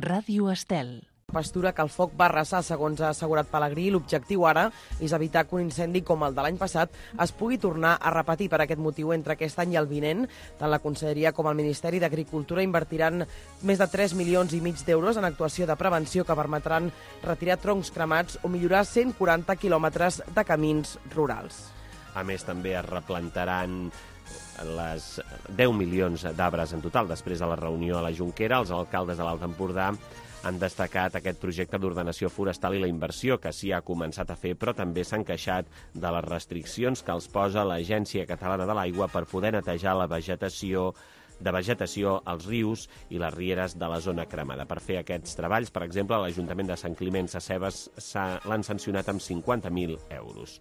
Ràdio Estel. Pastura que el foc va arrasar, segons ha assegurat Pelegrí. L'objectiu ara és evitar que un incendi com el de l'any passat es pugui tornar a repetir. Per aquest motiu, entre aquest any i el vinent, tant la Conselleria com el Ministeri d'Agricultura invertiran més de 3,5 milions d'euros en actuació de prevenció que permetran retirar troncs cremats o millorar 140 quilòmetres de camins rurals. A més, també es replantaran les 10 milions d'arbres en total. Després de la reunió a la Jonquera, els alcaldes de l'Alt Empordà han destacat aquest projecte d'ordenació forestal i la inversió que s'hi ha començat a fer, però també s'han queixat de les restriccions que els posa l'Agència Catalana de l'Aigua per poder netejar la vegetació als rius i les rieres de la zona cremada. Per fer aquests treballs, per exemple, l'Ajuntament de Sant Climent Sescebes l'han sancionat amb 50.000 euros.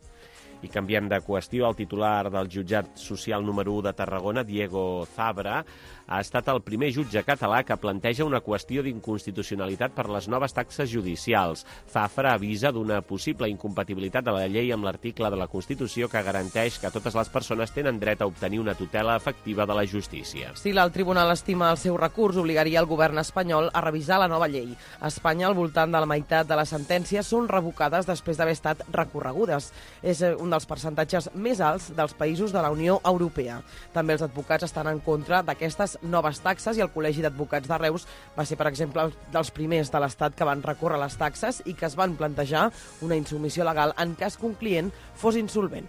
I canviem de qüestió. El titular del jutjat social número 1 de Tarragona, Diego Zabra, ha estat el primer jutge català que planteja una qüestió d'inconstitucionalitat per les noves taxes judicials. Zafra avisa d'una possible incompatibilitat de la llei amb l'article de la Constitució que garanteix que totes les persones tenen dret a obtenir una tutela efectiva de la justícia. Si el tribunal estima el seu recurs, obligaria el govern espanyol a revisar la nova llei. A Espanya, al voltant de la meitat de les sentències són revocades després d'haver estat recorregudes. És un dels percentatges més alts dels països de la Unió Europea. També els advocats estan en contra d'aquestes noves taxes i el Col·legi d'Advocats de Reus va ser, per exemple, dels primers de l'Estat que van recórrer les taxes i que es van plantejar una insubmissió legal en cas que un client fos insolvent.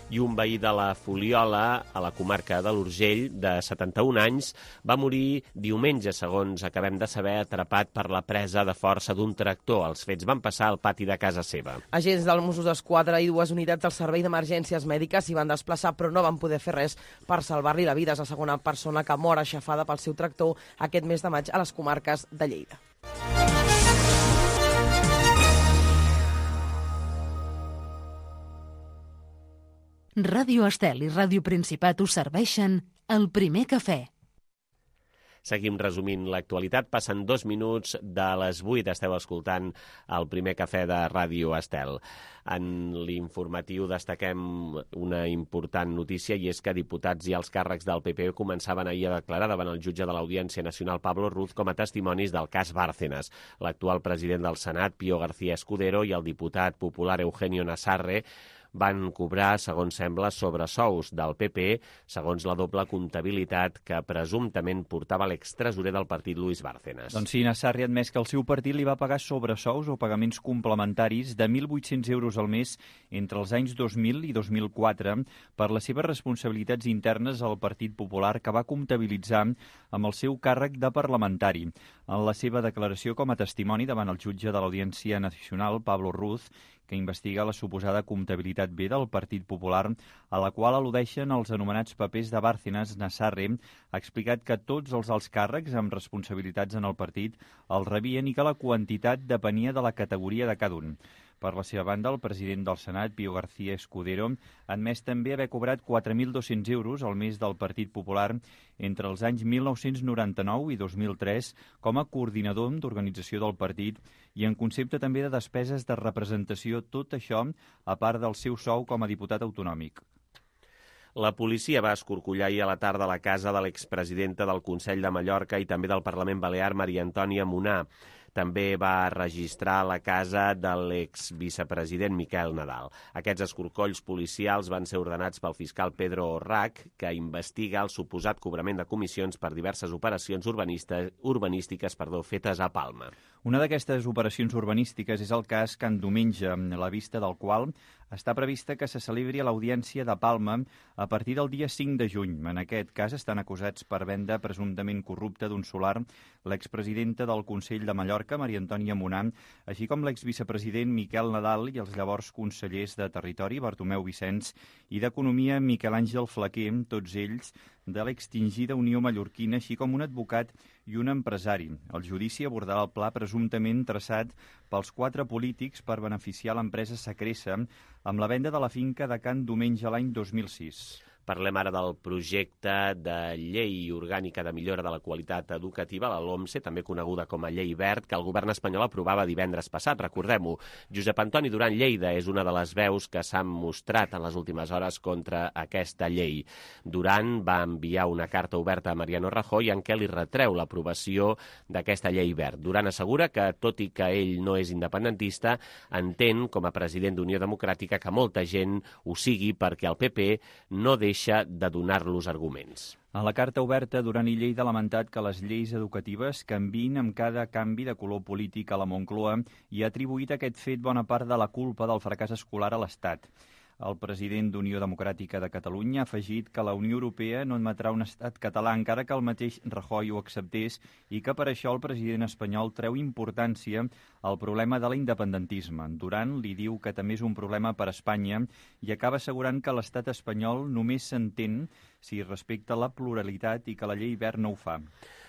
I un veí de la Fuliola, a la comarca de l'Urgell, de 71 anys, va morir diumenge, segons acabem de saber, atrapat per la presa de força d'un tractor. Els fets van passar al pati de casa seva. Agents dels Mossos d'Esquadra i 2 unitats del Servei d'Emergències Mèdiques s'hi van desplaçar, però no van poder fer res per salvar-li la vida. És la segona persona que mor aixafada pel seu tractor aquest mes de maig a les comarques de Lleida. Ràdio Estel i Ràdio Principat us serveixen el primer cafè. Seguim resumint l'actualitat. Passen 2 minuts de les 8. Esteu escoltant el primer cafè de Ràdio Estel. En l'informatiu destaquem una important notícia i és que diputats i alts càrrecs del PP començaven ahir a declarar davant el jutge de l'Audiència Nacional Pablo Ruz com a testimonis del cas Bárcenas. L'actual president del Senat, Pío García Escudero, i el diputat popular Eugenio Nassarre van cobrar, segons sembla, sobresous del PP, segons la doble comptabilitat que presumptament portava l'extresorer del partit Luis Bárcenas. Doncs sí, Nassarre ha admès que el seu partit li va pagar sobresous o pagaments complementaris de 1.800 euros al mes entre els anys 2000 i 2004 per les seves responsabilitats internes al Partit Popular que va comptabilitzar amb el seu càrrec de parlamentari. En la seva declaració com a testimoni davant el jutge de l'Audiència Nacional, Pablo Ruz, que investiga la suposada comptabilitat B del Partit Popular, a la qual al·ludeixen els anomenats papers de Bárcenas, Nassarre ha explicat que tots els alts càrrecs amb responsabilitats en el partit els rebien i que la quantitat depenia de la categoria de cada un. Per la seva banda, el president del Senat, Pío García Escudero, ha admès també haver cobrat 4.200 euros al mes del Partit Popular entre els anys 1999 i 2003 com a coordinador d'organització del partit i en concepte també de despeses de representació, tot això a part del seu sou com a diputat autonòmic. La policia va escorcollar ahir a la tarda la casa de l'expresidenta del Consell de Mallorca i també del Parlament Balear, Maria Antònia Munà. També va registrar la casa de l'exvicepresident Miquel Nadal. Aquests escorcolls policials van ser ordenats pel fiscal Pedro Orrac, que investiga el suposat cobrament de comissions per diverses operacions urbanístiques fetes a Palma. Una d'aquestes operacions urbanístiques és el cas Can Diumenge, la vista del qual està prevista que se celebri a l'Audiència de Palma a partir del dia 5 de juny. En aquest cas estan acusats per venda presumptament corrupta d'un solar l'expresidenta del Consell de Mallorca, Maria Antònia Munà, així com l'exvicepresident Miquel Nadal i els llavors consellers de Territori, Bartomeu Vicenç, i d'Economia, Miquel Àngel Flaquer, tots ells de l'extingida Unió Mallorquina, així com un advocat i un empresari. El judici abordarà el pla presumptament traçat pels 4 polítics per beneficiar l'empresa Sacresa amb la venda de la finca de Can Diumenge l'any 2006. Parlem ara del projecte de llei orgànica de millora de la qualitat educativa, la LOMSE, també coneguda com a Llei Wert, que el govern espanyol aprovava divendres passat, recordem-ho. Josep Antoni Duran Lleida és una de les veus que s'han mostrat en les últimes hores contra aquesta llei. Duran va enviar una carta oberta a Mariano Rajoy en què li retreu l'aprovació d'aquesta Llei Wert. Duran assegura que, tot i que ell no és independentista, entén, com a president d'Unió Democràtica, que molta gent ho sigui perquè el PP no deixa de donar-los arguments. En la carta oberta, Duran i Lleida ha lamentat que les lleis educatives canviïn amb cada canvi de color polític a la Moncloa i ha atribuït aquest fet bona part de la culpa del fracàs escolar a l'Estat. El president d'Unió Democràtica de Catalunya ha afegit que la Unió Europea no admetrà un estat català, encara que el mateix Rajoy ho acceptés, i que per això el president espanyol treu importància al problema de l'independentisme. Duran li diu que també és un problema per a Espanya i acaba assegurant que l'estat espanyol només s'entén si respecta la pluralitat i que la llei Wert no ho fa.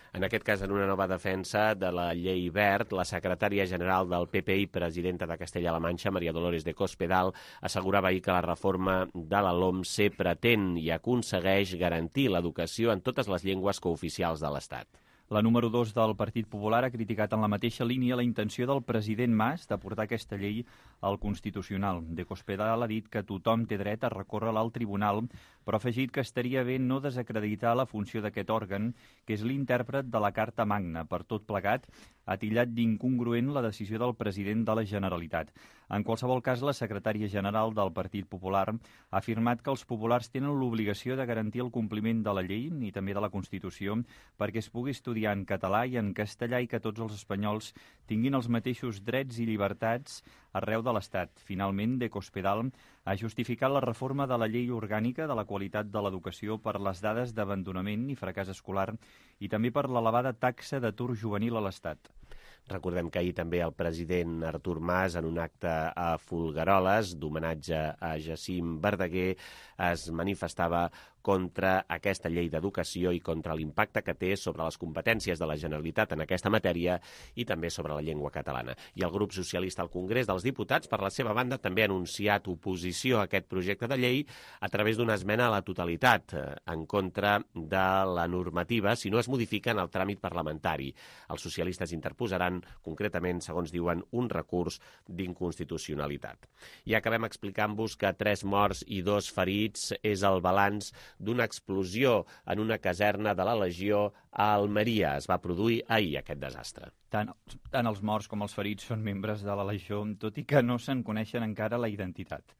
En aquest cas, en una nova defensa de la llei Wert, la secretària general del PP i presidenta de Castella-La Manxa, Maria Dolores de Cospedal, assegurava ahir que la reforma de la LOMSE pretén i aconsegueix garantir l'educació en totes les llengües cooficials de l'Estat. La número 2 del Partit Popular ha criticat en la mateixa línia la intenció del president Mas de portar aquesta llei al Constitucional. De Cospedal ha dit que tothom té dret a recórrer al tribunal, però ha afegit que estaria bé no desacreditar la funció d'aquest òrgan, que és l'intèrpret de la Carta Magna. Per tot plegat, ha tillat d'incongruent la decisió del president de la Generalitat. En qualsevol cas, la secretària general del Partit Popular ha afirmat que els populars tenen l'obligació de garantir el compliment de la llei i també de la Constitució perquè es pugui estudiar en català i en castellà i que tots els espanyols tinguin els mateixos drets i llibertats arreu de l'Estat. Finalment, de Cospedal ha justificat la reforma de la llei orgànica de la qualitat de l'educació per les dades d'abandonament i fracàs escolar i també per l'elevada taxa d'atur juvenil a l'Estat. Recordem que ahir també el president Artur Mas, en un acte a Folgueroles d'homenatge a Jacint Verdaguer, es manifestava contra aquesta llei d'educació i contra l'impacte que té sobre les competències de la Generalitat en aquesta matèria i també sobre la llengua catalana. I el grup socialista al Congrés dels Diputats, per la seva banda, també ha anunciat oposició a aquest projecte de llei a través d'una esmena a la totalitat en contra de la normativa si no es modifica en el tràmit parlamentari. Els socialistes interposaran, concretament, segons diuen, un recurs d'inconstitucionalitat. I acabem explicant-vos que 3 morts i 2 ferits és el balanç d'una explosió en una caserna de la Legió a Almeria. Es va produir ahir aquest desastre. Tant els morts com els ferits són membres de la Legió, tot i que no se'n coneixen encara la identitat.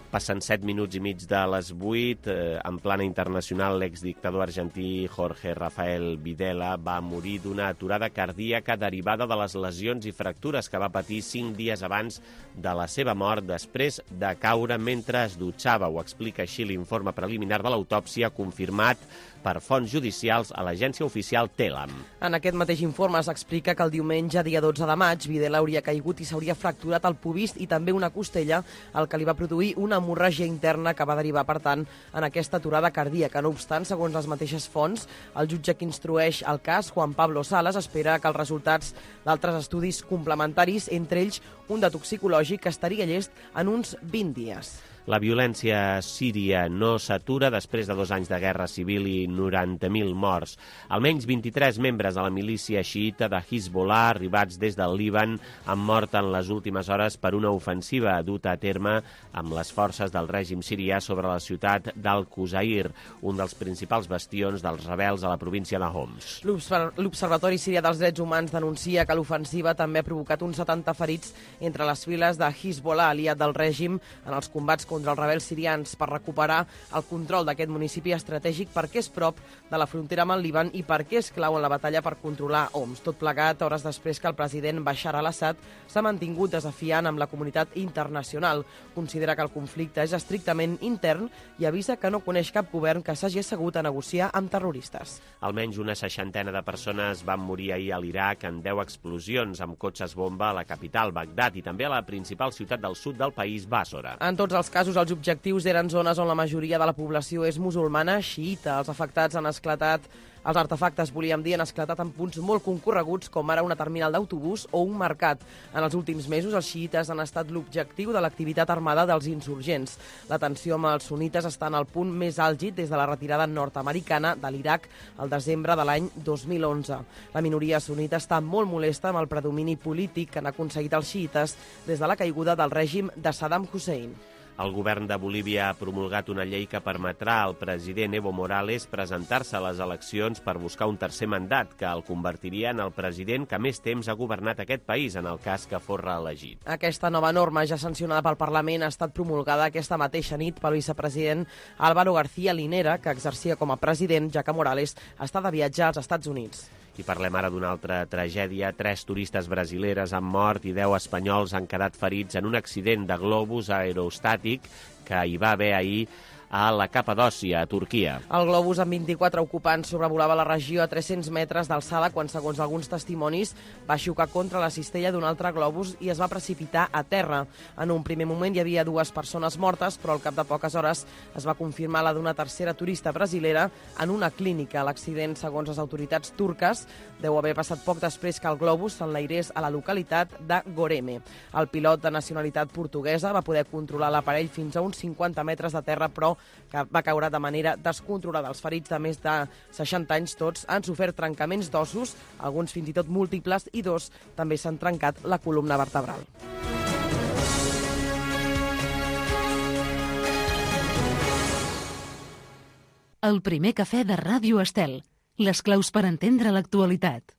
Passen 7 minuts i mig de les 8. En plana internacional, l'exdictador argentí Jorge Rafael Videla va morir d'una aturada cardíaca derivada de les lesions i fractures que va patir 5 dies abans de la seva mort després de caure mentre es dutxava. Ho explica així l'informe preliminar de l'autòpsia confirmat per fonts judicials a l'agència oficial Telam. En aquest mateix informe s'explica que el diumenge, dia 12 de maig, Videla hauria caigut i s'hauria fracturat el pubis i també una costella, el que li va produir una hemorràgia interna que va derivar, per tant, en aquesta aturada cardíaca. No obstant, segons les mateixes fonts, el jutge que instrueix el cas, Juan Pablo Salas, espera que els resultats d'altres estudis complementaris, entre ells un de toxicològic, estaria llest en uns 20 dies. La violència a Síria no s'atura després de 2 anys de guerra civil i 90.000 morts. Almenys 23 membres de la milícia xiïta de Hezbollah, arribats des del Líban, han mort en les últimes hores per una ofensiva duta a terme amb les forces del règim sirià sobre la ciutat d'Al-Qusair, un dels principals bastions dels rebels a la província de Homs. L'Observatori Sirià dels Drets Humans denuncia que l'ofensiva també ha provocat uns 70 ferits entre les files de Hezbollah, aliat del règim, en els combats contra els rebels sirians per recuperar el control d'aquest municipi estratègic perquè és prop de la frontera amb el Líban i perquè és clau en la batalla per controlar Homs. Tot plegat hores després que el president Bashar al-Assad s'ha mantingut desafiant amb la comunitat internacional. Considera que el conflicte és estrictament intern i avisa que no coneix cap govern que s'hagi assegut a negociar amb terroristes. Almenys una 60 de persones van morir ahir a l'Iraq en 10 explosions amb cotxes bomba a la capital, Bagdad, i també a la principal ciutat del sud del país, Bàssora. En tots els casos, els objectius eren zones on la majoria de la població és musulmana xiïta. Els afectats han esclatat Els artefactes, volíem dir, han esclatat en punts molt concorreguts, com ara una terminal d'autobús o un mercat. En els últims mesos, els xiites han estat l'objectiu de l'activitat armada dels insurgents. La tensió amb els sunites està en el punt més àlgid des de la retirada nord-americana de l'Iraq al desembre de l'any 2011. La minoria sunita està molt molesta amb el predomini polític que han aconseguit els xiites des de la caiguda del règim de Saddam Hussein. El govern de Bolívia ha promulgat una llei que permetrà al president Evo Morales presentar-se a les eleccions per buscar un tercer mandat, que el convertiria en el president que més temps ha governat aquest país, en el cas que fos reelegit. Aquesta nova norma, ja sancionada pel Parlament, ha estat promulgada aquesta mateixa nit pel vicepresident Álvaro García Linera, que exercia com a president, ja que Morales està de viatge als Estats Units. I parlem ara d'una altra tragèdia. 3 turistes brasileres han mort i 10 espanyols han quedat ferits en un accident de globus aerostàtic que hi va haver ahir a la Capadòcia, a Turquia. El globus amb 24 ocupants sobrevolava la regió a 300 metres d'alçada quan, segons alguns testimonis, va xocar contra la cistella d'un altre globus i es va precipitar a terra. En un primer moment hi havia 2 persones mortes, però al cap de poques hores es va confirmar la d'una tercera turista brasilera en una clínica. L'accident, segons les autoritats turques, deu haver passat poc després que el globus s'enlairés a la localitat de Goreme. El pilot de nacionalitat portuguesa va poder controlar l'aparell fins a uns 50 metres de terra, però que va caure de manera descontrolada. Els ferits de més de 60 anys tots han sofert trencaments d'ossos, alguns fins i tot múltiples, i 2 també s'han trencat la columna vertebral. El primer cafè de Ràdio Estel. Les claus per entendre l'actualitat.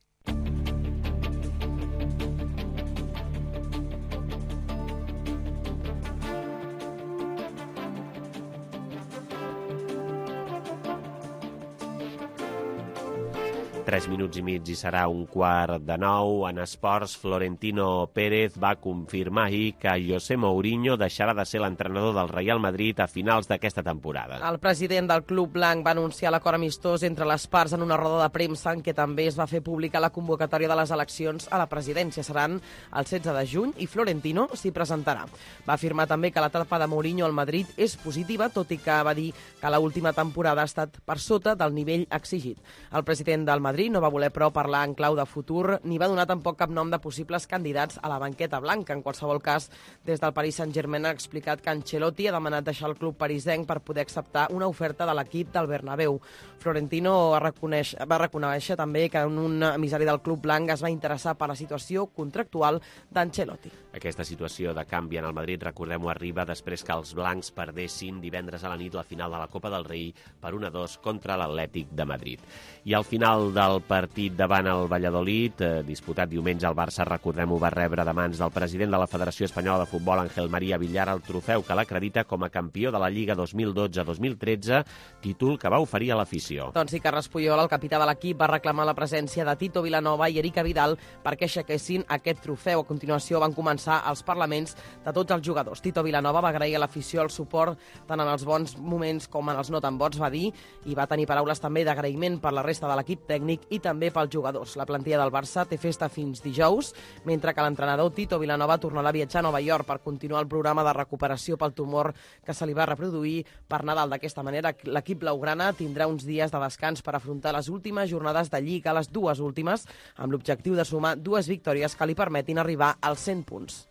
Tres minuts i mig i serà 8:45. En esports, Florentino Pérez va confirmar ahir que José Mourinho deixarà de ser l'entrenador del Real Madrid a finals d'aquesta temporada. El president del club blanc va anunciar l'acord amistós entre les parts en una roda de premsa en què també es va fer pública la convocatòria de les eleccions a la presidència. Seran el 16 de juny i Florentino s'hi presentarà. Va afirmar també que l'etapa de Mourinho al Madrid és positiva, tot i que va dir que l'última temporada ha estat per sota del nivell exigit. El president del Madrid no va voler, però, parlar en clau de futur, ni va donar tampoc cap nom de possibles candidats a la banqueta blanca. En qualsevol cas, des del Paris Saint-Germain ha explicat que Ancelotti ha demanat deixar el club parisenc per poder acceptar una oferta de l'equip del Bernabéu. Florentino va reconèixer també que un emissari del club blanc es va interessar per la situació contractual d'Ancelotti. Aquesta situació de canvi en el Madrid, recordem-ho, arriba després que els blancs perdessin divendres a la nit la final de la Copa del Rei per 1-2 contra l'Atlètic de Madrid. I al final del partit davant el Valladolid, disputat diumenge, el Barça, recordem-ho, va rebre de mans del president de la Federació Espanyola de Futbol, Ángel María Villar, el trofeu que l'acredita com a campió de la Lliga 2012-2013, títol que va oferir a l'afició. Doncs sí, Carles Puyol, el capità de l'equip, va reclamar la presència de Tito Vilanova i Erika Vidal perquè aixequessin aquest trofeu. A continuació van començar els parlaments de tots els jugadors. Tito Vilanova va agrair a l'afició el suport tant en els bons moments com en els no tan bons, va dir, i va tenir paraules també d'agraïment per la resta de l'equip tècnic i també pels jugadors. La plantilla del Barça té festa fins dijous, mentre que l'entrenador Tito Vilanova tornarà a viatjar a Nova York per continuar el programa de recuperació pel tumor que se li va reproduir per Nadal. D'aquesta manera, l'equip blaugrana tindrà uns dies de descans per afrontar les últimes jornades de Lliga, les 2 últimes, amb l'objectiu de sumar 2 victòries que li permetin arribar als 100 punts.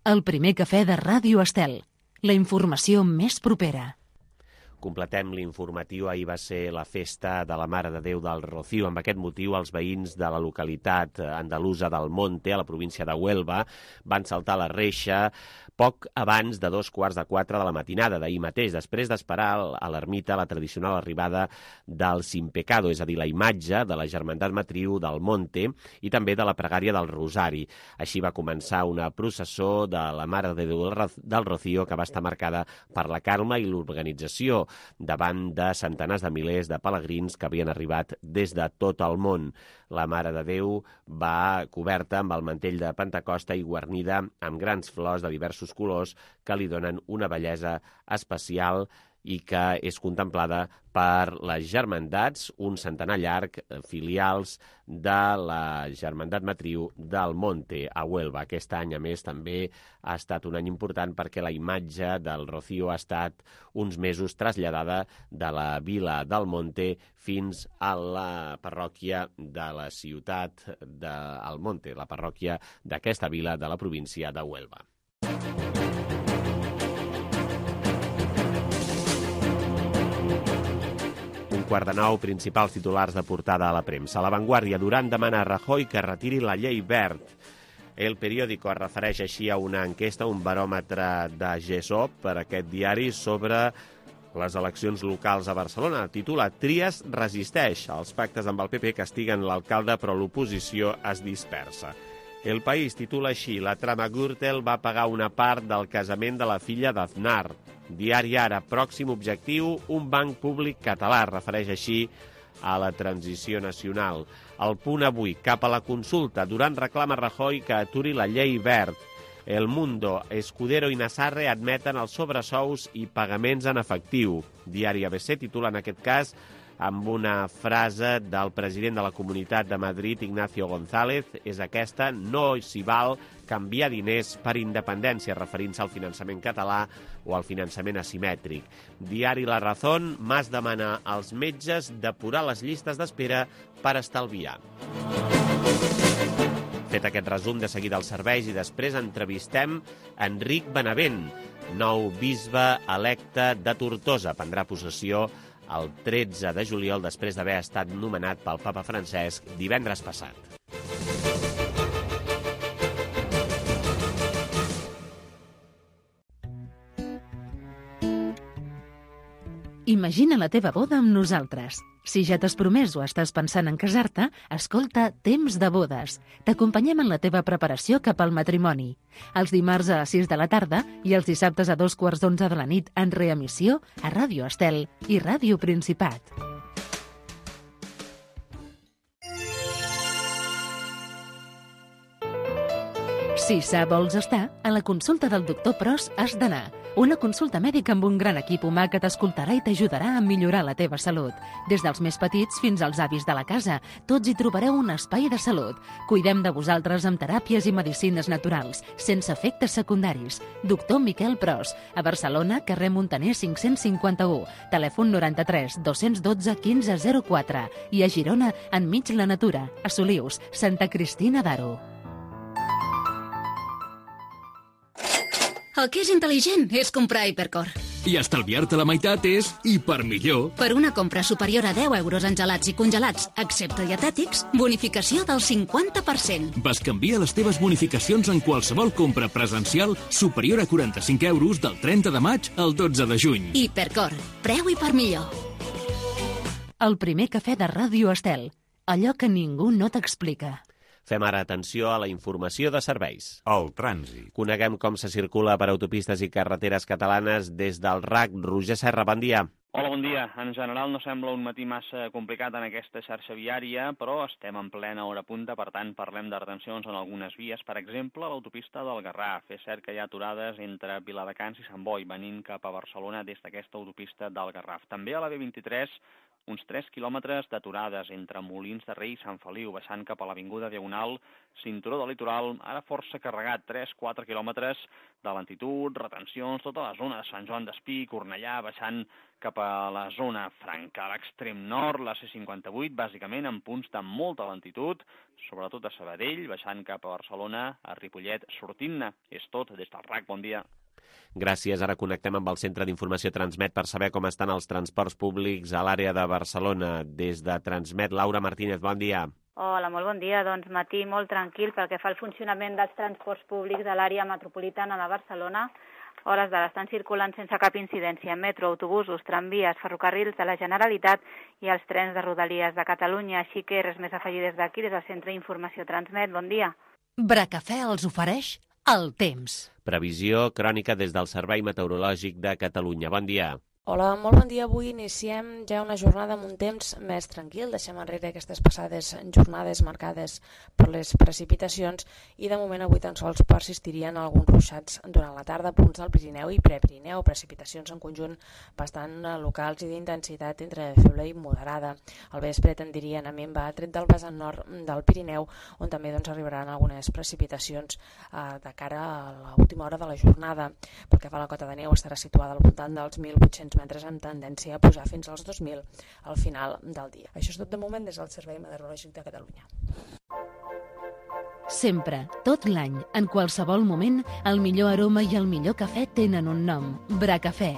El primer cafè de Ràdio Estel. La informació més propera. Completem l'informatiu. Ahir va ser la festa de la Mare de Déu del Rocío. Amb aquest motiu, els veïns de la localitat andalusa del Monte, a la província de Huelva, van saltar la reixa poc abans de 3:15 de la matinada d'ahir mateix, després d'esperar a l'ermita la tradicional arribada del Sin Pecado, és a dir, la imatge de la Germandat Matriu del Monte i també de la pregària del Rosari. Així va començar una processó de la Mare de Déu del Rocío que va estar marcada per la calma i l'organització davant de centenars de milers de pelegrins que havien arribat des de tot el món. La Mare de Déu va coberta amb el mantell de Pentecosta i guarnida amb grans flors de diversos colors que li donen una bellesa especial i que és contemplada per les germandats, un centenar llarg, filials de la Germandat Matriu del Monte, a Huelva. Aquest any, a més, també ha estat un any important perquè la imatge del Rocío ha estat uns mesos traslladada de la vila del Monte fins a la parròquia de la ciutat del Monte, la parròquia d'aquesta vila de la província de Huelva. 8:45, principals titulars de portada a la premsa. La Vanguardia, Duran demana a Rajoy que retiri la llei Wert. El Periódico es refereix així a una enquesta, un baròmetre de GESOP per aquest diari sobre les eleccions locals a Barcelona. Titula Trias resisteix. Els pactes amb el PP castiguen l'alcalde, però l'oposició es dispersa. El País titula així: la trama Gürtel va pagar una part del casament de la filla d'Aznar. Diari Ara, pròxim objectiu, un banc públic català, refereix així a la transició nacional. El Punt avui, cap a la consulta. Duran reclama a Rajoy que aturi la llei Wert. El Mundo, Escudero i Nassarre admeten els sobresous i pagaments en efectiu. Diari ABC titula en aquest cas amb una frase del president de la Comunitat de Madrid, Ignacio González, és aquesta: no s'hi val canviar diners per independència, referint-se al finançament català o al finançament asimètric. Diari La Razón, Mas demana als metges depurar les llistes d'espera per estalviar. Fet aquest resum, de seguida els serveis i després entrevistem Enric Benavent, nou bisbe electe de Tortosa. Prendrà possessió el 13 de juliol, després d'haver estat nomenat pel papa Francesc divendres passat. Imagina la teva boda amb nosaltres. Si ja t'has promès o estàs pensant en casar-te, escolta Temps de bodes. T'acompanyem en la teva preparació cap al matrimoni. Els dimarts a 6 de la tarda i els dissabtes a 2:15 de la nit en reemissió a Ràdio Estel i Ràdio Principat. Si sa vols estar, a la consulta del doctor Pros has d'anar. Una consulta mèdica amb un gran equip humà que t'escoltarà i t'ajudarà a millorar la teva salut. Des dels més petits fins als avis de la casa, tots hi trobareu un espai de salut. Cuidem de vosaltres amb teràpies i medicines naturals, sense efectes secundaris. Doctor Miquel Pros, a Barcelona, carrer Muntaner 551, telèfon 93 212 1504 i a Girona, enmig la natura, a Solius, Santa Cristina d'Aro. El que és intel·ligent és comprar Hipercor. I estalviar-te la meitat és hipermillor. Per una compra superior a 10 euros en gelats i congelats, excepte dietètics, bonificació del 50%. Bescanvia les teves bonificacions en qualsevol compra presencial superior a 45 euros del 30 de maig al 12 de juny. Hipercor, preu hipermillor. El primer cafè de Ràdio Estel. Allò que ningú no t'explica. Fem ara atenció a la informació de serveis. El trànsit. Coneguem com se circula per autopistes i carreteres catalanes des del RAC. Roger Serra, bon dia. Hola, bon dia. En general no sembla un matí massa complicat en aquesta xarxa viària, però estem en plena hora punta, per tant parlem de retencions en algunes vies. Per exemple, a l'autopista del Garraf. És cert que hi ha aturades entre Viladecans i Sant Boi, venint cap a Barcelona des d'aquesta autopista del Garraf. També a la B23, uns 3 quilòmetres d'aturades entre Molins de Rei i Sant Feliu, baixant cap a l'avinguda Diagonal, cinturó del litoral, ara força carregat, 3-4 quilòmetres de lentitud, retencions, tota la zona de Sant Joan d'Espí, Cornellà, baixant cap a la zona franca, a l'extrem nord, la C58, bàsicament en punts de molta lentitud, sobretot a Sabadell, baixant cap a Barcelona, a Ripollet, sortint-ne. És tot des del RAC, bon dia. Gràcies. Ara connectem amb el Centre d'Informació Transmet per saber com estan els transports públics a l'àrea de Barcelona. Des de Transmet, Laura Martínez, bon dia. Hola, molt bon dia. Doncs matí molt tranquil pel que fa al funcionament dels transports públics de l'àrea metropolitana de Barcelona. Hores d'ara estan circulant sense cap incidència metro, autobusos, tramvies, ferrocarrils de la Generalitat i els trens de Rodalies de Catalunya. Així que res més a afegir des d'aquí, des del Centre d'Informació Transmet. Bon dia. Bracafè els ofereix el temps. Previsió crònica des del Servei Meteorològic de Catalunya. Bon dia. Hola, molt bon dia. Avui iniciem ja una jornada amb un temps més tranquil. Deixem enrere aquestes passades jornades marcades per les precipitacions i de moment avui tan sols persistirien alguns ruixats durant la tarda, punts del Pirineu i Prepirineu, precipitacions en conjunt bastant locals i d'intensitat entre feble i moderada. Al vespre tendirien a minvar, tret del vessant nord del Pirineu, on també arribaran algunes precipitacions de cara a l'última hora de la jornada. Pel que fa a la cota de neu, estarà situada al voltant dels 1.800 metres amb tendència a pujar fins als 2.000 al final del dia. Això és tot de moment des del Servei Meteorològic de Catalunya. Sempre, tot l'any, en qualsevol moment, el millor aroma i el millor cafè tenen un nom, Bracafè.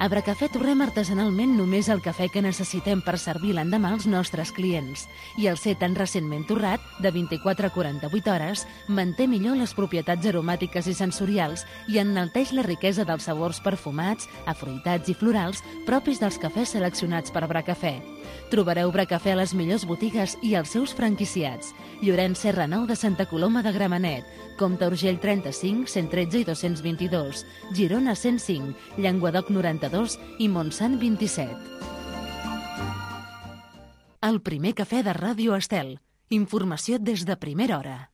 A Bracafè torrem artesanalment només el cafè que necessitem per servir l'endemà als nostres clients. I el ser tan recentment torrat, de 24 a 48 hores, manté millor les propietats aromàtiques i sensorials i enalteix la riquesa dels sabors perfumats, afruitats i florals propis dels cafès seleccionats per Bracafè. Trobareu Bracafè a les millors botigues i als seus franquiciats. Llorenç Serra 9 de Santa Coloma de Gramenet, Comte Urgell 35, 113 i 222, Girona 105, Llenguadoc 92 i Montsant 27. El primer cafè de Ràdio Estel. Informació des de primera hora.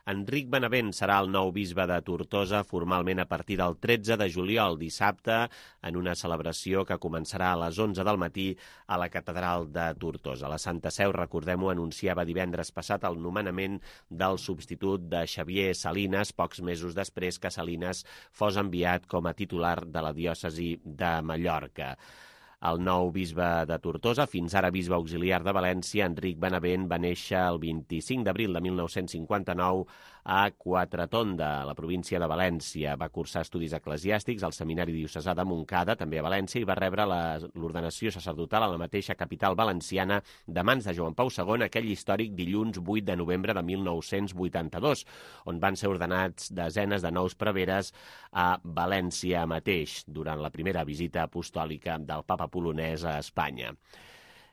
Enric Benavent serà el nou bisbe de Tortosa formalment a partir del 13 de juliol, dissabte, en una celebració que començarà a les 11 del matí a la catedral de Tortosa. La Santa Seu, recordem-ho, anunciava divendres passat el nomenament del substitut de Xavier Salines, pocs mesos després que Salines fos enviat com a titular de la diòcesi de Mallorca. El nou bisbe de Tortosa, fins ara bisbe auxiliar de València, Enric Benavent, va néixer el 25 d'abril de 1959 a Quatretonda, a la província de València. Va cursar estudis eclesiàstics al Seminari Diocesà de Montcada, també a València, i va rebre l'ordenació sacerdotal a la mateixa capital valenciana de mans de Joan Pau II aquell històric dilluns 8 de novembre de 1982, on van ser ordenats desenes de nous preveres a València mateix, durant la primera visita apostòlica del papa polonès a Espanya.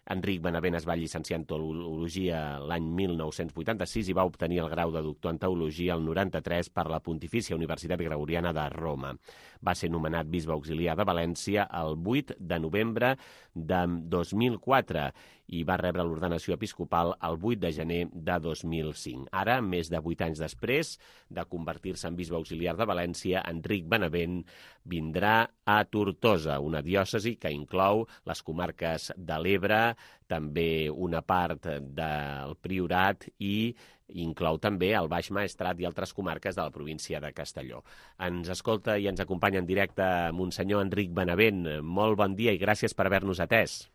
Enric Benavent es va llicenciar en teologia l'any 1986 i va obtenir el grau de doctor en teologia el 93 per la Pontifícia Universitat Gregoriana de Roma. Va ser nomenat bisbe auxiliar de València el 8 de novembre de 2004 i va rebre l'ordenació episcopal el 8 de gener de 2005. Ara, més de 8 anys després de convertir-se en bisbe auxiliar de València, Enric Benavent vindrà a Tortosa, una diòcesi que inclou les comarques de l'Ebre, també una part del Priorat i inclou també el Baix Maestrat i altres comarques de la província de Castelló. Ens escolta i ens acompanya en directe Monsenyor Enric Benavent. Molt bon dia i gràcies per haver-nos atès.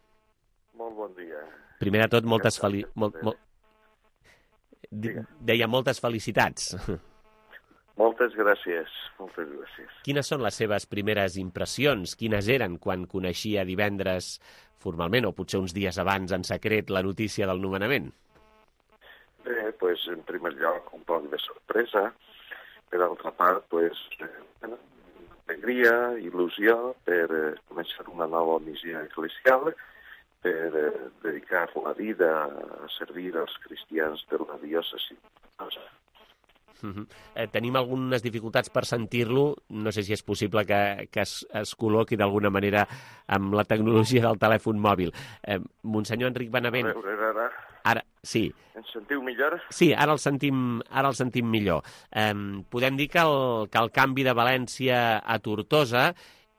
Molt bon dia. Primer de tot, deia moltes felicitats. Moltes gràcies, moltes gràcies. Quines són les seves primeres impressions? Quines eren quan coneixia divendres formalment, o potser uns dies abans en secret, la notícia del nomenament? Bé, doncs, en primer lloc, un poc de sorpresa. Per altra part, alegria, il·lusió per començar una nova missió eclesial, per dedicar la vida a servir als cristians de la diòcesi. Tenim algunes dificultats per sentir-lo. No sé si és possible que es col·loqui d'alguna manera amb la tecnologia del telèfon mòbil. Monsenyor Enric Benavent... A veure, ara, sí. Ens sentiu millor? Sí, ara el sentim millor. Podem dir que el canvi de València a Tortosa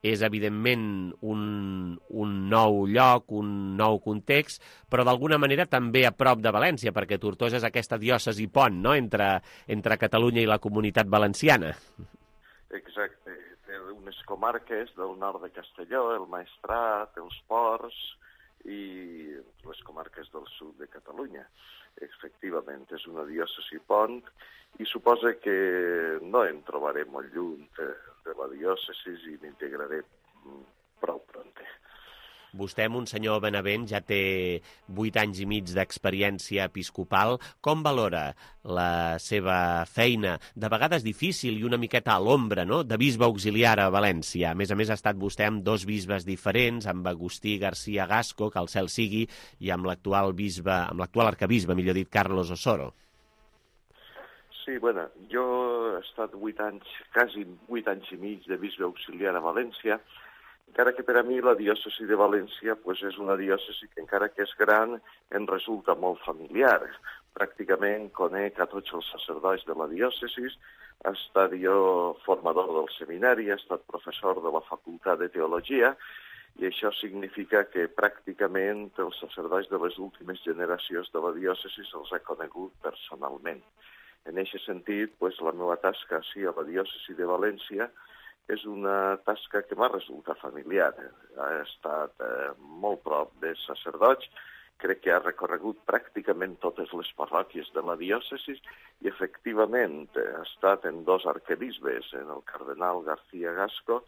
és, evidentment, un nou lloc, un nou context, però d'alguna manera també a prop de València, perquè Tortosa és aquesta diòcesi pont, no?, entre Catalunya i la Comunitat Valenciana. Exacte. Té unes comarques del nord de Castelló, el Maestrat, els Ports i les comarques del sud de Catalunya. Efectivament, és una diòcesi pont i suposa que no em trobaré molt lluny de la diòcesi i m'integraré prou pront. Vostè, Monsenyor Benavent, ja té 8 anys i mig d'experiència episcopal. Com valora la seva feina, de vegades difícil i una miqueta a l'ombra, no?, de bisbe auxiliar a València? A més, ha estat vostè amb 2 bisbes diferents, amb Agustí García Gasco, que el cel sigui, i amb l'actual arcabisbe, millor dit, Carlos Osoro. Sí, bueno, jo he estat 8 anys, quasi 8 anys i mig de bisbe auxiliar a València, encara que per a mi la diòcesi de València és una diòcesi que, encara que és gran, em resulta molt familiar. Pràcticament conec a tots els sacerdots de la diòcesi, he estat jo formador del seminari, he estat professor de la Facultat de Teologia, i això significa que pràcticament els sacerdots de les últimes generacions de la diòcesi els he conegut personalment. En aquest sentit, la meva tasca a la diòcesi de València és una tasca que m'ha resultat familiar. He estat molt prop de sacerdots, crec que ha recorregut pràcticament totes les parròquies de la diòcesi i, efectivament, he estat en 2 arquebisbes, en el cardenal García Gasco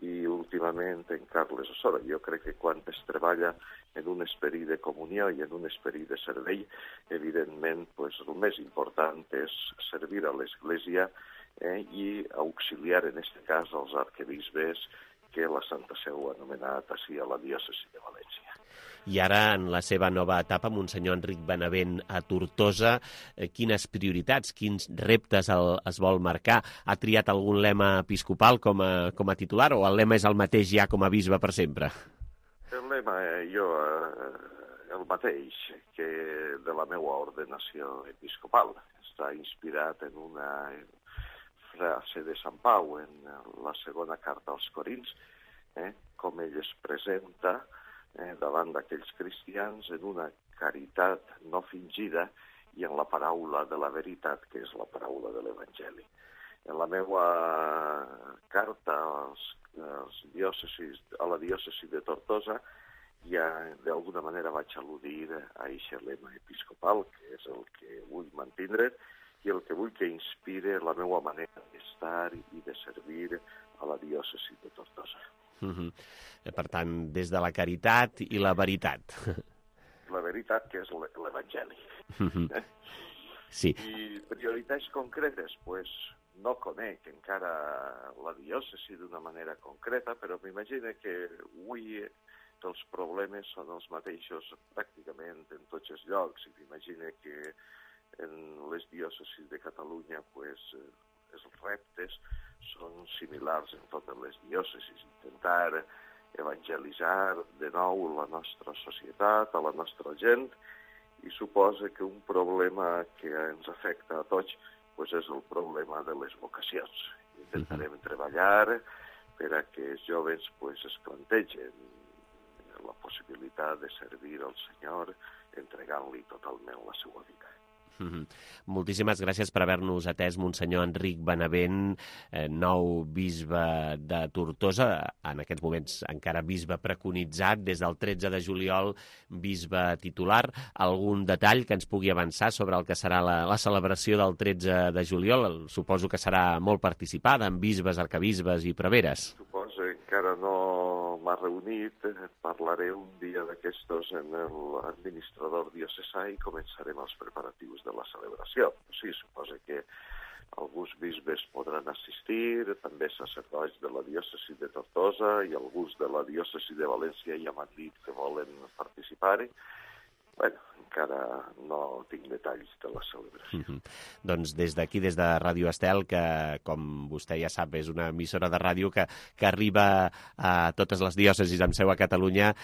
i, últimament, en Carles Osora. Jo crec que quan es treballa en un esperit de comunió i en un esperit de servei, evidentment, el més important és servir a l'Església i auxiliar, en aquest cas, els arquebisbes que la Santa Seu ha anomenat així a la diòcesi de València. I ara, en la seva nova etapa, Monsenyor Enric Benavent a Tortosa, quines prioritats, quins reptes es vol marcar? Ha triat algun lema episcopal com a titular o el lema és el mateix ja com a bisbe per sempre? El lema, el mateix que de la meva ordenació episcopal. Està inspirat en una frase de Sant Pau en la segona carta als Corins, com ell es presenta davant d'aquells cristians en una caritat no fingida i en la paraula de la veritat, que és la paraula de l'Evangeli. En la meva carta a la diòcesi de Tortosa ja d'alguna manera vaig al·ludir a aquest lema episcopal, que és el que vull mantindre i el que vull que inspire la meva manera d'estar i de servir a la diòcesi de Tortosa. Per tant, des de la caritat i la veritat. La veritat, que és l'Evangeli. Sí. I prioritats concretes, no conec encara la diòcesi d'una manera concreta, però m'imagino que avui els problemes són els mateixos pràcticament en tots els llocs, i m'imagino que en les diòcesis de Catalunya els reptes són similars en totes les diòcesis. Intentar evangelitzar de nou la nostra societat, a la nostra gent, i suposa que un problema que ens afecta a tots és el problema de les vocacions. Intentarem treballar per a que els joves es plantegen la possibilitat de servir al Senyor entregant-li totalment la seva vida. Moltíssimes gràcies per haver-nos atès, Monsenyor Enric Benavent, nou bisbe de Tortosa, en aquests moments encara bisbe preconitzat, des del 13 de juliol, bisbe titular. Algun detall que ens pugui avançar sobre el que serà la celebració del 13 de juliol? Suposo que serà molt participada amb bisbes, arcabisbes i preveres. Suposo que encara no m'ha reunit, parlaré un dia d'aquestos en l'administrador diocesà i començarem els preparatius de la celebració. Sí, suposo que alguns bisbes podran assistir, també sacerdots de la diòcesi de Tortosa i alguns de la diòcesi de València i a Madrid que volen participar-hi. Encara no tinc detalls de la celebració. Doncs des d'aquí, des de Ràdio Estel, que com vostè ja sap és una emissora de ràdio que arriba a totes les diòcesis amb seu a Catalunya,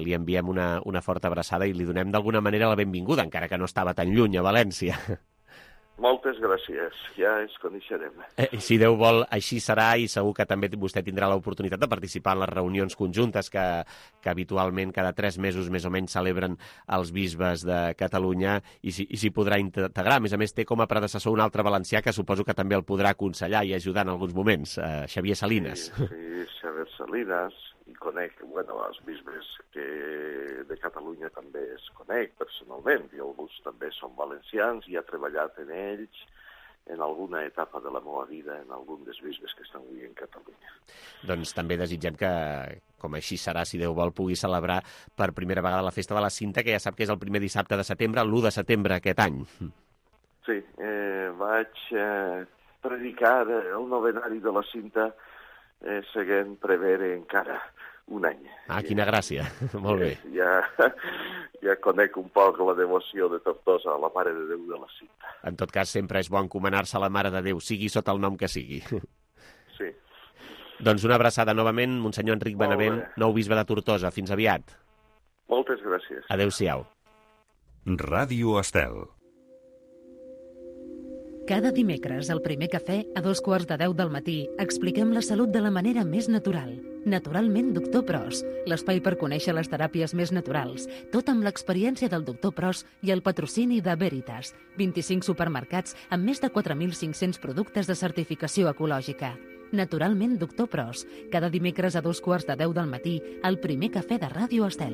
li enviem una forta abraçada i li donem d'alguna manera la benvinguda, encara que no estava tan lluny a València. Moltes gràcies, ja ens coneixerem. Si Déu vol, així serà, i segur que també vostè tindrà l'oportunitat de participar en les reunions conjuntes que habitualment cada 3 mesos més o menys celebren els bisbes de Catalunya, i s'hi podrà integrar. A més, té com a predecessor un altre valencià que suposo que també el podrà aconsellar i ajudar en alguns moments, Xavier Salines. Sí, Xavier Salines, i conec, els bisbes que de Catalunya també es conec personalment, i alguns també són valencians, i he treballat en ells en alguna etapa de la meva vida, en algun dels bisbes que estan avui en Catalunya. Doncs també desitgem que, com així serà, si Déu vol, pugui celebrar per primera vegada la Festa de la Cinta, que ja sap que és el primer dissabte de setembre, l'1 de setembre aquest any. Sí, vaig predicar el novenari de la Cinta seguint prevere encara un any. Quina gràcia. Molt bé. Ja conec un poc la devoció de Tortosa a la Mare de Déu de la Cinta. En tot cas, sempre és bo encomanar-se a la Mare de Déu, sigui sota el nom que sigui. Sí. Doncs una abraçada novament, Monsenyor Enric Benavent, nou bisbe de Tortosa. Fins aviat. Moltes gràcies. Adéu-siau. Ràdio Estel. Cada dimecres, al primer cafè, a 9:45 del matí, expliquem la salut de la manera més natural. Naturalment, Doctor Pros, l'espai per conèixer les teràpies més naturals, tot amb l'experiència del Doctor Pros i el patrocini de Veritas, 25 supermercats amb més de 4.500 productes de certificació ecològica. Naturalment, Doctor Pros, cada dimecres a 9:45 del matí, al primer cafè de Ràdio Estel.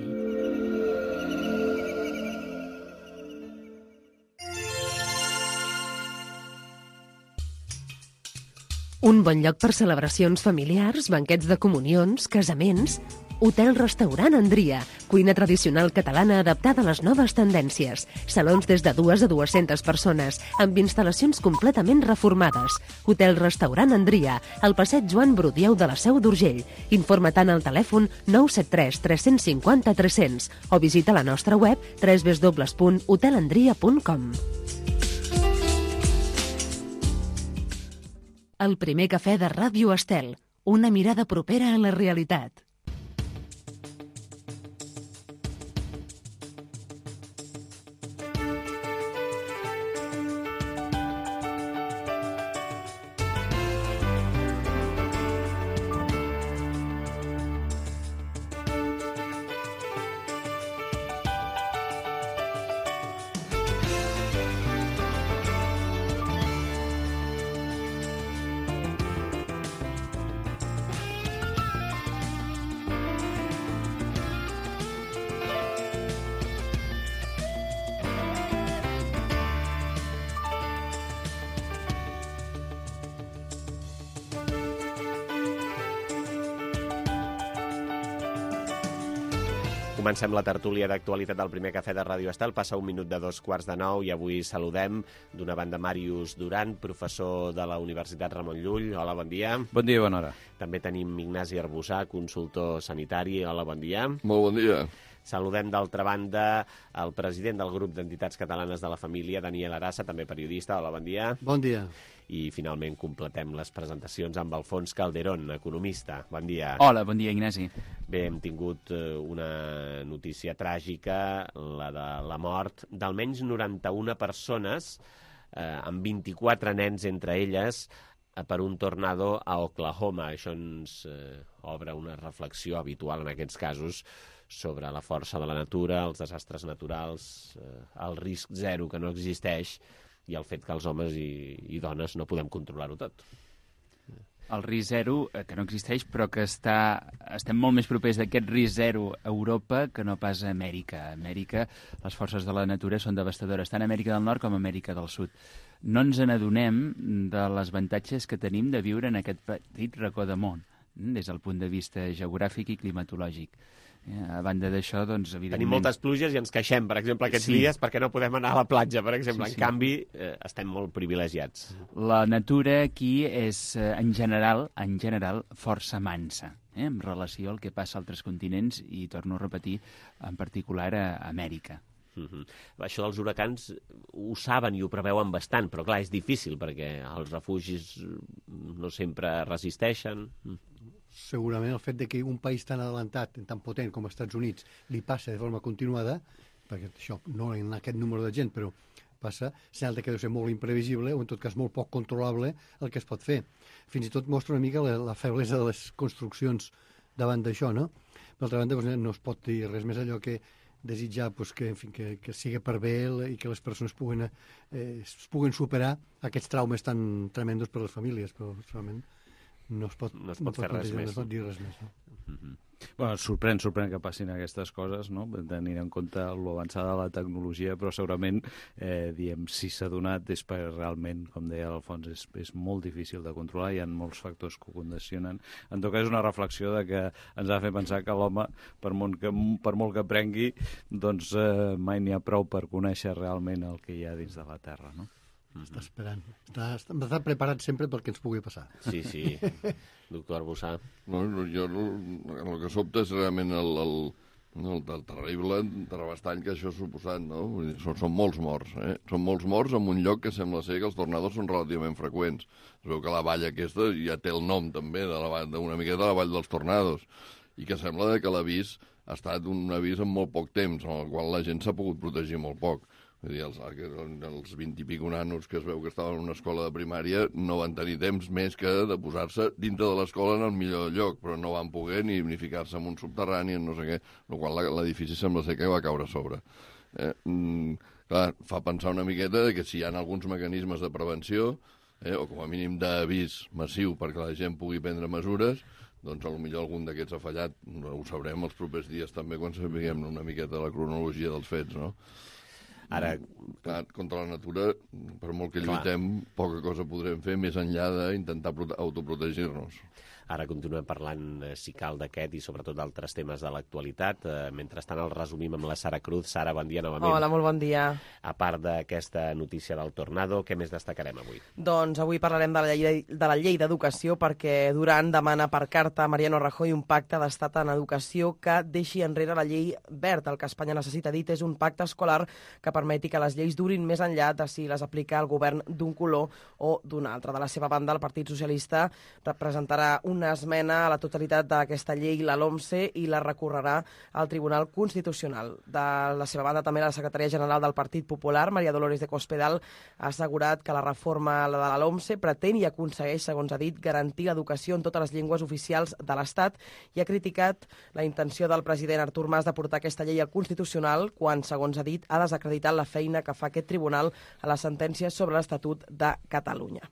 Un bon lloc per celebracions familiars, banquets de comunions, casaments... Hotel-restaurant Andria, cuina tradicional catalana adaptada a les noves tendències. Salons des de 2 a 200 persones, amb instal·lacions completament reformades. Hotel-restaurant Andria, al passeig Joan Brudieu de la Seu d'Urgell. Informa-te'n al telèfon 973 350 300 o visita la nostra web www.hotelandria.com. El primer cafè de Ràdio Estel, una mirada propera a la realitat. Comencem la tertúlia d'actualitat del primer cafè de Ràdio Estel. Passa 1 minut de 9:45 i avui saludem d'una banda Màrius Duran, professor de la Universitat Ramon Llull. Hola, bon dia. Bon dia i bona hora. També tenim Ignasi Arbussà, consultor sanitari. Hola, bon dia. Molt bon dia. Saludem d'altra banda el president del grup d'entitats catalanes de la família, Daniel Arassa, també periodista. Hola, bon dia. Bon dia. I finalment completem les presentacions amb Alfons Calderón, economista. Bon dia. Hola, bon dia, Ignasi. Bé, hem tingut una notícia tràgica, la de la mort d'almenys 91 persones, amb 24 nens entre elles, per un tornado a Oklahoma. Això ens obre una reflexió habitual en aquests casos sobre la força de la natura, els desastres naturals, el risc zero que no existeix i el fet que els homes i dones no podem controlar-ho tot. El risc zero, que no existeix, però que estem molt més propers d'aquest risc zero a Europa que no pas a Amèrica. A Amèrica les forces de la natura són devastadores, tant a Amèrica del Nord com a Amèrica del Sud. No ens n'adonem de les avantatges que tenim de viure en aquest petit racó de món, des del punt de vista geogràfic i climatològic. A banda d'això, doncs, evidentment... Tenim moltes pluges i ens queixem, per exemple, aquests dies perquè no podem anar a la platja, per exemple. En canvi, estem molt privilegiats. La natura aquí és, en general, força mansa, en relació al que passa a altres continents i, torno a repetir, en particular a Amèrica. Això dels huracans ho saben i ho preveuen bastant, però clar, és difícil perquè els refugis no sempre resisteixen. Segurament el fet de que un país tan adelantat, tan potent com els Estats Units, li passa de forma continuada, perquè això no en aquest número de gent, però passa, senyal que deu ser molt imprevisible o en tot cas molt poc controlable el que es pot fer. Fins i tot mostra una mica la feblesa de les construccions davant d'això, no? Per altra banda, no es pot dir res més allò que desitjar que sigui per bé i que les persones puguen superar aquests traumes tan tremendos per a les famílies, però realment no es pot fer res més. No es pot dir res més. No? Bueno, sorprèn que passin aquestes coses, no? Tenint en compte l'avançada de la tecnologia, però segurament, si s'ha donat és perquè realment, com deia l'Alfons, és molt difícil de controlar, hi ha molts factors que ho condicionen. En tot cas, és una reflexió de que ens ha de fer pensar que l'home, per molt que aprengui, doncs mai n'hi ha prou per conèixer realment el que hi ha dins de la Terra, no? Està esperant. Està preparat sempre pel que ens pugui passar. Sí. Doctor Arbussà. Jo el que sobta és realment No, el terrible terrabastall que això ha suposat, no? Vull dir, són molts morts, Són molts morts en un lloc que sembla ser que els tornados són relativament freqüents. Es veu que la vall aquesta ja té el nom, també, d'una miqueta de la vall dels tornados, i que sembla que l'avís ha estat un avís en molt poc temps, en el qual la gent s'ha pogut protegir molt poc. Vull dir, els 20 i pico nanos que es veu que estaven en una escola de primària no van tenir temps més que de posar-se dintre de l'escola en el millor lloc, però no van poder ni ficar-se en un subterrani, en no sé què, el qual l'edifici sembla ser que va caure a sobre. Clar, fa pensar una miqueta que si hi ha alguns mecanismes de prevenció, o com a mínim d'avís massiu perquè la gent pugui prendre mesures, doncs potser algun d'aquests ha fallat. Ho sabrem els propers dies també quan sapiguem una miqueta la cronologia dels fets, no? Ara, clar, contra la natura, per molt que lluitem, poca cosa podrem fer més enllà d'intentar autoprotegir-nos. Ara continuem parlant, si cal, d'aquest i sobretot d'altres temes de l'actualitat. Mentrestant el resumim amb la Sara Cruz. Sara, bon dia novament. Hola, molt bon dia. A part d'aquesta notícia del tornado, què més destacarem avui? Doncs avui parlarem de la llei d'educació perquè Duran demana per carta a Mariano Rajoy un pacte d'estat en educació que deixi enrere la llei Wert. El que Espanya necessita, dit, és un pacte escolar que permeti que les lleis durin més enllà de si les aplica el govern d'un color o d'un altre. De la seva banda, el Partit Socialista representarà una esmena a la totalitat d'aquesta llei, la LOMCE, i la recorrerà al Tribunal Constitucional. De la seva banda, també la secretària general del Partit Popular, María Dolores de Cospedal, ha assegurat que la reforma de la LOMCE pretén i aconsegueix, segons ha dit, garantir l'educació en totes les llengües oficials de l'Estat i ha criticat la intenció del president Artur Mas de portar aquesta llei al Constitucional quan, segons ha dit, ha desacreditat la feina que fa aquest tribunal a les sentències sobre l'Estatut de Catalunya.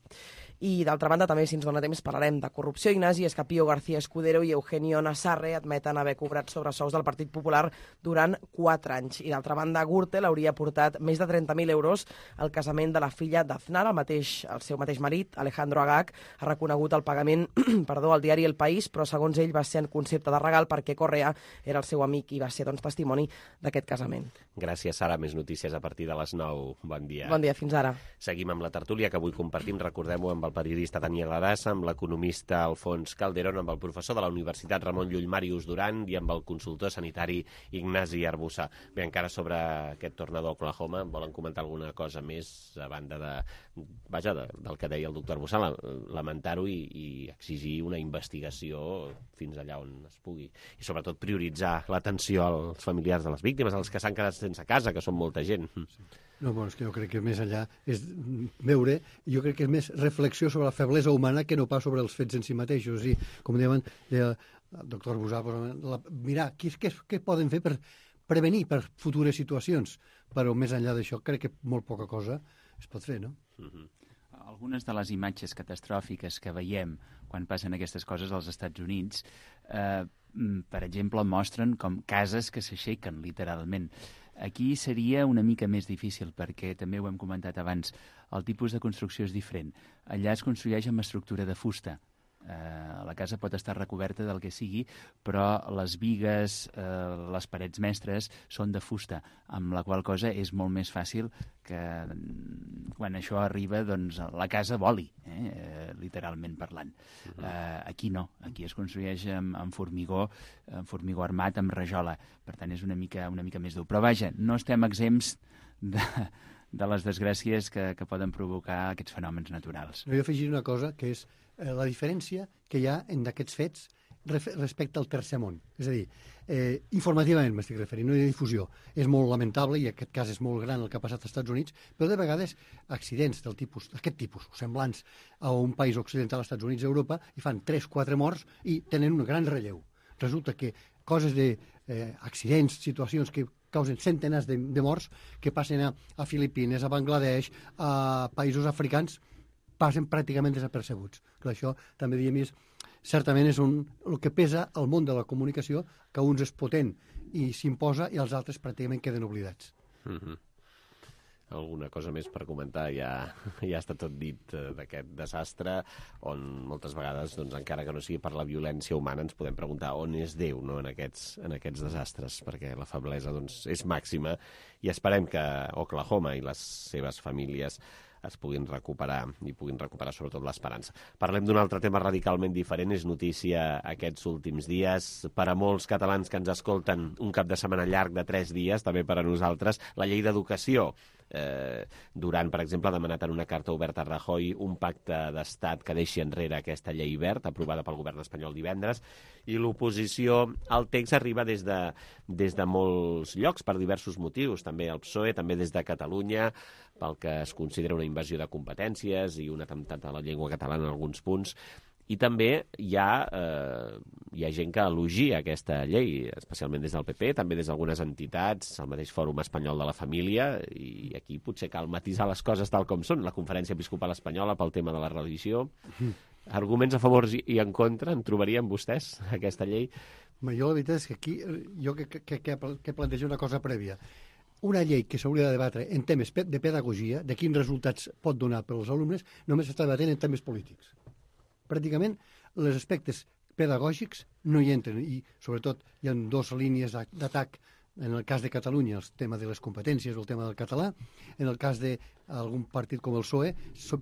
I, d'altra banda, també, si ens dona temps, parlarem de corrupció. Ignasi Escapio García Escudero i Eugenio Nassarre admeten haver cobrat sobresous del Partit Popular durant 4 anys. I, d'altra banda, Gürtel hauria portat més de 30.000 euros al casament de la filla d'Aznar. El seu mateix marit, Alejandro Agag, ha reconegut el pagament al diari El País, però, segons ell, va ser en concepte de regal perquè Correa era el seu amic i va ser, doncs, testimoni d'aquest casament. Gràcies, Sara. Més notícies a partir de les 9. Bon dia. Bon dia, fins ara. Seguim amb la tertúlia que avui compartim, recordem-ho, amb el periodista Daniel Adassa, amb l'economista Alfons Calderón, amb el professor de la Universitat Ramon Llull Màrius Duran i amb el consultor sanitari Ignasi Arbussa. Bé, encara sobre aquest tornado a Oklahoma, volen comentar alguna cosa més a banda del que deia el doctor Arbussa, lamentar-ho i exigir una investigació fins allà on es pugui. I sobretot prioritzar l'atenció als familiars de les víctimes, als que s'han quedat sense casa, que són molta gent. No, bueno, és que jo crec que més enllà és veure, jo crec que és més reflexió sobre la feblesa humana que no pas sobre els fets en si mateixos. I, com diuen el doctor Arbusà, mirar què poden fer per prevenir per futures situacions, però més enllà d'això crec que molt poca cosa es pot fer, no? Algunes de les imatges catastròfiques que veiem quan passen aquestes coses als Estats Units, per exemple, mostren com cases que s'aixequen, literalment. Aquí seria una mica més difícil perquè, també ho hem comentat abans, el tipus de construcció és diferent. Allà es construeix amb estructura de fusta. La casa pot estar recoberta del que sigui, però les bigues, les parets mestres són de fusta, amb la qual cosa és molt més fàcil que quan això arriba doncs la casa voli, literalment parlant. Aquí no, aquí es construeix amb formigó armat, amb rajola, per tant és una mica més dur. Però vaja, no estem exempts de les desgràcies que poden provocar aquests fenòmens naturals. Jo afegiré una cosa, que és la diferència que hi ha en d'aquests fets respecte al tercer món. És a dir, informativament m'estic referint, no hi ha difusió. És molt lamentable, i aquest cas és molt gran el que ha passat als Estats Units, però de vegades accidents d'aquest tipus, semblants a un país occidental, als Estats Units i Europa, i fan 3-4 morts i tenen un gran relleu. Resulta que coses d'accidents, situacions que causen centenars de morts, que passen a Filipines, a Bangladesh, a països africans, passen pràcticament desapercebuts. Però això també diem certament és el que pesa al món de la comunicació, que uns és potent i s'imposa i els altres pràcticament queden oblidats. Alguna cosa més per comentar? Ja està tot dit d'aquest desastre, on moltes vegades, doncs, encara que no sigui per la violència humana, ens podem preguntar on és Déu, no, en aquests desastres, perquè la feblesa doncs, és màxima, i esperem que Oklahoma i les seves famílies es puguin recuperar i puguin recuperar sobretot l'esperança. Parlem d'un altre tema radicalment diferent, és notícia aquests últims dies. Per a molts catalans que ens escolten, un cap de setmana llarg de 3 dies, també per a nosaltres, la llei d'educació. Duran, per exemple, ha demanat en una carta oberta a Rajoy un pacte d'estat que deixi enrere aquesta llei verd, aprovada pel govern espanyol divendres, i l'oposició al text arriba des de molts llocs, per diversos motius, també el PSOE, també des de Catalunya, pel que es considera una invasió de competències i un atemptat a la llengua catalana en alguns punts. I també hi ha gent que elogia aquesta llei, especialment des del PP, també des d'algunes entitats, el mateix Fòrum Espanyol de la Família, i aquí potser cal matisar les coses tal com són. La Conferència Episcopal Espanyola pel tema de la religió. Arguments a favor i en contra, en trobarien vostès, aquesta llei? Jo la veritat és que aquí jo que plantejo una cosa prèvia. Una llei que s'hauria de debatre en temes de pedagogia, de quins resultats pot donar per als alumnes, només s'està debatent en temes polítics. Pràcticament els aspectes pedagògics no hi entren i sobretot hi ha 2 línies d'atac en el cas de Catalunya, el tema de les competències o el tema del català, en el cas d'algun partit com el PSOE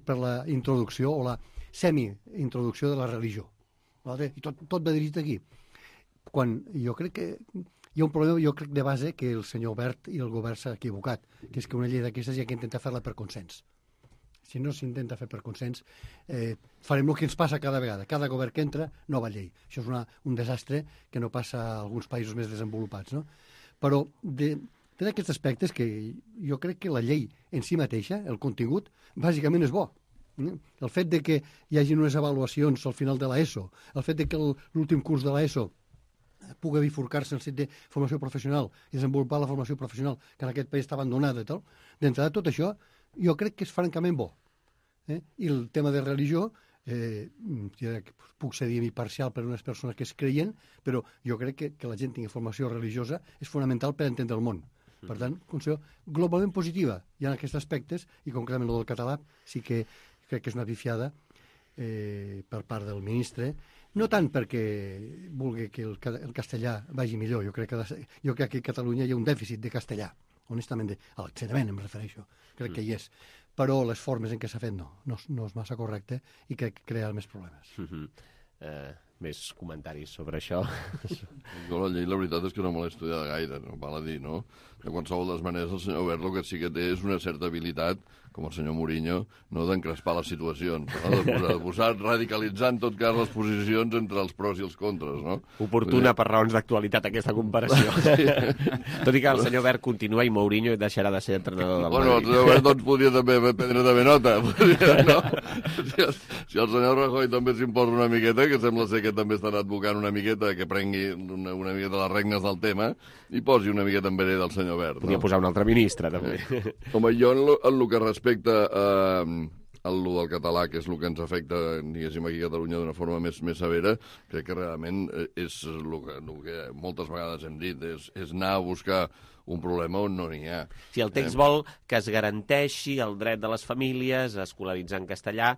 per la introducció o la semi-introducció de la religió. I tot va dirigit aquí. Quan jo crec que hi ha un problema, jo crec de base, que el senyor Wert i el govern s'ha equivocat, que és que una llei d'aquestes hi ha que intentar fer-la per consens. Si no s'intenta fer per consens, farem el que ens passa cada vegada. Cada govern que entra, nova llei. Això és un desastre que no passa a alguns països més desenvolupats, no? Però té aquests aspectes que jo crec que la llei en si mateixa, el contingut, bàsicament és bo. El fet de que hi hagi unes avaluacions al final de l'ESO, el fet de que l'últim curs de l'ESO pugui bifurcar-se en el sentit de formació professional i desenvolupar la formació professional que en aquest país està abandonada i tal, d'entrada tot això jo crec que és francament bo. I el tema de religió, puc ser imparcial per a unes persones que es creien, però jo crec que la gent tingui formació religiosa és fonamental per entendre el món. Per tant, considero globalment positiva. Hi ha aquests aspectes, i concretament el del català sí que crec que és una pifiada per part del ministre, no tant perquè vulgui que el castellà vagi millor, jo crec que a Catalunya hi ha un dèficit de castellà, honestament, a l'ensenyament em refereixo, crec que hi és, però les formes en què s'ha fet no és massa correcte i crec que crea més problemes. Més comentaris sobre això? Jo la llei, la veritat és que no me l'he estudiat gaire, no val a dir, no? De qualsevol de les maneres, el senyor Wert el que sí que té és una certa habilitat, com el senyor Mourinho, no d'encrespar les situacions, no? de posar, radicalitzar en tot cas les posicions entre els pros i els contres, no? Oportuna per raons d'actualitat aquesta comparació. Sí. Tot i que el senyor Wert continua i Mourinho deixarà de ser entrenador del Madrid. Bueno, el senyor Wert doncs podria també prendre també nota, no? Si el senyor Rajoy també s'imposa una miqueta, que sembla ser que també estan advocant una miqueta, que prengui una miqueta les regnes del tema i posi una miqueta en vereda del senyor Wert. Podria posar un altre ministre, també. Home, jo en el que respecta a lo del català, que és el que ens afecta, diguéssim, aquí a Catalunya d'una forma més severa, crec que realment és el que moltes vegades hem dit, és anar a buscar un problema on no n'hi ha. Si el text vol que es garanteixi el dret de les famílies a escolaritzar en castellà,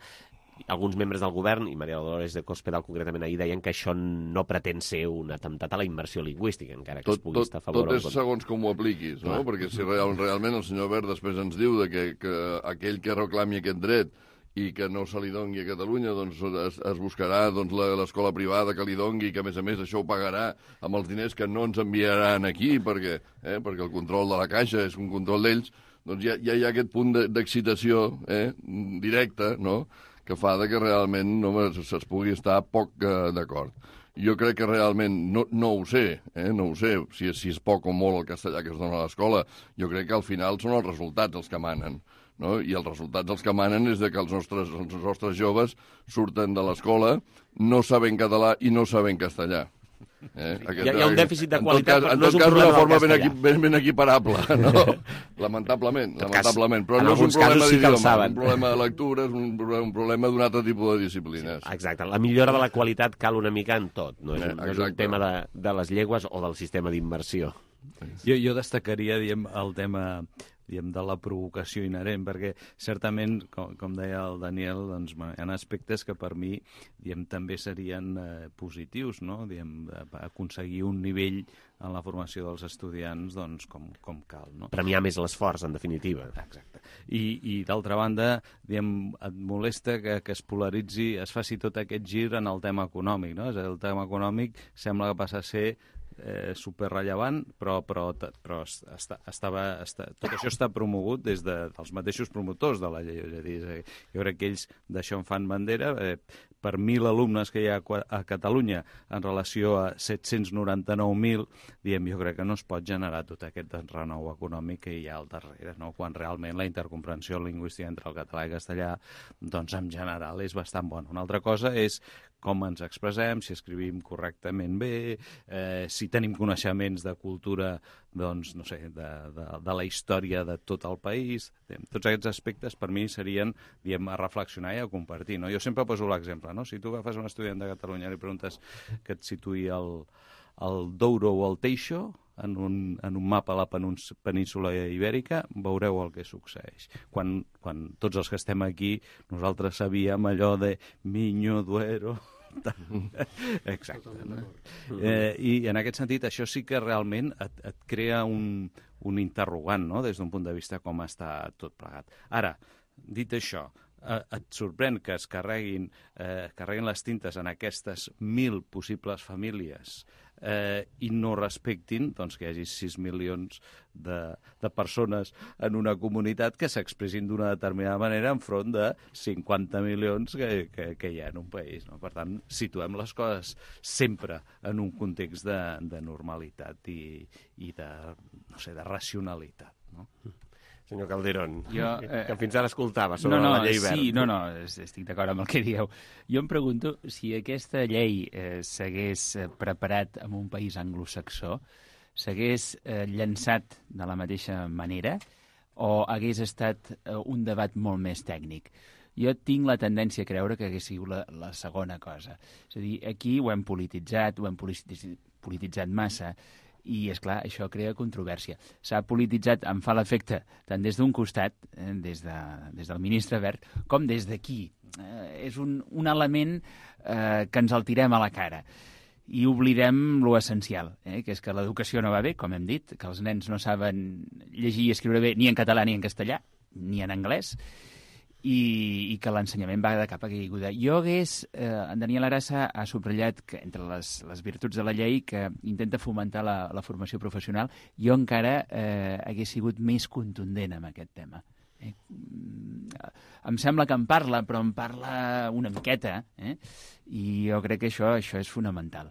alguns membres del govern, i María Dolores de Cospedal concretament ahir, deien que això no pretén ser un atemptat a la immersió lingüística, encara que es pugui estar a favor. Tot és segons com ho apliquis, no? Perquè si realment el senyor Wert després ens diu que aquell que reclami aquest dret i que no se li dongui a Catalunya, doncs es buscarà l'escola privada que li dongui i que, a més, això ho pagarà amb els diners que no ens enviaran aquí, perquè el control de la Caixa és un control d'ells, doncs ja hi ha aquest punt d'excitació directa, no?, que fa que realment es pugui estar poc d'acord. Jo crec que realment, no ho sé, si és poc o molt el castellà que es dona a l'escola, jo crec que al final són els resultats els que manen, no? I els resultats els que manen és que els nostres joves surten de l'escola no sabent català i no sabent castellà. Hi ha un dèficit de qualitat, però no és un problema del castellà. En tot cas, ben equiparable, no? Lamentablement, però no és un problema d'idioma, un problema de lectura, és un problema d'un altre tipus de disciplines. Exacte, la millora de la qualitat cal una mica en tot, no és un tema de les llengües o del sistema d'immersió. Jo destacaria, el tema de la provocació inherent, perquè certament, com deia el Daniel, doncs, hi ha aspectes que per mi també serien positius, no? Aconseguir un nivell en la formació dels estudiants doncs, com cal. No? Premiar més l'esforç, en definitiva. Exacte. I d'altra banda, et molesta que es polaritzi, es faci tot aquest gir en el tema econòmic. No? El tema econòmic sembla que passa a ser superrellevant, però tot això està promogut des dels mateixos promotors de la llei. És a dir, jo crec que ells d'això en fan bandera. Per 1.000 alumnes que hi ha a Catalunya en relació a 799.000, jo crec que no es pot generar tot aquest renou econòmic que hi ha al darrere, no? Quan realment la intercomprensió lingüística entre el català i castellà, doncs en general és bastant bona. Una altra cosa és com ens expressem, si escrivim correctament bé, si tenim coneixements de cultura, doncs, no sé, de la història de tot el país. Tots aquests aspectes per mi serien, a reflexionar i a compartir. No? Jo sempre poso l'exemple, no? Si tu agafes un estudiant de Catalunya i li preguntes que et situï el Douro o el Teixo en un mapa a la península ibèrica, veureu el que succeeix. Quan tots els que estem aquí, nosaltres sabíem allò de Miño, Duero... Exacte. No? I en aquest sentit, això sí que realment et crea un interrogant, no? Des d'un punt de vista com està tot plegat. Ara, dit això, et sorprèn que es carreguin les tintes en aquestes 1.000 possibles famílies i no respectin doncs, que hi hagi 6 milions de persones en una comunitat que s'expressin d'una determinada manera enfront de 50 milions que hi ha en un país. No? Per tant, situem les coses sempre en un context de normalitat i de, no sé, de racionalitat. No? Senyor Calderón, que fins ara escoltava sobre la llei verd. Sí, estic d'acord amb el que dieu. Jo em pregunto si aquesta llei s'hagués preparat en un país anglosaxó, s'hagués llançat de la mateixa manera o hagués estat un debat molt més tècnic. Jo tinc la tendència a creure que hagués sigut la segona cosa. És a dir, aquí ho hem polititzat massa, i, esclar, això crea controvèrsia. S'ha polititzat, em fa l'efecte, tant des d'un costat, des del ministre Wert, com des d'aquí. És un element que ens el tirem a la cara. I oblidem lo essencial, que és que l'educació no va bé, com hem dit, que els nens no saben llegir i escriure bé ni en català ni en castellà, ni en anglès, i que l'ensenyament va de cap a caiguda. Jo en Daniel Arassa ha subratllat que entre les virtuts de la llei que intenta fomentar la formació professional, jo encara hagués sigut més contundent amb aquest tema. Em sembla que en parla, però en parla una miqueta, i jo crec que això és fonamental.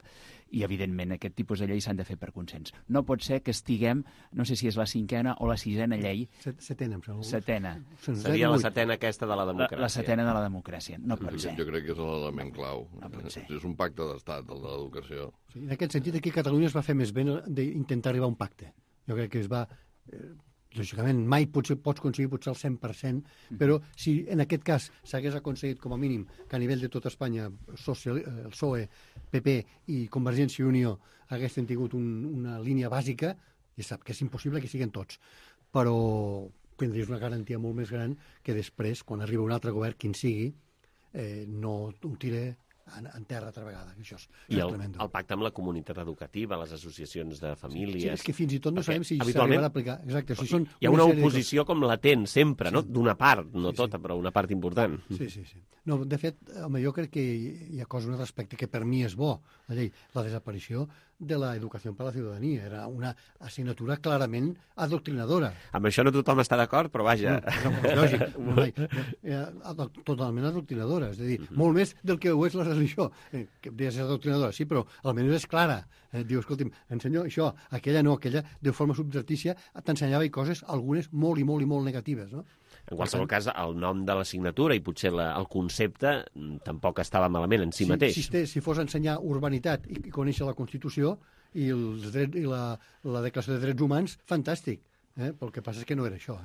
I, evidentment, aquest tipus de lleis s'han de fer per consens. No pot ser que estiguem, no sé si és la 5a o la 6a llei... Setena, em sembla. Setena. Seria la setena aquesta de la democràcia. La setena de la democràcia. No pot ser. Jo crec que és l'element clau. No pot ser. És un pacte d'estat, el de l'educació. Sí, en aquest sentit, aquí a Catalunya es va fer més bé d'intentar arribar a un pacte. Jo crec que es va... lògicament, mai pots aconseguir potser el 100%, però si en aquest cas s'hagués aconseguit com a mínim que a nivell de tot Espanya el PSOE, PP i Convergència i Unió haguessin tingut una línia bàsica, ja sap que és impossible que siguin tots, però tindries una garantia molt més gran que després, quan arriba un altre govern, quin sigui, no ho tira en terra altra vegada. Això és tremendo. El pacte amb la comunitat educativa, les associacions de famílies... Sí, és que fins i tot no sabem si s'arribarà a aplicar. Exacte, si són hi ha una oposició com latent sempre, no? D'una part, no tota, però una part important. Sí. No, de fet, jo crec que hi ha coses respecte que per mi és bo, la llei, la desaparició de l'educació per a la ciutadania. Era una assignatura clarament adoctrinadora. Amb això no tothom està d'acord, però vaja... No, lògic. Totalment adoctrinadora. És a dir, molt més del que ho és la religió. Que deies adoctrinadora, sí, però almenys és clara. Diu, escolti'm, ensenyo això, aquella no, aquella de forma subvertícia t'ensenyava coses, algunes molt i molt i molt negatives, no? En qualsevol cas, el nom de l'assignatura i potser el concepte tampoc estava malament en si mateix. Si fos ensenyar urbanitat i conèixer la Constitució i la Declaració de Drets Humans, fantàstic. Però el que passa és que no era això.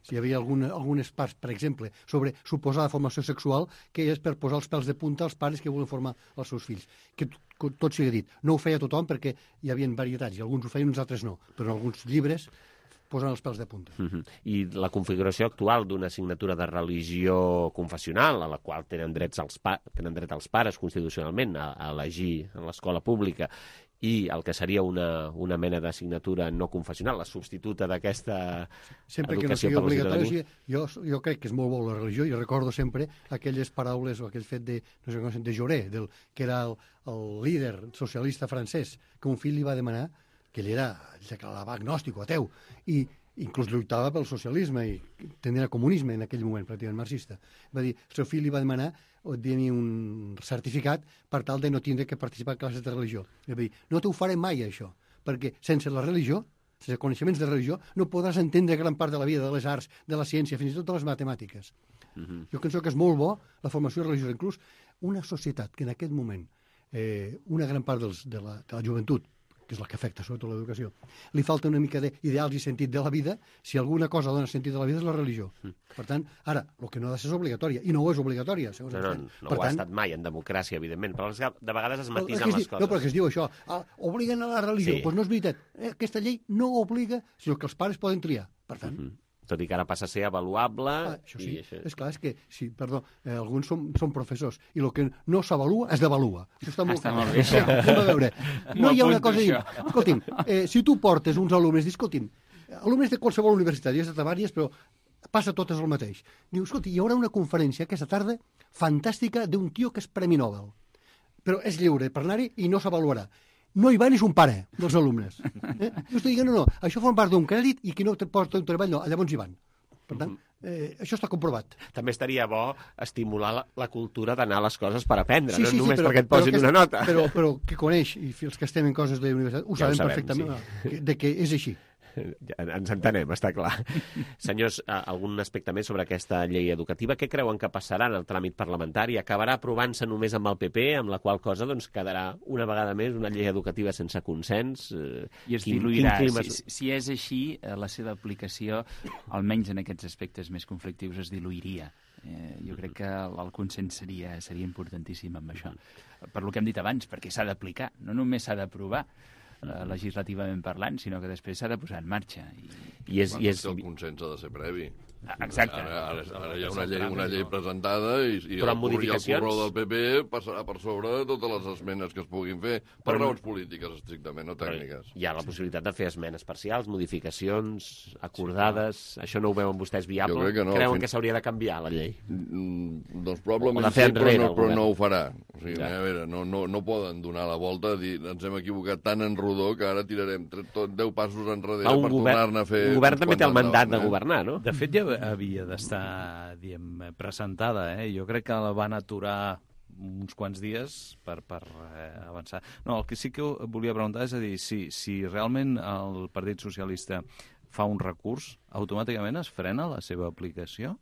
Si hi havia algunes parts, per exemple, sobre suposada formació sexual, que és per posar els pèls de punta als pares que volen formar els seus fills. Que tot sigui dit. No ho feia tothom perquè hi havia varietats, i alguns ho feien, uns altres no. Però en alguns llibres posant els pèls de punta. I la configuració actual d'una assignatura de religió confessional, a la qual tenen dret els pares constitucionalment a elegir en l'escola pública, i el que seria una mena d'assignatura no confessional, la substituta d'aquesta sempre que no sigui obligatori, jo crec que és molt bo la religió. Jo recordo sempre aquelles paraules o aquell fet de Jaurès, que era el líder socialista francès, que un fill li va demanar, que ell era agnòstic o ateu, i inclús lluitava pel socialisme i tenia comunisme en aquell moment, pràcticament marxista. Va dir, el seu fill li va demanar tenir un certificat per tal de no tindre que participar en classes de religió. Va dir, no t'ho faré mai, això, perquè sense la religió, sense coneixements de religió, no podràs entendre gran part de la vida, de les arts, de la ciència, fins i tot de les matemàtiques. Jo penso que és molt bo la formació religiosa. Inclús una societat que en aquest moment, una gran part de la joventut, que és la que afecta sobretot l'educació, li falta una mica d'ideals i sentit de la vida. Si alguna cosa dona sentit de la vida és la religió. Per tant, ara, el que no ha de ser és obligatòria, i no ho és obligatòria, segons no ho ha estat mai en democràcia, evidentment, però de vegades es matisen les coses. No, però que es diu això, obliguen a la religió. Doncs no és veritat. Aquesta llei no obliga, sinó que els pares poden triar. Per tant... Tot i que ara passa a ser avaluable... Això sí, és clar, és que, alguns són professors, i el que no s'avalua es devalua. Això està molt clar. A veure, no hi ha una cosa a dir. Escolti'm, si tu portes uns alumnes, escolti'm, alumnes de qualsevol universitat, ja estat a vàries, però passa totes el mateix. Diu, escolti, hi haurà una conferència aquesta tarda fantàstica d'un tio que és Premi Nobel, però és lliure per anar-hi i no s'avaluarà. No hi va ni son pare dels alumnes. Jo estic dient, no, això forma part d'un crèdit i qui no te porta un treball, no, llavors hi van. Per tant, això està comprovat. També estaria bo estimular la cultura d'anar a les coses per aprendre, no només perquè et posin una nota. Però que coneix, i els que estem en coses de universitat, ho sabem perfectament, de que és així. Ens entenem, està clar. Senyors, algun aspecte més sobre aquesta llei educativa? Què creuen que passarà en el tràmit parlamentari? Acabarà aprovant-se només amb el PP, amb la qual cosa doncs, quedarà una vegada més una llei educativa sense consens? I es diluirà. Si és així, la seva aplicació, almenys en aquests aspectes més conflictius, es diluiria. Jo crec que el consens seria importantíssim amb això. Per lo que hem dit abans, perquè s'ha d'aplicar, no només s'ha d'aprovar legislativament parlant, sinó que després s'ha de posar en marxa. I el consens ha de ser previ. Exacte. Ara hi ha una llei presentada i el corró del PP passarà per sobre totes les esmenes que es puguin fer per raons polítiques, estrictament, no tècniques. Hi ha la possibilitat de fer esmenes parcials, modificacions acordades. Això no ho veuen vostès viable? Jo crec que no. Creuen que s'hauria de canviar la llei? Doncs probablement sí, però no ho farà. O sigui, a veure, no poden donar la volta, dir ens hem equivocat tan en rodó que ara tirarem 10 passos enrere per tornar-ne a fer... Un govern també té el mandat de governar, no? De fet, ja havia d'estar, presentada. Jo crec que la van aturar uns quants dies per avançar. No, el que sí que volia preguntar és a dir, si realment el Partit Socialista fa un recurs, automàticament es frena la seva aplicació?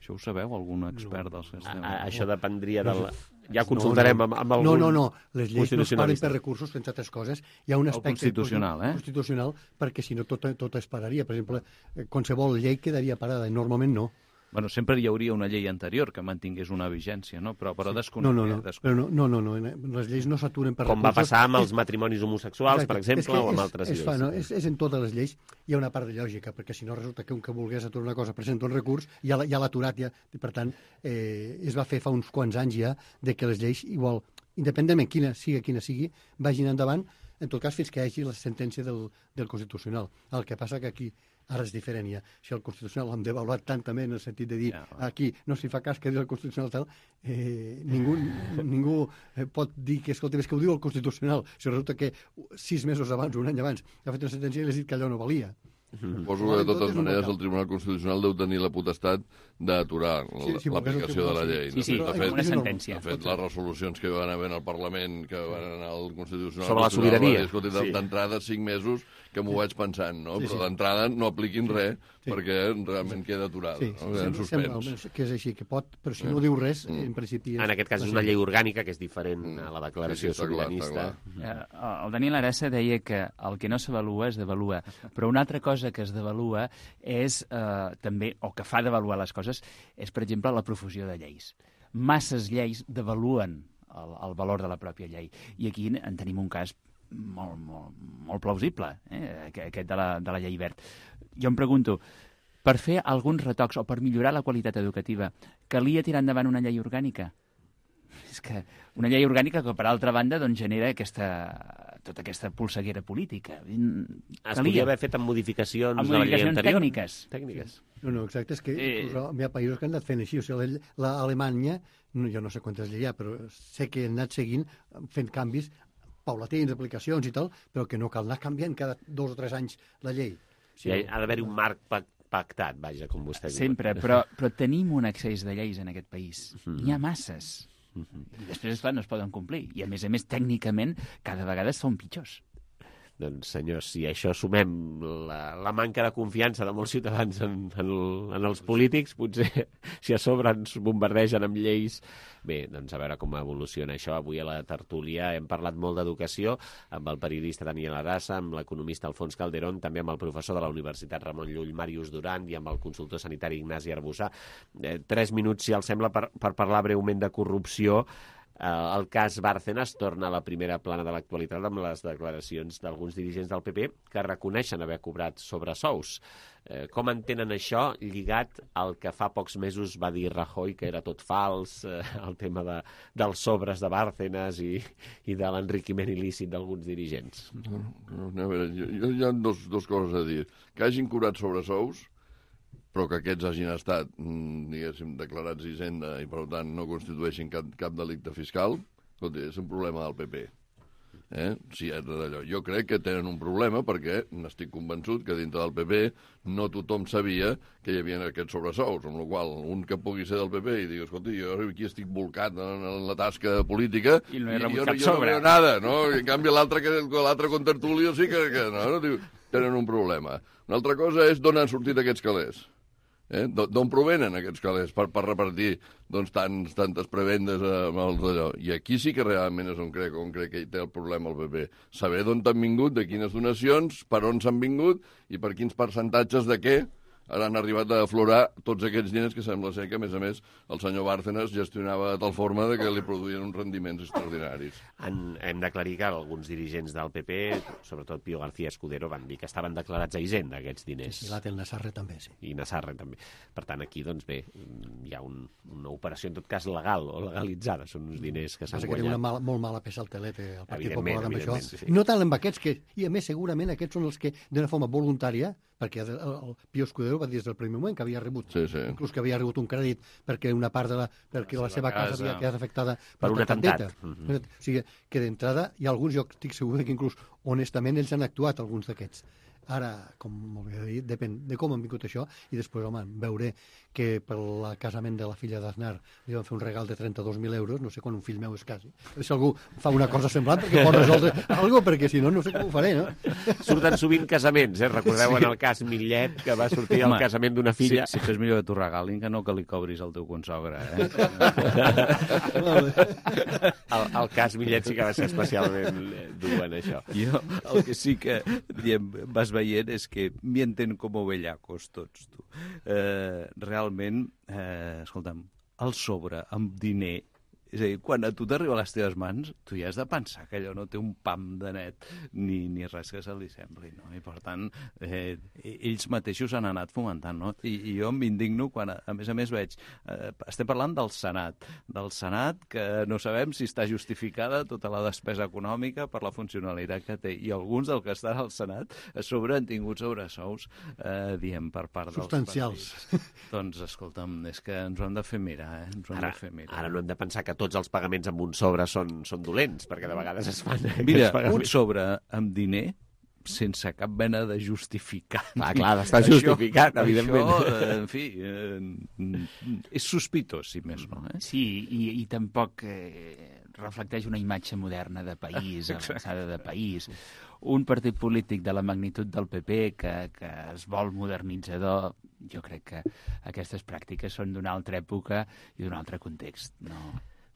Això ho sabeu, algun expert dels que estem... Això dependria del... Ja consultarem amb algun... No. Les lleis no es paren per recursos, entre altres coses. Hi ha un aspecte constitucional, perquè si no tot es pararia. Per exemple, qualsevol llei quedaria parada, i normalment no. Bueno, sempre hi hauria una llei anterior que mantingués una vigència, no? Però desconeixia. No. Les lleis no s'aturen per recursos. Com va passar amb els matrimonis homosexuals, per exemple, o amb altres lleis. És en totes les lleis. Hi ha una part de lògica, perquè si no resulta que un que volgués aturar una cosa presenta un recurs, ja l'ha aturat, per tant, es va fer fa uns quants anys ja de que les lleis, igual, independentment quina sigui, vagin endavant, en tot cas fins que hi hagi la sentència del Constitucional. El que passa que aquí ara és diferent ja. Si el Constitucional l'hem devaluat tant també en el sentit de dir aquí no s'hi fa cas que diu el Constitucional tal, ningú pot dir que, escolta, és que ho diu el Constitucional. Si resulta que 6 mesos abans, un any abans, ha fet una sentència i li ha dit que allò no valia. Suposo que de totes maneres el Tribunal Constitucional deu tenir la potestat d'aturar l'aplicació de la llei. Sí, una sentència. De fet, les resolucions que van haver al Parlament, que van anar al Constitucional... Sobre la sobirania. D'entrada 5 mesos que m'ho vaig pensant, no? Però d'entrada no apliquin res perquè realment queda aturada. En suspens. Que és així, que pot, però si no diu res, en principi... En aquest cas és una llei orgànica que és diferent a la declaració sobiranista. El Daniel Arassa deia que el que no s'avalua es devalua, però una altra cosa que es devalua és també, o que fa devaluar les coses, és, per exemple, la profusió de lleis. Masses lleis devaluen el valor de la pròpia llei. I aquí en tenim un cas molt plausible, aquest de la llei Wert. Jo em pregunto, per fer alguns retocs o per millorar la qualitat educativa, calia tirar endavant una llei orgànica? És que una llei orgànica que, per altra banda, doncs, genera tota aquesta polseguera política. Es podia haver fet amb modificacions de la llei anterior? Tècniques. No, exacte, és que hi ha països que han anat fent així. O sigui, l'Alemanya, jo no sé quantes lleis hi ha, però sé que han anat seguint, fent canvis paulatins, aplicacions i tal, però que no cal anar canviant cada 2 o 3 anys la llei. Sí, ha d'haver-hi un marc pactat, vaja, com vostè diu. Sempre, però tenim un excés de lleis en aquest país. N'hi ha masses. I després, esclar, no es poden complir. I, a més, tècnicament, cada vegada són pitjors. Doncs, senyors, si a això sumem la manca de confiança de molts ciutadans en els polítics, potser si a sobre ens bombardegen amb lleis... Bé, doncs a veure com evoluciona això. Avui a la tertúlia hem parlat molt d'educació amb el periodista Daniel Arassa, amb l'economista Alfons Calderón, també amb el professor de la Universitat Ramon Llull, Màrius Duran, i amb el consultor sanitari Ignasi Arbussà. 3 minuts, si els sembla, per parlar breument de corrupció. El cas Bárcenas torna a la primera plana de l'actualitat amb les declaracions d'alguns dirigents del PP que reconeixen haver cobrat sobresous. Com entenen això lligat al que fa pocs mesos va dir Rajoy, que era tot fals, el tema dels sobres de Bárcenas i de l'enriquiment il·lícit d'alguns dirigents? A veure, hi ha dos coses a dir. Que hagin cobrat sobresous, però que aquests hagin estat, diguéssim, declarats Hisenda i, per tant, no constitueixin cap delicte fiscal, escolta, és un problema del PP. Sí, és d'allò. Jo crec que tenen un problema perquè n'estic convençut que dintre del PP no tothom sabia que hi havia aquests sobresous, amb la qual un que pugui ser del PP i digui, escolta, jo aquí estic volcat en la tasca política i no he rebut cap jo sobre. No veo nada, no? I en canvi l'altre contertulio sí que no, diu, tenen un problema. Una altra cosa és d'on han sortit aquests calés. D'on provenen aquests calés per repartir tantes prebendes amb els d'allò? I aquí sí que realment és on crec que hi té el problema el PP. Saber d'on han vingut, de quines donacions, per on s'han vingut i per quins percentatges de què ara han arribat a aflorar tots aquests diners que sembla ser que, a més, el senyor Bárcenas gestionava de tal forma que li produïen uns rendiments extraordinaris. Hem d'aclarir que alguns dirigents del PP, sobretot Pío García Escudero, van dir que estaven declarats a Hisenda, aquests diners. Sí, l'Atel Nassarre també, sí. I Nassarre també. Per tant, aquí, doncs bé, hi ha una operació, en tot cas, legal o legalitzada. Són uns diners que s'han guanyat. Que té una molt mala peça al telete, el Partit Popular amb això. Sí. No tant amb aquests, i a més, segurament, aquests són els que, d'una forma voluntària, perquè el Pío Escudero va dir des del primer moment que havia rebut, inclús que havia rebut un crèdit perquè una part perquè la seva casa havia quedat afectada per un atemptat. O sigui, que d'entrada hi ha alguns, jo estic segur que inclús honestament ells han actuat, alguns d'aquests. Ara, com molt bé dit, depèn de com han vingut això, i després, home, veuré que per el casament de la filla d'Aznar li van fer un regal de 32.000 euros, no sé quan un fill meu es casi. Si algú fa una cosa semblant perquè pot resoldre alguna cosa, perquè si no, no sé com ho faré, no? Surten sovint casaments, Recordeu en el cas Millet, que va sortir el casament d'una filla. Sí, és millor que t'ho regalin que no que li cobris al teu consogre, El cas Millet sí que va ser especialment dur en això. Jo el que sí que vas veient és que mienten com ovellacos tots, tu. Realment, escolta'm, el sobre amb diner, és a dir, quan a tu t'arriba a les teves mans, tu ja has de pensar que allò no té un pam de net ni res que se li sembli, no? I per tant, ells mateixos han anat fomentant, no? I jo m'indigno quan, a més veig, estem parlant del Senat, que no sabem si està justificada tota la despesa econòmica per la funcionalitat que té, i alguns del que estan al Senat a sobre han tingut sobresous, diem, per part dels substancials. Doncs, escolta'm, és que ens ho hem de fer mirar, Ara no hem de pensar que tots els pagaments amb un sobre són dolents, perquè de vegades es fan... Mira, un sobre amb diner sense cap mena de justificat. Clar, està justificat, evidentment. Això, en fi, és sospitós, si més no. Sí, i tampoc reflecteix una imatge moderna de país, avançada de país. Un partit polític de la magnitud del PP que es vol modernitzador, jo crec que aquestes pràctiques són d'una altra època i d'un altre context,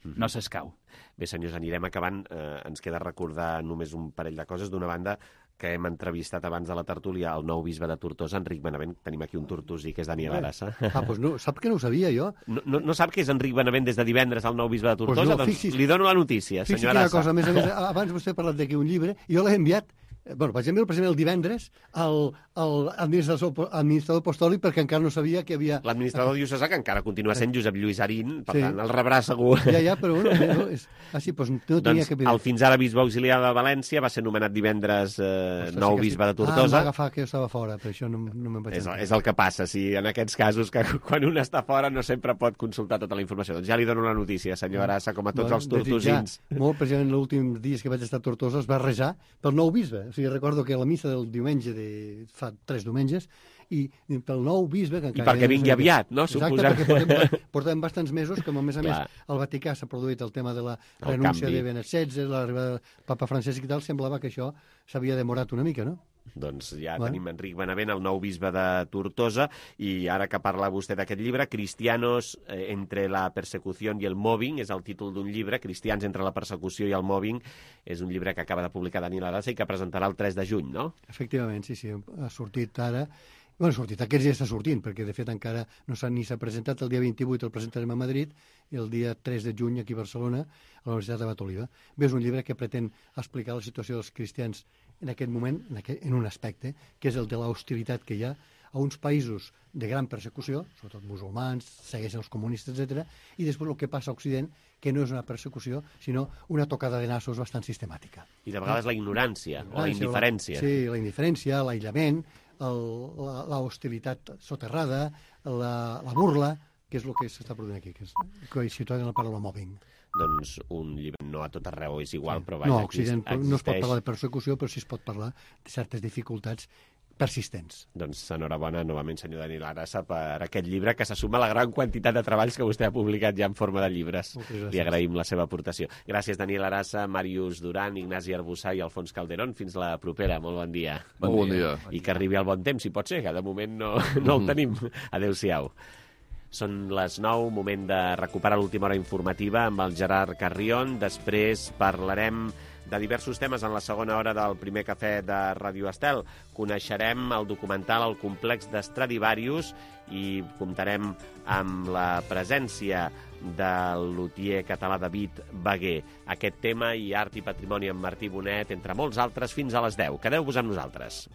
no s'escau. Bé, senyors, anirem acabant. Ens queda recordar només un parell de coses. D'una banda, que hem entrevistat abans de la tertúlia, el nou bisbe de Tortosa, Enric Benavent. Tenim aquí un tortosí, que és Daniel Arassa. Doncs no, sap que no ho sabia, jo. No sap que és Enric Benavent des de divendres el nou bisbe de Tortosa? Doncs li dono la notícia, senyor Arassa. Arassa. Cosa, a més, abans vostè ha parlat d'aquí un llibre, i jo l'he enviat, per exemple, el divendres al administrador apostòlic, perquè encara no sabia que havia... L'administrador diocesà, que encara continua sent Josep Lluís Arín, per tant, el rebrà segur. Ja, però bueno, no tenia que... El fins ara bisbe auxiliar de València va ser nomenat divendres nou bisbe de Tortosa. Em va agafar que jo estava fora, per això no me'n vaig entrar. És el que passa, si en aquests casos, que quan un està fora no sempre pot consultar tota la informació. Doncs ja li dono la notícia, senyor Arassa, com a tots els tortosins. Molt, precisament, els últims dies que vaig estar a Tortosa es va rejar pel nou bisbe. O sigui, recordo que a la missa del diumenge fa 3 diumenges, i pel nou bisbe... I perquè vingui aviat, no? Exacte, perquè portem bastants mesos que, a més al Vaticà s'ha produït el tema de la renúncia de Benet XVI, l'arribada del papa Francesc i tal, semblava que això s'havia demorat una mica, no? Doncs ja tenim Enric Benavent, el nou bisbe de Tortosa, i ara que parla vostè d'aquest llibre, Cristianos entre la persecució i el mobbing, és el títol d'un llibre, Cristians entre la persecució i el mobbing, és un llibre que acaba de publicar Daniel Arassa i que presentarà el 3 de juny, no? Efectivament, sí, ha sortit ara. Bueno, aquests dies està sortint, perquè de fet encara no s'ha presentat. El dia 28 el presentarem a Madrid i el dia 3 de juny aquí a Barcelona, a la Universitat de Batoliva. Bé, és un llibre que pretén explicar la situació dels cristians en aquest moment, en un aspecte, que és el de l'hostilitat que hi ha a uns països de gran persecució, sobretot musulmans, segueixen els comunistes, etc. I després el que passa a Occident, que no és una persecució, sinó una tocada de nassos bastant sistemàtica. I de vegades la ignorància o la indiferència. Sí, la indiferència, l'aïllament, la hostilitat soterrada, la burla, que és el que s'està produint aquí, que és situat en la paraula mobbing. Doncs un llibre no a tot arreu és igual, però vaja, no, Occident no es pot parlar de persecució, però sí es pot parlar de certes dificultats persistents. Doncs enhorabona novament, senyor Daniel Arassa, per aquest llibre que se suma a la gran quantitat de treballs que vostè ha publicat ja en forma de llibres. Li agraïm la seva aportació. Gràcies, Daniel Arassa, Màrius Duran, Ignasi Arbussà i Alfons Calderón. Fins la propera. Molt bon dia. Bon dia. I que arribi el bon temps, si pot ser, que de moment no el tenim. Adéu-siau. Són les 9, moment de recuperar l'última hora informativa amb el Gerard Carrion. Després parlarem de diversos temes en la segona hora del primer cafè de Radio Estel. Coneixerem el documental El complex d'Stradivarius i comptarem amb la presència del lutier català David Baguer. Aquest tema i art i patrimoni amb Martí Bonet, entre molts altres, fins a les 10. Quedeu-vos amb nosaltres.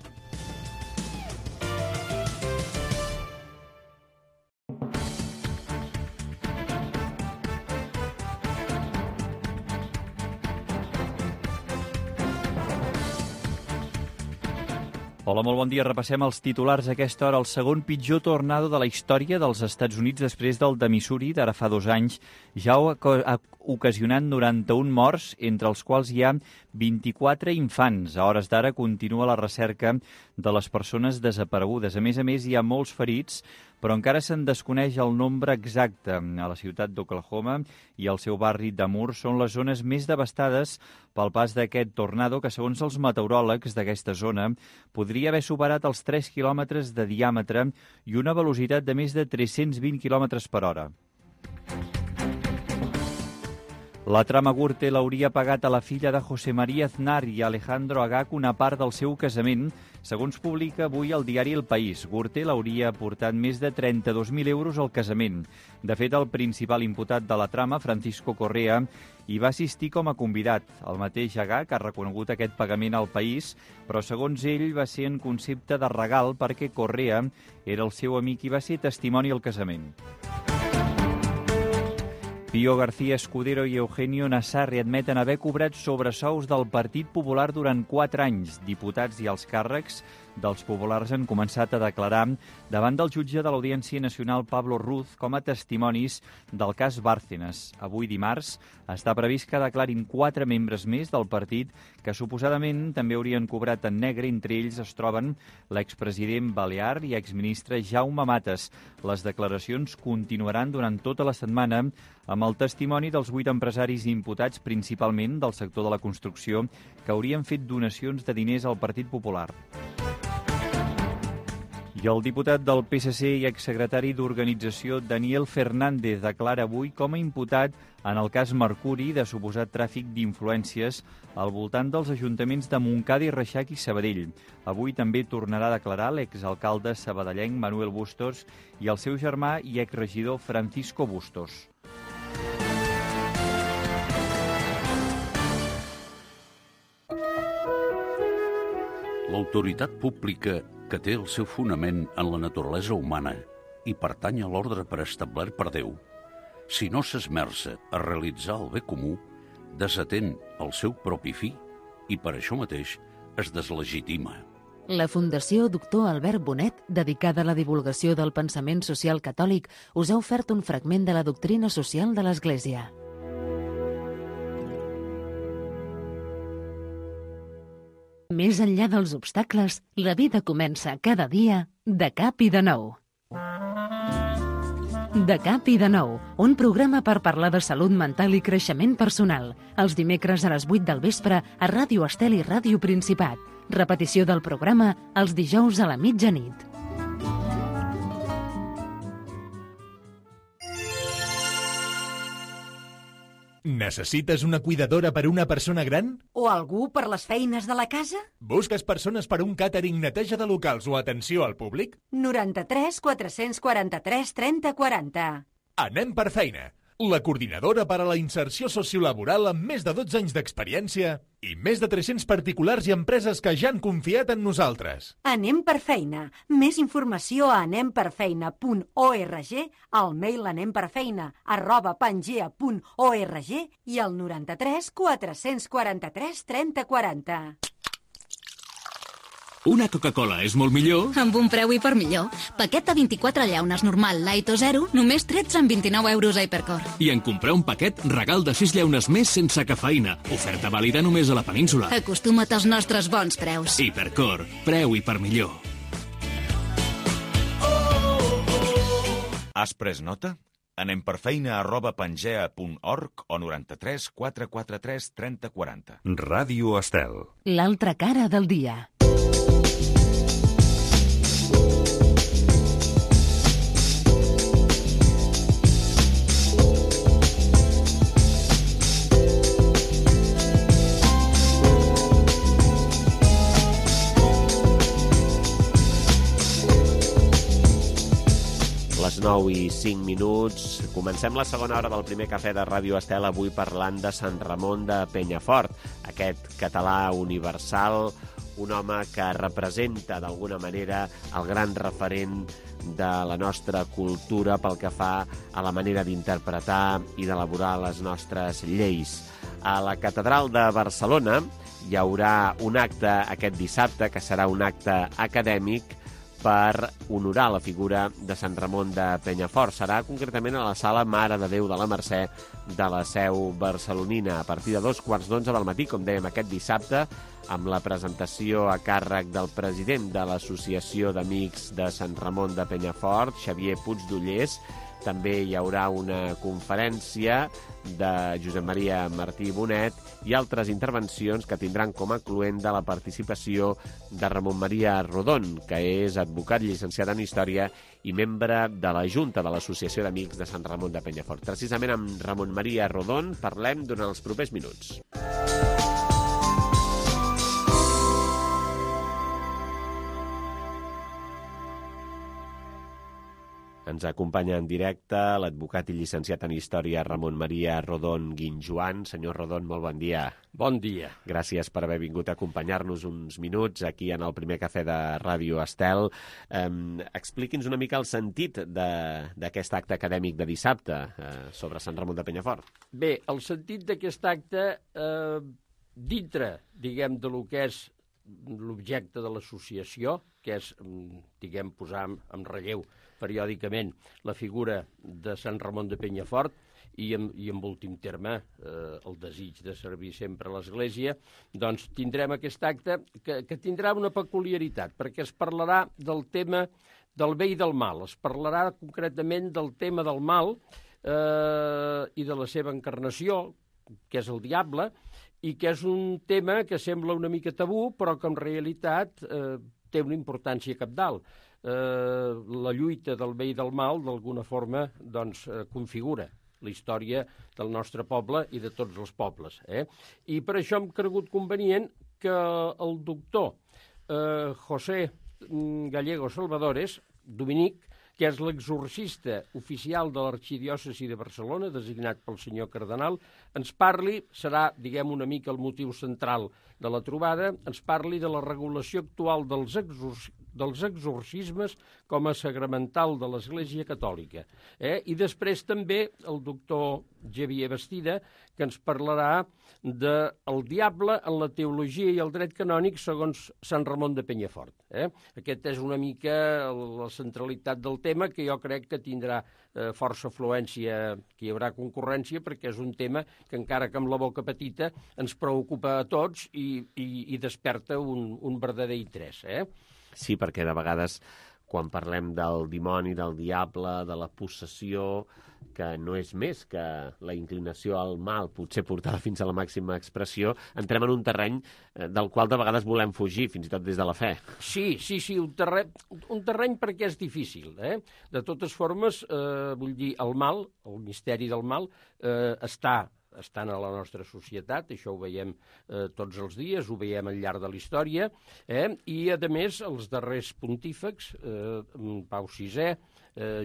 Hola, molt bon dia. Repassem els titulars a aquesta hora. El segon pitjor tornado de la història dels Estats Units després del de Missouri d'ara fa 2 anys ja ha ocasionat 91 morts, entre els quals hi ha 24 infants. A hores d'ara continua la recerca de les persones desaparegudes. A més, hi ha molts ferits, però encara se'n desconeix el nombre exacte. A la ciutat d'Oklahoma i el seu barri d'Amur són les zones més devastades pel pas d'aquest tornado que, segons els meteoròlegs d'aquesta zona, podria haver superat els 3 quilòmetres de diàmetre i una velocitat de més de 320 quilòmetres per hora. La trama Gürtel hauria pagat a la filla de José María Aznar i Alejandro Agag una part del seu casament, segons publica avui el diari El País. Gürtel hauria aportat més de 32.000 euros al casament. De fet, el principal imputat de la trama, Francisco Correa, hi va assistir com a convidat. El mateix Agag ha reconegut aquest pagament al País, però segons ell va ser en concepte de regal perquè Correa era el seu amic i va ser testimoni al casament. Pío García Escudero i Eugenio Nassarri admeten haver cobrat sobresous del Partit Popular durant 4 anys. Diputats i els càrrecs dels populars han començat a declarar davant del jutge de l'Audiència Nacional Pablo Ruz com a testimonis del cas Bárcenas. Avui dimarts està previst que declarin 4 membres més del partit que suposadament també haurien cobrat en negre. Entre ells es troben l'expresident balear i exministre Jaume Matas. Les declaracions continuaran durant tota la setmana amb el testimoni dels 8 empresaris imputats, principalment del sector de la construcció, que haurien fet donacions de diners al Partit Popular. I el diputat del PSC i exsecretari d'Organització Daniel Fernández declara avui com a imputat en el cas Mercuri de suposat tràfic d'influències al voltant dels ajuntaments de Montcada i Reixac i Sabadell. Avui també tornarà a declarar l'exalcalde sabadellenc Manuel Bustos i el seu germà i exregidor Francisco Bustos. L'autoritat pública, que té el seu fonament en la naturalesa humana i pertany a l'ordre preestablert per Déu, si no s'esmerça a realitzar el bé comú, desatén el seu propi fi i per això mateix es deslegitima. La Fundació Doctor Albert Bonet, dedicada a la divulgació del pensament social catòlic, us ha ofert un fragment de la doctrina social de l'Església. Més enllà dels obstacles, la vida comença cada dia de cap i de nou. De cap i de nou, un programa per parlar de salut mental i creixement personal. Els dimecres a les 8 del vespre a Ràdio Estel i Ràdio Principat. Repetició del programa els dijous a la mitjanit. Necessites una cuidadora per una persona gran? O algú per les feines de la casa? Busques persones per un càtering, neteja de locals o atenció al públic? 93 443 30 40. Anem per feina. La coordinadora per a la inserció sociolaboral amb més de 12 anys d'experiència i més de 300 particulars i empreses que ja han confiat en nosaltres. Anem per feina. Més informació a anemperfeina.org, al mail anemperfeina@pangea.org i al 93 443 30 40. Una Coca-Cola és molt millor... Amb un preu hipermillor. Paquet de 24 llaunes normal, light o zero, només 13,29 euros a Hipercor. I en comprar un paquet, regal de 6 llaunes més sense cafeïna. Oferta vàlida només a la península. Acostuma't als nostres bons preus. Hipercor, preu hipermillor. Has pres nota? Anem per feina@pangea.org o 93 443 30 40. Ràdio Estel. L'altra cara del dia. Les 9 i 5 minuts. Comencem la segona hora del primer cafè de Ràdio Estel, avui parlant de Sant Ramon de Penyafort, aquest català universal, un home que representa d'alguna manera el gran referent de la nostra cultura pel que fa a la manera d'interpretar i d'elaborar les nostres lleis. A la Catedral de Barcelona hi haurà un acte aquest dissabte, que serà un acte acadèmic per honorar la figura de Sant Ramon de Penyafort. Serà concretament a la sala Mare de Déu de la Mercè de la seu barcelonina, a partir de 2:15 del matí, com dèiem, aquest dissabte, amb la presentació a càrrec del president de l'Associació d'Amics de Sant Ramon de Penyafort, Xavier Puigdollers. També hi haurà una conferència de Josep Maria Martí Bonet i altres intervencions que tindran com a cluent de la participació de Ramon Maria Rodon, que és advocat llicenciat en Història i membre de la Junta de l'Associació d'Amics de Sant Ramon de Penyafort. Precisament amb Ramon Maria Rodon parlem durant els propers minuts. Ens acompanya en directe l'advocat i llicenciat en Història Ramon Maria Rodon Guinjoan. Senyor Rodon, molt bon dia. Bon dia. Gràcies per haver vingut a acompanyar-nos uns minuts aquí en el primer cafè de Ràdio Estel. Expliqui'ns una mica el sentit d'aquest acte acadèmic de dissabte sobre Sant Ramon de Penyafort. Bé, el sentit d'aquest acte, dintre, diguem, de lo que és l'objecte de l'associació, que és, diguem, posar en relleu periòdicament la figura de Sant Ramon de Penyafort i en últim terme el desig de servir sempre a l'Església, doncs tindrem aquest acte que tindrà una peculiaritat, perquè es parlarà del tema del bé i del mal, es parlarà concretament del tema del mal i de la seva encarnació, que és el diable, i que és un tema que sembla una mica tabú, però que en realitat té una importància cabdal. La lluita del bé i del mal, d'alguna forma, doncs, configura la història del nostre poble i de tots els pobles. I per això hem cregut convenient que el doctor José Gallego Salvadores, dominic, que és l'exorcista oficial de l'Arxidiòcesi de Barcelona, designat pel senyor cardenal, ens parli, serà, diguem, una mica el motiu central de la trobada, ens parli de la regulació actual dels exorcismes com a sagramental de l'Església Catòlica. I després també el doctor Xavier Bastida, que ens parlarà del diable en la teologia i el dret canònic segons Sant Ramon de Penyafort. Aquest és una mica la centralitat del tema, que jo crec que tindrà força afluència, que hi haurà concurrència, perquè és un tema que, encara que amb la boca petita, ens preocupa a tots i desperta un verdader interès. Sí, perquè de vegades, quan parlem del dimoni, del diable, de la possessió, que no és més que la inclinació al mal, potser portada fins a la màxima expressió, entrem en un terreny del qual de vegades volem fugir, fins i tot des de la fe. Sí, un terreny perquè és difícil. De totes formes, vull dir, el mal, el misteri del mal, estan a la nostra societat, això ho veiem tots els dies, ho veiem al llarg de la història, i, a més, els darrers pontífecs, Pau VI,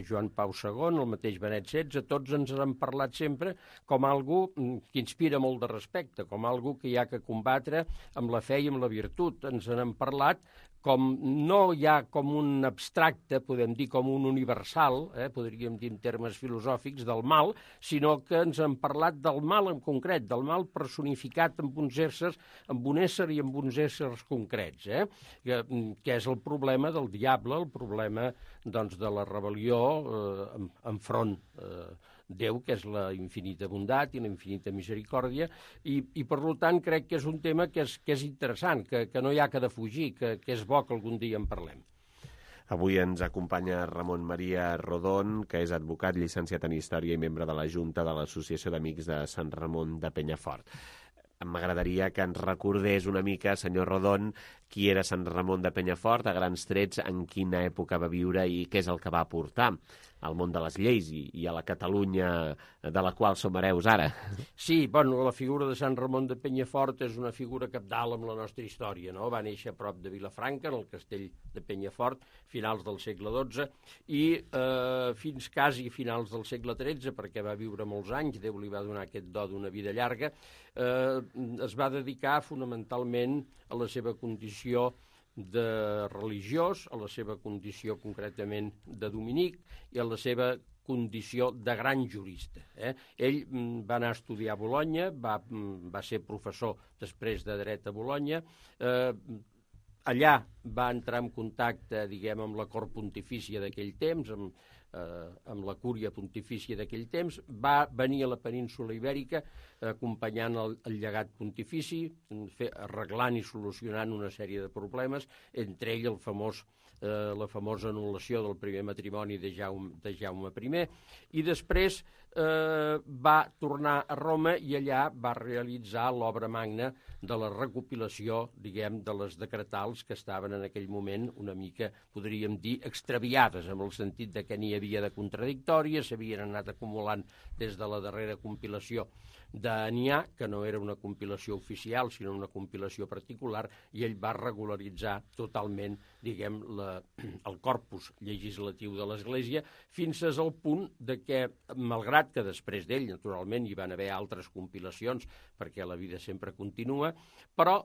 Joan Pau II, el mateix Benet XVI, tots ens han parlat sempre com algú que inspira molt de respecte, com algú que hi ha que combatre amb la fe i amb la virtut. Ens han parlat com no ja com un abstracte, podem dir com un universal, podríem dir en termes filosòfics, del mal, sinó que ens han parlat del mal en concret, del mal personificat amb uns éssers, amb un ésser i amb uns éssers concrets, que és el problema del diable, el problema doncs, de la rebel·lió enfront Déu, que és la infinita bondat i la infinita misericòrdia, i per tant crec que és un tema que és interessant, que no hi ha que defugir, que és bo que algun dia en parlem. Avui ens acompanya Ramon Maria Rodón, que és advocat, llicenciat en Història i membre de la Junta de l'Associació d'Amics de Sant Ramon de Penyafort. M'agradaria que ens recordés una mica, senyor Rodón, qui era Sant Ramon de Penyafort, a grans trets, en quina època va viure i què és el que va aportar al món de les lleis i a la Catalunya de la qual som hereus ara. Sí, bueno, la figura de Sant Ramon de Penyafort és una figura cabdal amb la nostra història, no? Va néixer a prop de Vilafranca, en el castell de Penyafort, finals del segle XII, i fins quasi finals del segle XIII, perquè va viure molts anys, Déu li va donar aquest do d'una vida llarga, es va dedicar fonamentalment a la seva condició de religiós, a la seva condició concretament de dominic i a la seva condició de gran jurista. Ell va anar a estudiar a Bolonya, va ser professor després de dret a Bolonya, allà va entrar en contacte, diguem, amb la cort pontifícia d'aquell temps, amb la cúria pontifícia d'aquell temps, va venir a la península Ibèrica acompanyant el llegat pontifici, arreglant i solucionant una sèrie de problemes, entre ell la famosa anul·lació del primer matrimoni de Jaume I, i després va tornar a Roma i allà va realitzar l'obra magna de la recopilació, diguem, de les decretals que estaven en aquell moment una mica, podríem dir, extraviades, en el sentit de que n'hi havia de contradictòries, s'havien anat acumulant des de la darrera compilació d'Anià, que no era una compilació oficial, sinó una compilació particular, i ell va regularitzar totalment, diguem, el corpus legislatiu de l'Església, fins al punt de que, malgrat que després d'ell, naturalment, hi van haver altres compilacions, perquè la vida sempre continua, però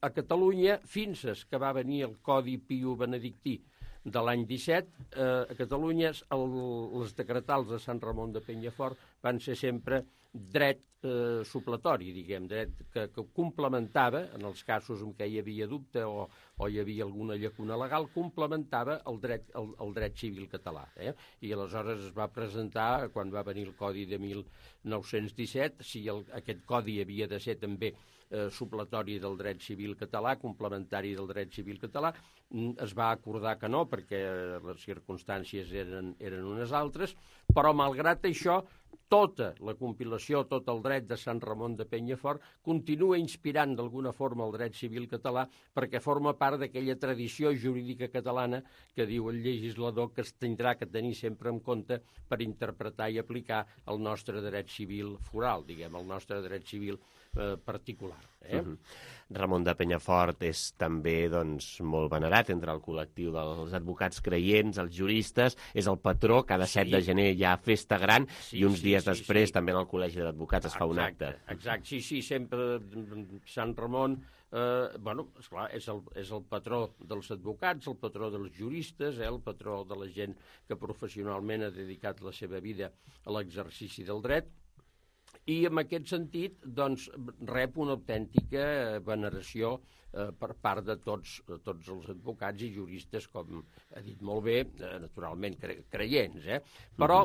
a Catalunya, fins que va venir el Codi Piu Benedictí de l'any 17, a Catalunya les decretals de Sant Ramon de Penyafort van ser sempre dret supletori, diguem, dret que complementava, en els casos en què hi havia dubte o hi havia alguna llacuna legal, complementava el dret civil català. I aleshores es va presentar, quan va venir el Codi de 1917, si aquest codi havia de ser també supletori del dret civil català, complementari del dret civil català, es va acordar que no, perquè les circumstàncies eren unes altres, però malgrat això tota la compilació, tot el dret de Sant Ramon de Penyafort continua inspirant d'alguna forma el dret civil català perquè forma part d'aquella tradició jurídica catalana que diu el legislador que es tindrà que tenir sempre en compte per interpretar i aplicar el nostre dret civil foral, diguem, el nostre dret civil particular. Ramon de Penyafort és també molt venerat entre el col·lectiu dels advocats creients, els juristes, és el patró, cada 7 de gener hi ha festa gran i uns dies després també en el Col·legi d'Advocats es fa un acte. Exacte, sí, sempre Sant Ramon, esclar, és el patró dels advocats, el patró dels juristes, el patró de la gent que professionalment ha dedicat la seva vida a l'exercici del dret, i en aquest sentit rep una autèntica veneració per part de tots els advocats i juristes, com ha dit molt bé, naturalment creients. Però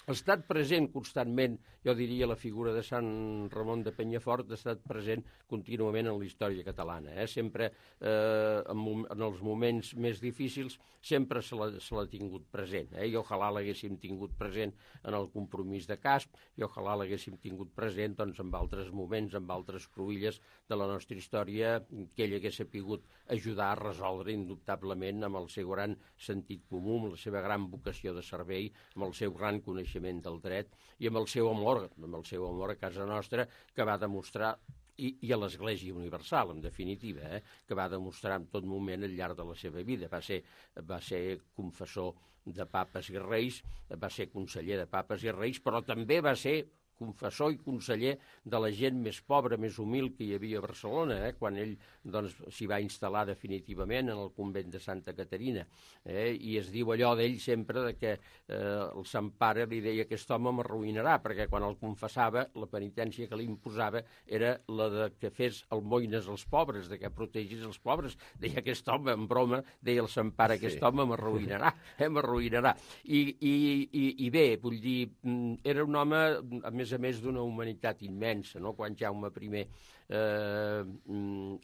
ha estat present constantment, jo diria, la figura de Sant Ramon de Penyafort ha estat present contínuament en la història catalana. Sempre, en els moments més difícils, sempre se l'ha tingut present. I ojalà l'haguéssim tingut present en el compromís de Casp, i ojalà l'haguéssim tingut present en altres moments, en altres cruïlles de la nostra història, que ell hagués sapigut ajudar a resoldre indubtablement amb el seu gran sentit comú, amb la seva gran vocació de servei, amb el seu gran coneixement del dret i amb el seu amor a casa nostra, que va demostrar, i a l'Església Universal, en definitiva, que va demostrar en tot moment al llarg de la seva vida. Va ser confessor de papes i reis, va ser conseller de papes i reis, però també va ser confessor i conseller de la gent més pobra, més humil que hi havia a Barcelona, quan ell s'hi va instal·lar definitivament en el convent de Santa Caterina. I es diu allò d'ell sempre que el Sant Pare li deia: aquest home m'arruïnarà, perquè quan el confessava la penitència que li imposava era la de que fes almoines als pobres, de que protegís els pobres. Deia aquest home, en broma, deia el Sant Pare, aquest home m'arruïnarà, m'arruïnarà. I bé, vull dir, era un home, a més d'una humanitat immensa, no? Quan Jaume I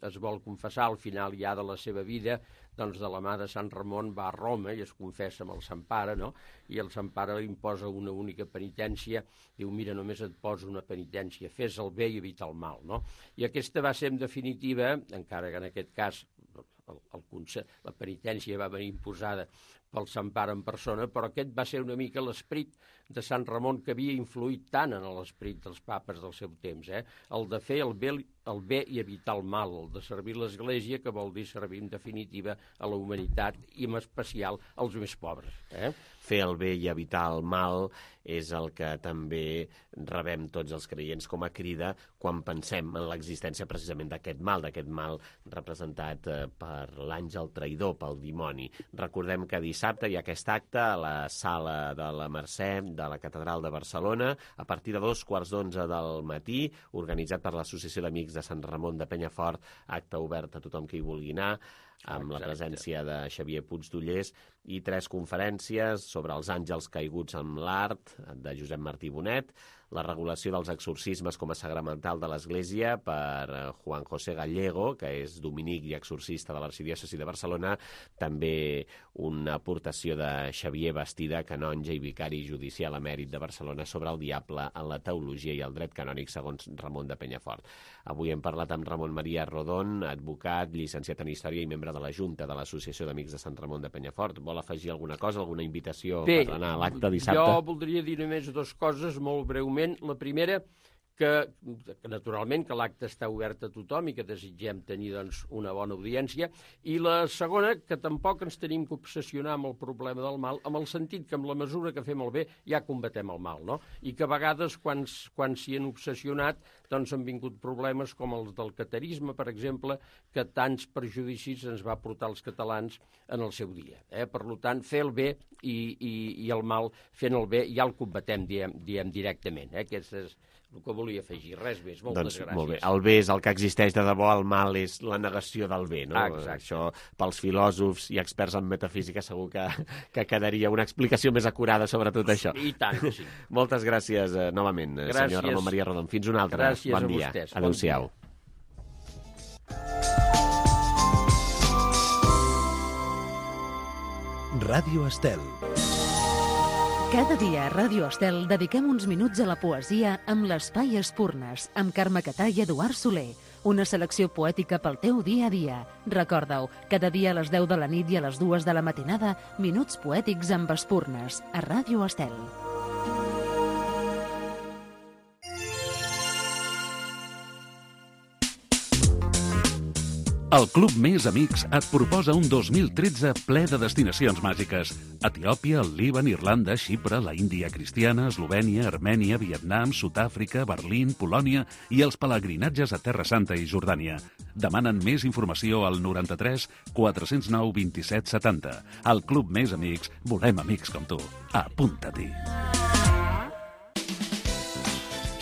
es vol confessar al final ja de la seva vida, de la mà de Sant Ramon va a Roma i es confessa amb el Sant Pare, no? I el Sant Pare li imposa una única penitència, diu: mira, només et poso una penitència, fes el bé i evita el mal, no? I aquesta va ser en definitiva, encara que en aquest cas la penitència va venir imposada pel Sant Pare en persona, però aquest va ser una mica l'esperit de Sant Ramon que havia influït tant en l'esperit dels papes del seu temps, el de fer el bé i evitar el mal, el de servir l'Església, que vol dir servir en definitiva a la humanitat i en especial als més pobres. Fer el bé i evitar el mal és el que també rebem tots els creients com a crida quan pensem en l'existència precisament d'aquest mal representat per l'àngel traïdor, pel dimoni. Recordem que dissabte hi ha aquest acte a la sala de la Mercè de la Catedral de Barcelona a partir de 11:15 del matí, organitzat per l'Associació d'Amics de Sant Ramon de Penyafort, acte obert a tothom que hi vulgui anar, amb la presència de Xavier Puigdollers, i 3 conferències sobre els àngels caiguts amb l'art, de Josep Martí Bonet, la regulació dels exorcismes com a sagramental de l'Església per Juan José Gallego, que és dominic i exorcista de l'Arxidiòcesi de Barcelona, també una aportació de Xavier Bastida, canonge i vicari judicial emèrit de Barcelona, sobre el diable en la teologia i el dret canònic segons Ramon de Penyafort. Avui hem parlat amb Ramon Maria Rodon, advocat, llicenciat en Història i membre de la Junta de l'Associació d'Amics de Sant Ramon de Penyafort. Vol afegir alguna cosa, alguna invitació per anar a l'acte dissabte? Jo voldria dir només 2 coses molt breument. La primera, que naturalment que l'acte està obert a tothom i que desitgem tenir una bona audiència, i la segona, que tampoc ens tenim que obsessionar amb el problema del mal, amb el sentit que amb la mesura que fem el bé ja combatem el mal, no? I que a vegades quan s'hi han obsessionat han vingut problemes com els del catarisme, per exemple, que tants perjudicis ens va portar als catalans en el seu dia. Per tant, fer el bé i el mal, fent el bé ja el combatem, diem directament. Aquest és el que volia afegir, res més. Moltes gràcies. Molt bé. El bé és el que existeix de debò, el mal és la negació del bé, no? Exacte. Això, pels filòsofs i experts en metafísica, segur que quedaria una explicació més acurada sobre tot això. I tant, sí. Moltes gràcies novament, senyor Ramon Maria Rodon. Fins una altra. Gràcies bon dia. A vostès. Adéu-siau. Ràdio Estel. Cada dia a Ràdio Estel dediquem uns minuts a la poesia amb l'Espai Espurnes, amb Carme Catà i Eduard Soler. Una selecció poètica pel teu dia a dia. Recorda-ho, cada dia a les 10 de la nit i a les 2 de la matinada, Minuts Poètics amb Espurnes, a Ràdio Estel. El Club Més Amics et proposa un 2013 ple de destinacions màgiques. Etiòpia, el Líban, Irlanda, Xipre, la Índia cristiana, Eslovènia, Armènia, Vietnam, Sud-àfrica, Berlín, Polònia i els pelegrinatges a Terra Santa i Jordània. Demanen més informació al 93 409 27 70. Al Club Més Amics volem amics com tu. Apunta-t'hi.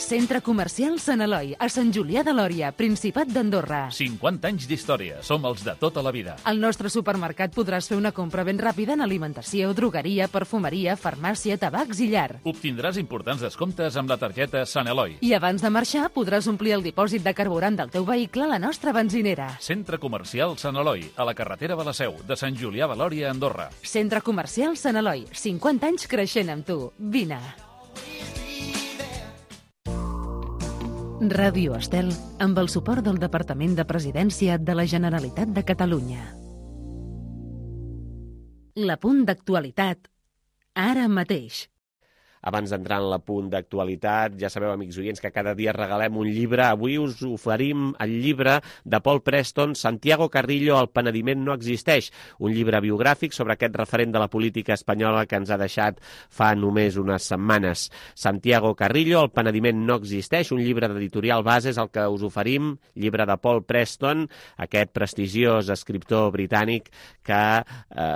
Centre Comercial Sant Eloi, a Sant Julià de Lòria, Principat d'Andorra. 50 anys d'història. Som els de tota la vida. Al nostre supermercat podràs fer una compra ben ràpida en alimentació, drogueria, perfumeria, farmàcia, tabacs i llar. Obtindràs importants descomptes amb la targeta Sant Eloi. I abans de marxar podràs omplir el dipòsit de carburant del teu vehicle a la nostra benzinera. Centre Comercial Sant Eloi, a la carretera de la Seu, de Sant Julià de Lòria, Andorra. Centre Comercial Sant Eloi, 50 anys creixent amb tu. Vine. Ràdio Estel, amb el suport del Departament de Presidència de la Generalitat de Catalunya. L'apunt d'actualitat, ara mateix. Abans d'entrar en l'apunt d'actualitat, ja sabeu, amics oients, que cada dia regalem un llibre. Avui us oferim el llibre de Paul Preston, Santiago Carrillo, El penediment no existeix, un llibre biogràfic sobre aquest referent de la política espanyola que ens ha deixat fa només unes setmanes. Santiago Carrillo, El penediment no existeix, un llibre d'editorial Bases, el que us oferim, llibre de Paul Preston, aquest prestigiós escriptor britànic que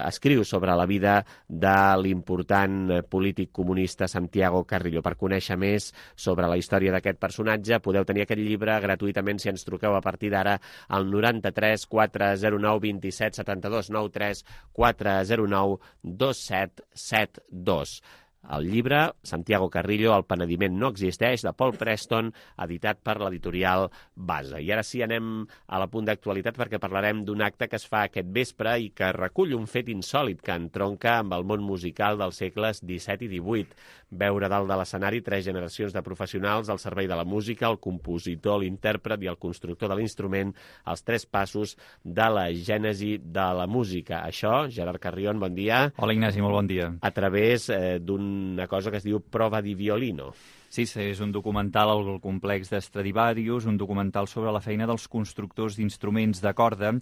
escriu sobre la vida de l'important polític comunista Santiago Carrillo. Per conèixer més sobre la història d'aquest personatge, podeu tenir aquest llibre gratuïtament si ens truqueu a partir d'ara al 93 409 27 72, 93 409 27 72. El llibre, Santiago Carrillo, El penediment no existeix, de Paul Preston, editat per l'editorial Base. I ara sí, anem a la punt d'actualitat perquè parlarem d'un acte que es fa aquest vespre i que recull un fet insòlit que entronca amb el món musical dels segles XVII i XVIII. Veure dalt de l'escenari 3 generacions de professionals al servei de la música, el compositor, l'intèrpret i el constructor de l'instrument, els 3 passos de la gènesi de la música. Això, Gerard Carrion, bon dia. Hola, Ignasi, molt bon dia. A través d'una cosa que es diu Prova di Violino. Sí, és un documental al complex d'Stradivarius, un documental sobre la feina dels constructors d'instruments de corda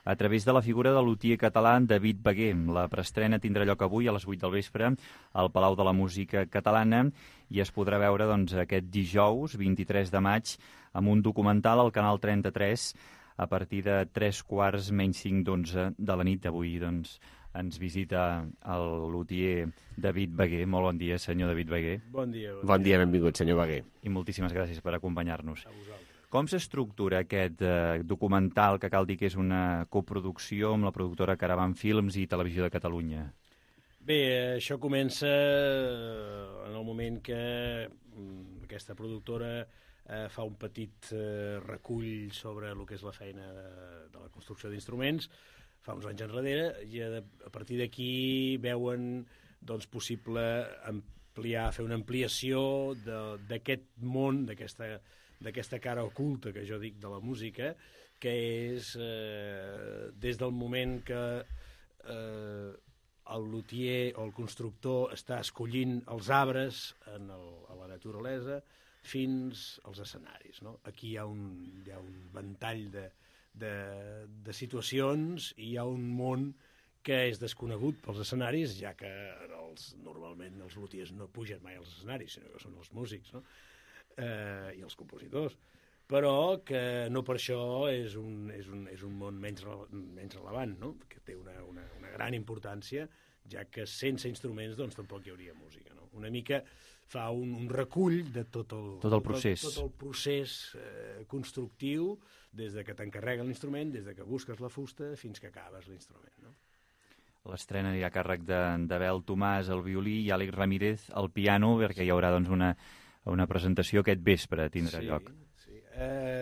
a través de la figura de l'utier català David Beguer. La preestrena tindrà lloc avui a les 8 del vespre al Palau de la Música Catalana i es podrà veure aquest dijous, 23 de maig, amb un documental al Canal 33 a partir de 3:45 de la nit d'avui. Ens visita el lutier David Beguer. Molt bon dia, senyor David Beguer. Bon dia. Bon dia, benvingut, senyor Beguer. I moltíssimes gràcies per acompanyar-nos. A vosaltres. Com s'estructura aquest documental, que cal dir que és una coproducció amb la productora Caravan Films i Televisió de Catalunya? Bé, això comença en el moment que aquesta productora fa un petit recull sobre el que és la feina de la construcció d'instruments, fa uns anys enrere, i a partir d'aquí veuen possible fer una ampliació d'aquest món, d'aquesta cara oculta que jo dic de la música, que és des del moment que el lutier o el constructor està escollint els arbres a la naturalesa fins als escenaris. Aquí hi ha un ventall de situacions i hi ha un món que és desconegut pels escenaris, ja que normalment els lutiers no pugen mai als escenaris, sinó que són els músics, i els compositors, però que no per això és un món menys relevant, que té una gran importància, ja que sense instruments tampoc hi hauria música. Una mica fa un recull de tot el procés constructiu, des de que t'encarreguen l'instrument, des de que busques la fusta fins que acabes l'instrument. L'estrena anirà a càrrec d'Abel Tomàs al violí i Àlex Ramírez al piano, perquè hi haurà una presentació aquest vespre, tindrà lloc. Sí.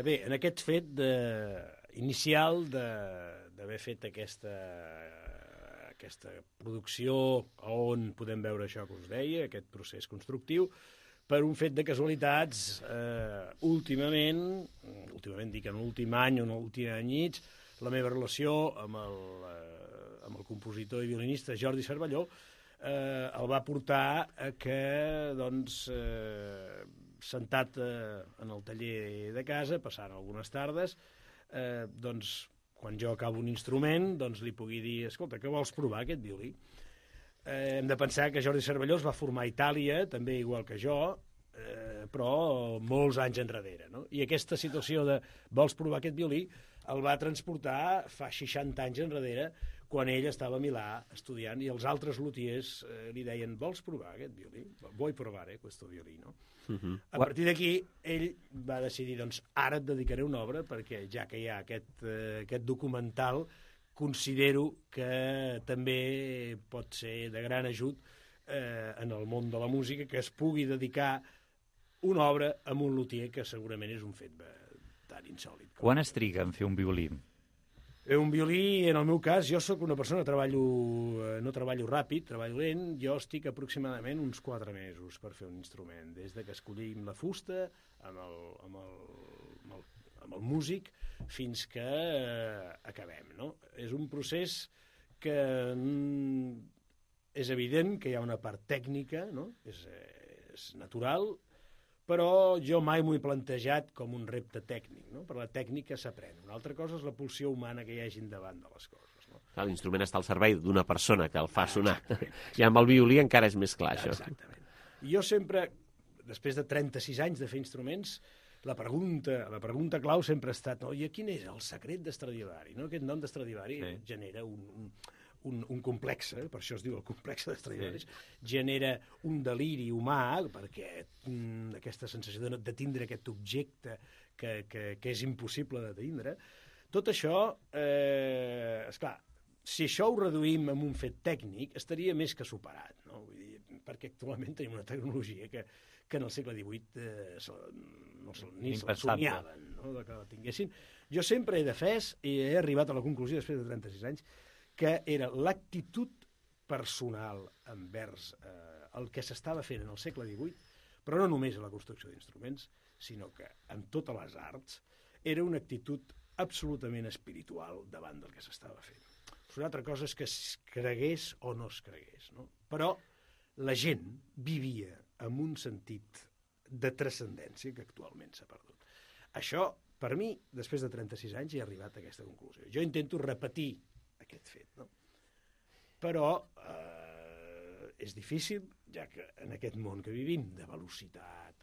Bé, en aquest fet inicial d'haver fet aquest aquesta producció on podem veure això que us deia, aquest procés constructiu, per un fet de casualitats, últimament dic en l'últim any o en l'últim any i mig, la meva relació amb el compositor i violinista Jordi Cervelló el va portar a que, doncs, sentat en el taller de casa, passant algunes tardes, doncs, quan jo acabo un instrument, doncs li pugui dir, escolta, que vols provar aquest violí? Hem de pensar que Jordi Cervelló es va formar a Itàlia, també igual que jo, però molts anys enrere, no? I aquesta situació de vols provar aquest violí el va transportar fa 60 anys enrere, quan ell estava a Milà estudiant i els altres luthiers li deien, vols provar aquest violí? Vull provare questo violino. A partir d'aquí, ell va decidir, doncs, ara et dedicaré una obra, perquè ja que hi ha aquest documental, considero que també pot ser de gran ajut en el món de la música, que es pugui dedicar una obra a un luthier, que segurament és un fet tan insòlit. Quan es triga en fer un violí? Un violí, en el meu cas, jo sóc una persona que no treballo ràpid, treballo lent, jo estic aproximadament uns 4 mesos per fer un instrument, des de que escollim la fusta amb el músic fins que acabem, no? És un procés que és evident que hi ha una part tècnica, no? És natural, però jo mai m'ho he plantejat com un repte tècnic, no? Per la tècnica s'aprèn. Una altra cosa és la pulsió humana que hi hagi davant de les coses, no? L'instrument està al servei d'una persona que el fa sonar. I amb el violí encara és més clar, això. Exactament. Jo sempre, després de 36 anys de fer instruments, la pregunta clau sempre ha estat, i quin és el secret d'Stradivari? No? Aquest nom d'Stradivari genera un complex, per això es diu el complex d'Stradivari, genera un deliri humà, perquè aquesta sensació de tindre aquest objecte que és impossible de tindre. Tot això, esclar, si això ho reduïm en un fet tècnic, estaria més que superat, no? Vull dir, perquè actualment tenim una tecnologia que en el segle XVIII ni se'l somiaven, no? Que la tinguessin. Jo sempre he defès, i he arribat a la conclusió després de 36 anys, que era l'actitud personal envers el que s'estava fent en el segle XVIII, però no només a la construcció d'instruments, sinó que en totes les arts era una actitud absolutament espiritual davant del que s'estava fent. Una altra cosa és que es cregués o no es cregués, no? Però la gent vivia amb un sentit de transcendència que actualment s'ha perdut. Això, per mi, després de 36 anys, he arribat a aquesta conclusió. Jo intento repetir aquest fet, no? Però és difícil, ja que en aquest món que vivim, de velocitat,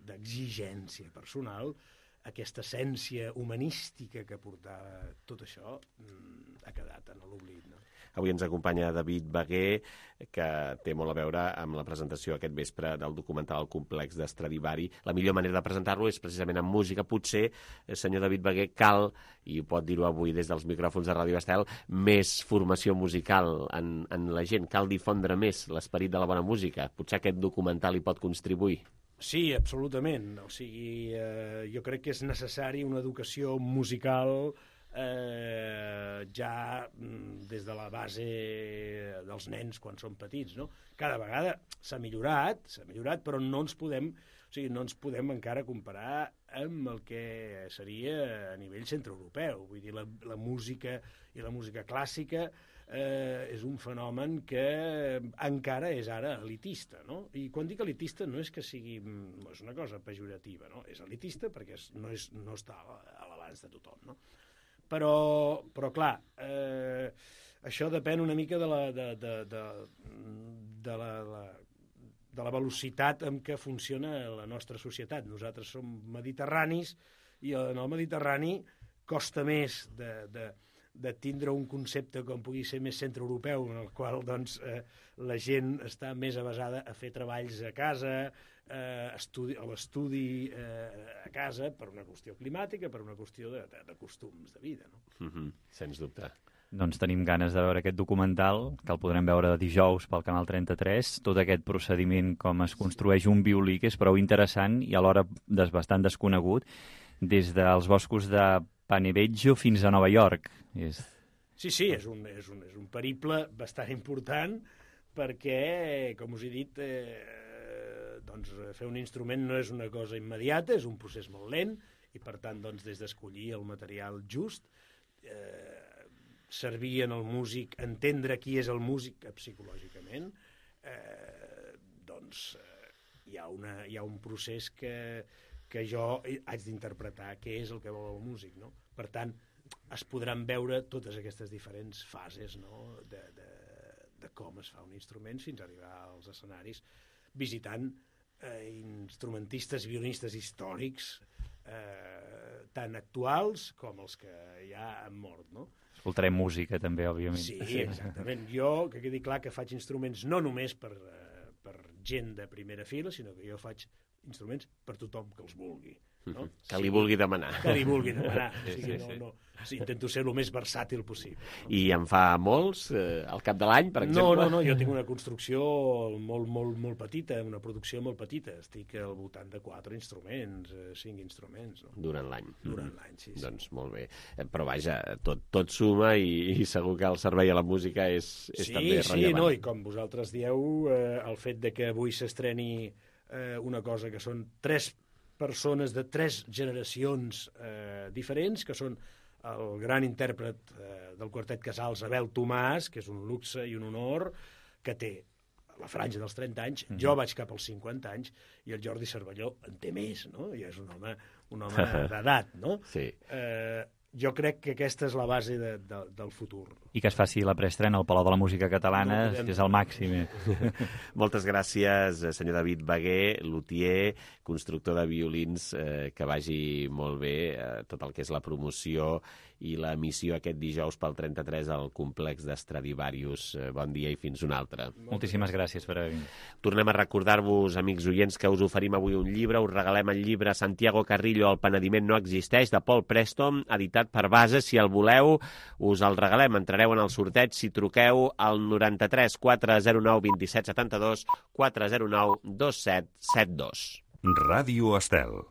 d'exigència personal, aquesta essència humanística que portava tot això ha quedat en l'oblit, no? Avui ens acompanya David Bagué, que té molt a veure amb la presentació aquest vespre del documental El complex d'Stradivari. La millor manera de presentar-lo és precisament amb música. Potser, senyor David Bagué, cal, i ho pot dir-ho avui des dels micròfons de Ràdio Estel, més formació musical en la gent. Cal difondre més l'esperit de la bona música. Potser aquest documental hi pot contribuir. Sí, absolutament. O sigui, jo crec que és necessari una educació musical ja des de la base dels nens quan són petits, no? Cada vegada s'ha millorat, però no ens podem encara comparar amb el que seria a nivell centreeuropeu. Vull dir, la música i la música clàssica és un fenomen que encara és ara elitista, no? I quan dic elitista no és que sigui és una cosa pejorativa, no? És elitista perquè no està a l'abast de tothom, no? Però clar, això depèn una mica de la velocitat amb què funciona la nostra societat. Nosaltres som mediterranis i en el Mediterrani costa més de tindre un concepte com pugui ser més centreeuropeu, en el qual doncs, la gent està més avasada a fer treballs a casa, a l'estudi a casa, per una qüestió climàtica, per una qüestió de costums de vida, no? Sens dubte. Doncs tenim ganes de veure aquest documental, que el podrem veure dijous pel Canal 33, tot aquest procediment, com es construeix un violí, que és prou interessant i alhora bastant desconegut, des dels boscos de Panevėžio fins a Nova York. Sí, és un periple bastant important perquè, com us he dit, doncs, fer un instrument no és una cosa immediata, és un procés molt lent i, per tant, doncs, des d'escollir el material just, servir en el músic, entendre qui és el músic psicològicament, doncs hi ha un procés que jo haig d'interpretar què és el que vol el músic, no? Per tant, es podran veure totes aquestes diferents fases, no? de com es fa un instrument fins a arribar als escenaris visitant instrumentistes, violinistes històrics, tant actuals com els que ja han mort, no? Escoltarem música, també, òbviament. Sí, exactament. Jo, que quedi clar que faig instruments no només per gent de primera fila, sinó que jo faig instruments per tothom que els vulgui. No? Que li vulgui demanar. Que li vulgui demanar. Sí, intento ser el més versàtil possible. I en fa molts, al cap de l'any, per exemple? No, jo tinc una construcció molt petita, una producció molt petita. Estic al voltant de 4 instruments, 5 instruments. No? Durant l'any. Durant l'any, sí. Doncs molt bé. Però vaja, tot suma i segur que el servei a la música és també rellevant. Sí, no, i com vosaltres dieu, el fet de que avui s'estreni una cosa que són 3 persones de 3 generacions diferents, que són el gran intèrpret del quartet Casals, Abel Tomàs, que és un luxe i un honor, que té la franja dels 30 anys, jo vaig cap als 50 anys, i el Jordi Cervelló en té més, no? I és un home d'edat, no? Sí. Jo crec que aquesta és la base del futur. I que es faci la preestrena al Palau de la Música Catalana és el màxim. Moltes gràcies, senyor David Bagué, luthier, constructor de violins, que vagi molt bé tot el que és la promoció i l'emissió aquest dijous pel 33 al complex d'Stradivarius. Bon dia i fins una altra. Moltíssimes gràcies per haver vingut. Tornem a recordar-vos, amics oients, que us oferim avui un llibre. Us regalem el llibre Santiago Carrillo, El penediment no existeix, de Paul Preston, editat per Bases. Si el voleu, us el regalem. Entrareu en el sorteig si truqueu al 93 409 27 72 409 2772. Ràdio Estel.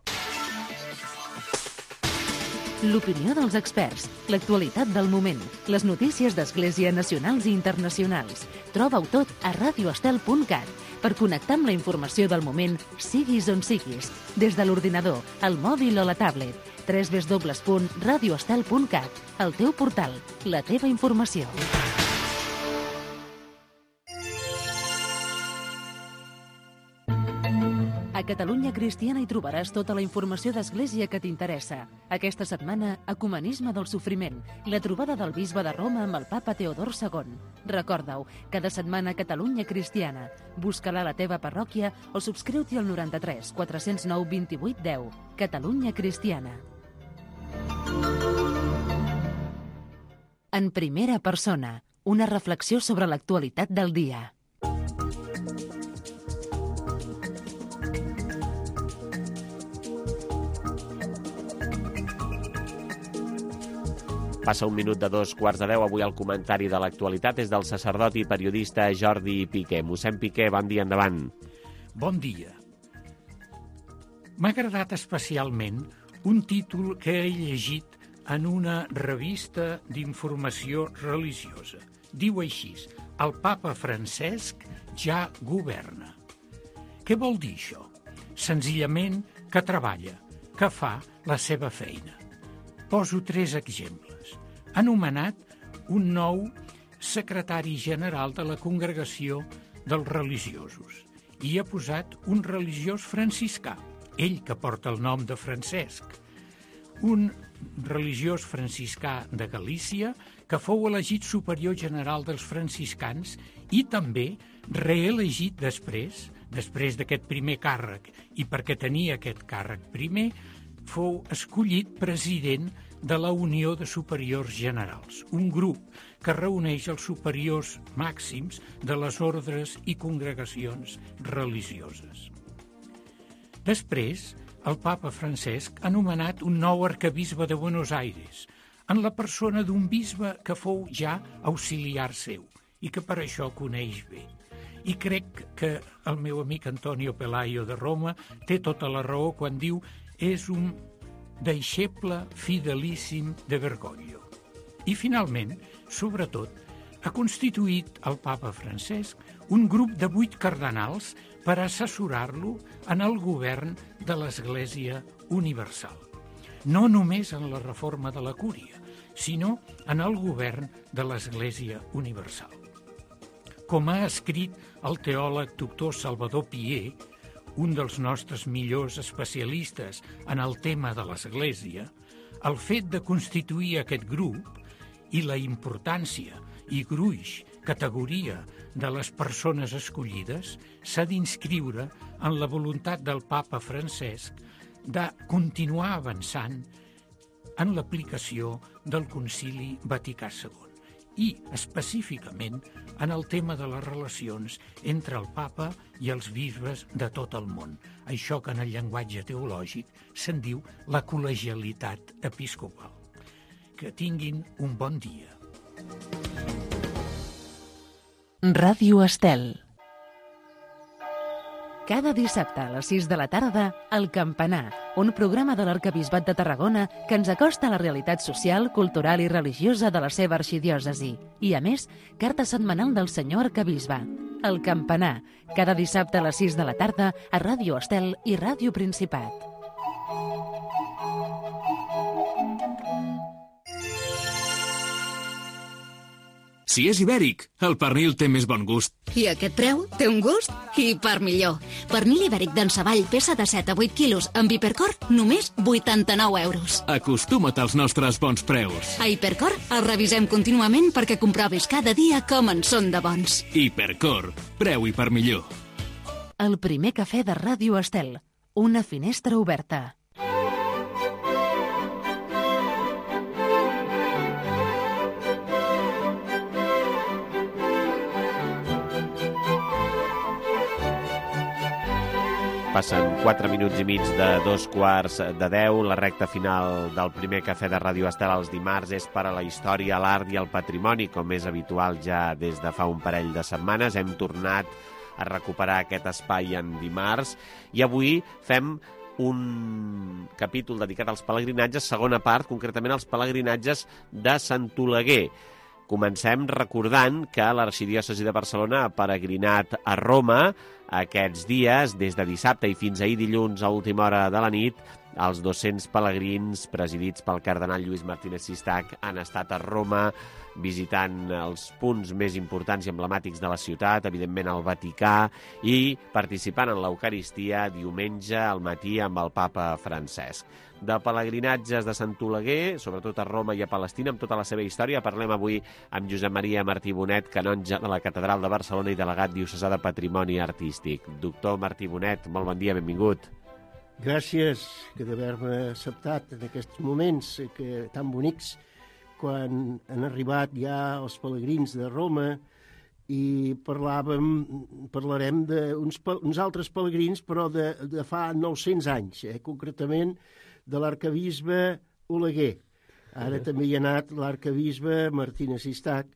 L'opinió dels experts, l'actualitat del moment, les notícies d'Església nacionals i internacionals. Troba-ho tot a radioestel.cat per connectar amb la informació del moment, siguis on siguis, des de l'ordinador, el mòbil o la tablet. www.radioestel.cat, el teu portal, la teva informació. A Catalunya Cristiana hi trobaràs tota la informació d'Església que t'interessa. Aquesta setmana, Ecumenisme del Sofriment, la trobada del bisbe de Roma amb el papa Teodor II. Recorda-ho, cada setmana a Catalunya Cristiana. Busca-la a la teva parròquia o subscriu-t'hi al 93 409 28 10. Catalunya Cristiana. En primera persona, una reflexió sobre l'actualitat del dia. Passa un minut de 2:15. Avui el comentari de l'actualitat és del sacerdot i periodista Jordi Piqué. Mossèn Piqué, bon dia, endavant. Bon dia. M'ha agradat especialment un títol que he llegit en una revista d'informació religiosa. Diu així: el papa Francesc ja governa. Què vol dir això? Senzillament que treballa, que fa la seva feina. Poso 3 exemples. Ha nomenat un nou secretari general de la Congregació dels Religiosos i ha posat un religiós franciscà, ell que porta el nom de Francesc. Un religiós franciscà de Galícia que fou elegit superior general dels franciscans i també reelegit després d'aquest primer càrrec, i perquè tenia aquest càrrec primer, fou escollit president de la Unió de Superiors Generals, un grup que reuneix els superiors màxims de les ordres i congregacions religioses. Després, el papa Francesc ha nomenat un nou arquebisbe de Buenos Aires, en la persona d'un bisbe que fou ja auxiliar seu i que per això coneix bé. I crec que el meu amic Antonio Pelayo de Roma té tota la raó quan diu és un deixeble fidelíssim de Bergoglio. I, finalment, sobretot, ha constituït el papa Francesc un grup de 8 cardenals per assessorar-lo en el govern de l'Església Universal. No només en la reforma de la Cúria, sinó en el govern de l'Església Universal. Com ha escrit el teòleg doctor Salvador Pier, un dels nostres millors especialistes en el tema de l'Església, el fet de constituir aquest grup i la importància i gruix, categoria de les persones escollides s'ha d'inscriure en la voluntat del papa Francesc de continuar avançant en l'aplicació del Concili Vaticà II i, específicament, en el tema de les relacions entre el papa i els bisbes de tot el món. Això que en el llenguatge teològic se'n diu la col·legialitat episcopal. Que tinguin un bon dia. Ràdio Estel. Cada dissabte a les 6 de la tarda, El Campanar, un programa de l'Arquebisbat de Tarragona que ens acosta a la realitat social, cultural i religiosa de la seva arxidiòcesi. I, a més, carta setmanal del senyor arquebisbe. El Campanar, cada dissabte a les 6 de la tarda a Ràdio Estel i Ràdio Principat. Si és ibèric, el pernil té més bon gust. I aquest preu té un gust i per millor. Pernil ibèric d'en Savall, peça de 7 a 8 quilos, amb Hipercor, només 89 euros. Acostuma't als nostres bons preus. A Hipercor el revisem contínuament perquè comprovis cada dia com en són de bons. Hipercor, preu i per millor. El primer cafè de Ràdio Estel. Una finestra oberta. Passen 4 minuts i mig de 9:45, la recta final del primer cafè de Ràdio Estel els dimarts és per a la història, l'art i el patrimoni, com és habitual ja des de fa un parell de setmanes. Hem tornat a recuperar aquest espai en dimarts i avui fem un capítol dedicat als pelegrinatges, segona part, concretament als pelegrinatges de Sant Oleguer. Comencem recordant que l'Arxidiòcesi de Barcelona ha peregrinat a Roma aquests dies, des de dissabte i fins ahir dilluns a última hora de la nit. Els 200 pelegrins presidits pel cardenal Lluís Martínez Sistac han estat a Roma visitant els punts més importants i emblemàtics de la ciutat, evidentment el Vaticà, i participant en l'Eucaristia diumenge al matí amb el papa Francesc. De pelegrinatges de Sant Oleguer, sobretot a Roma i a Palestina, amb tota la seva història, parlem avui amb Josep Maria Martí Bonet, canonge de la Catedral de Barcelona i delegat diocesà de Patrimoni Artístic. Doctor Martí Bonet, molt bon dia, benvingut. Gràcies d'haver-me acceptat en aquests moments tan bonics, quan han arribat ja els pelegrins de Roma, i parlarem d'uns altres pelegrins, però de fa 900 anys, concretament de l'arquebisbe Oleguer. Ara també hi ha anat l'arquebisbe Martínez Sistac,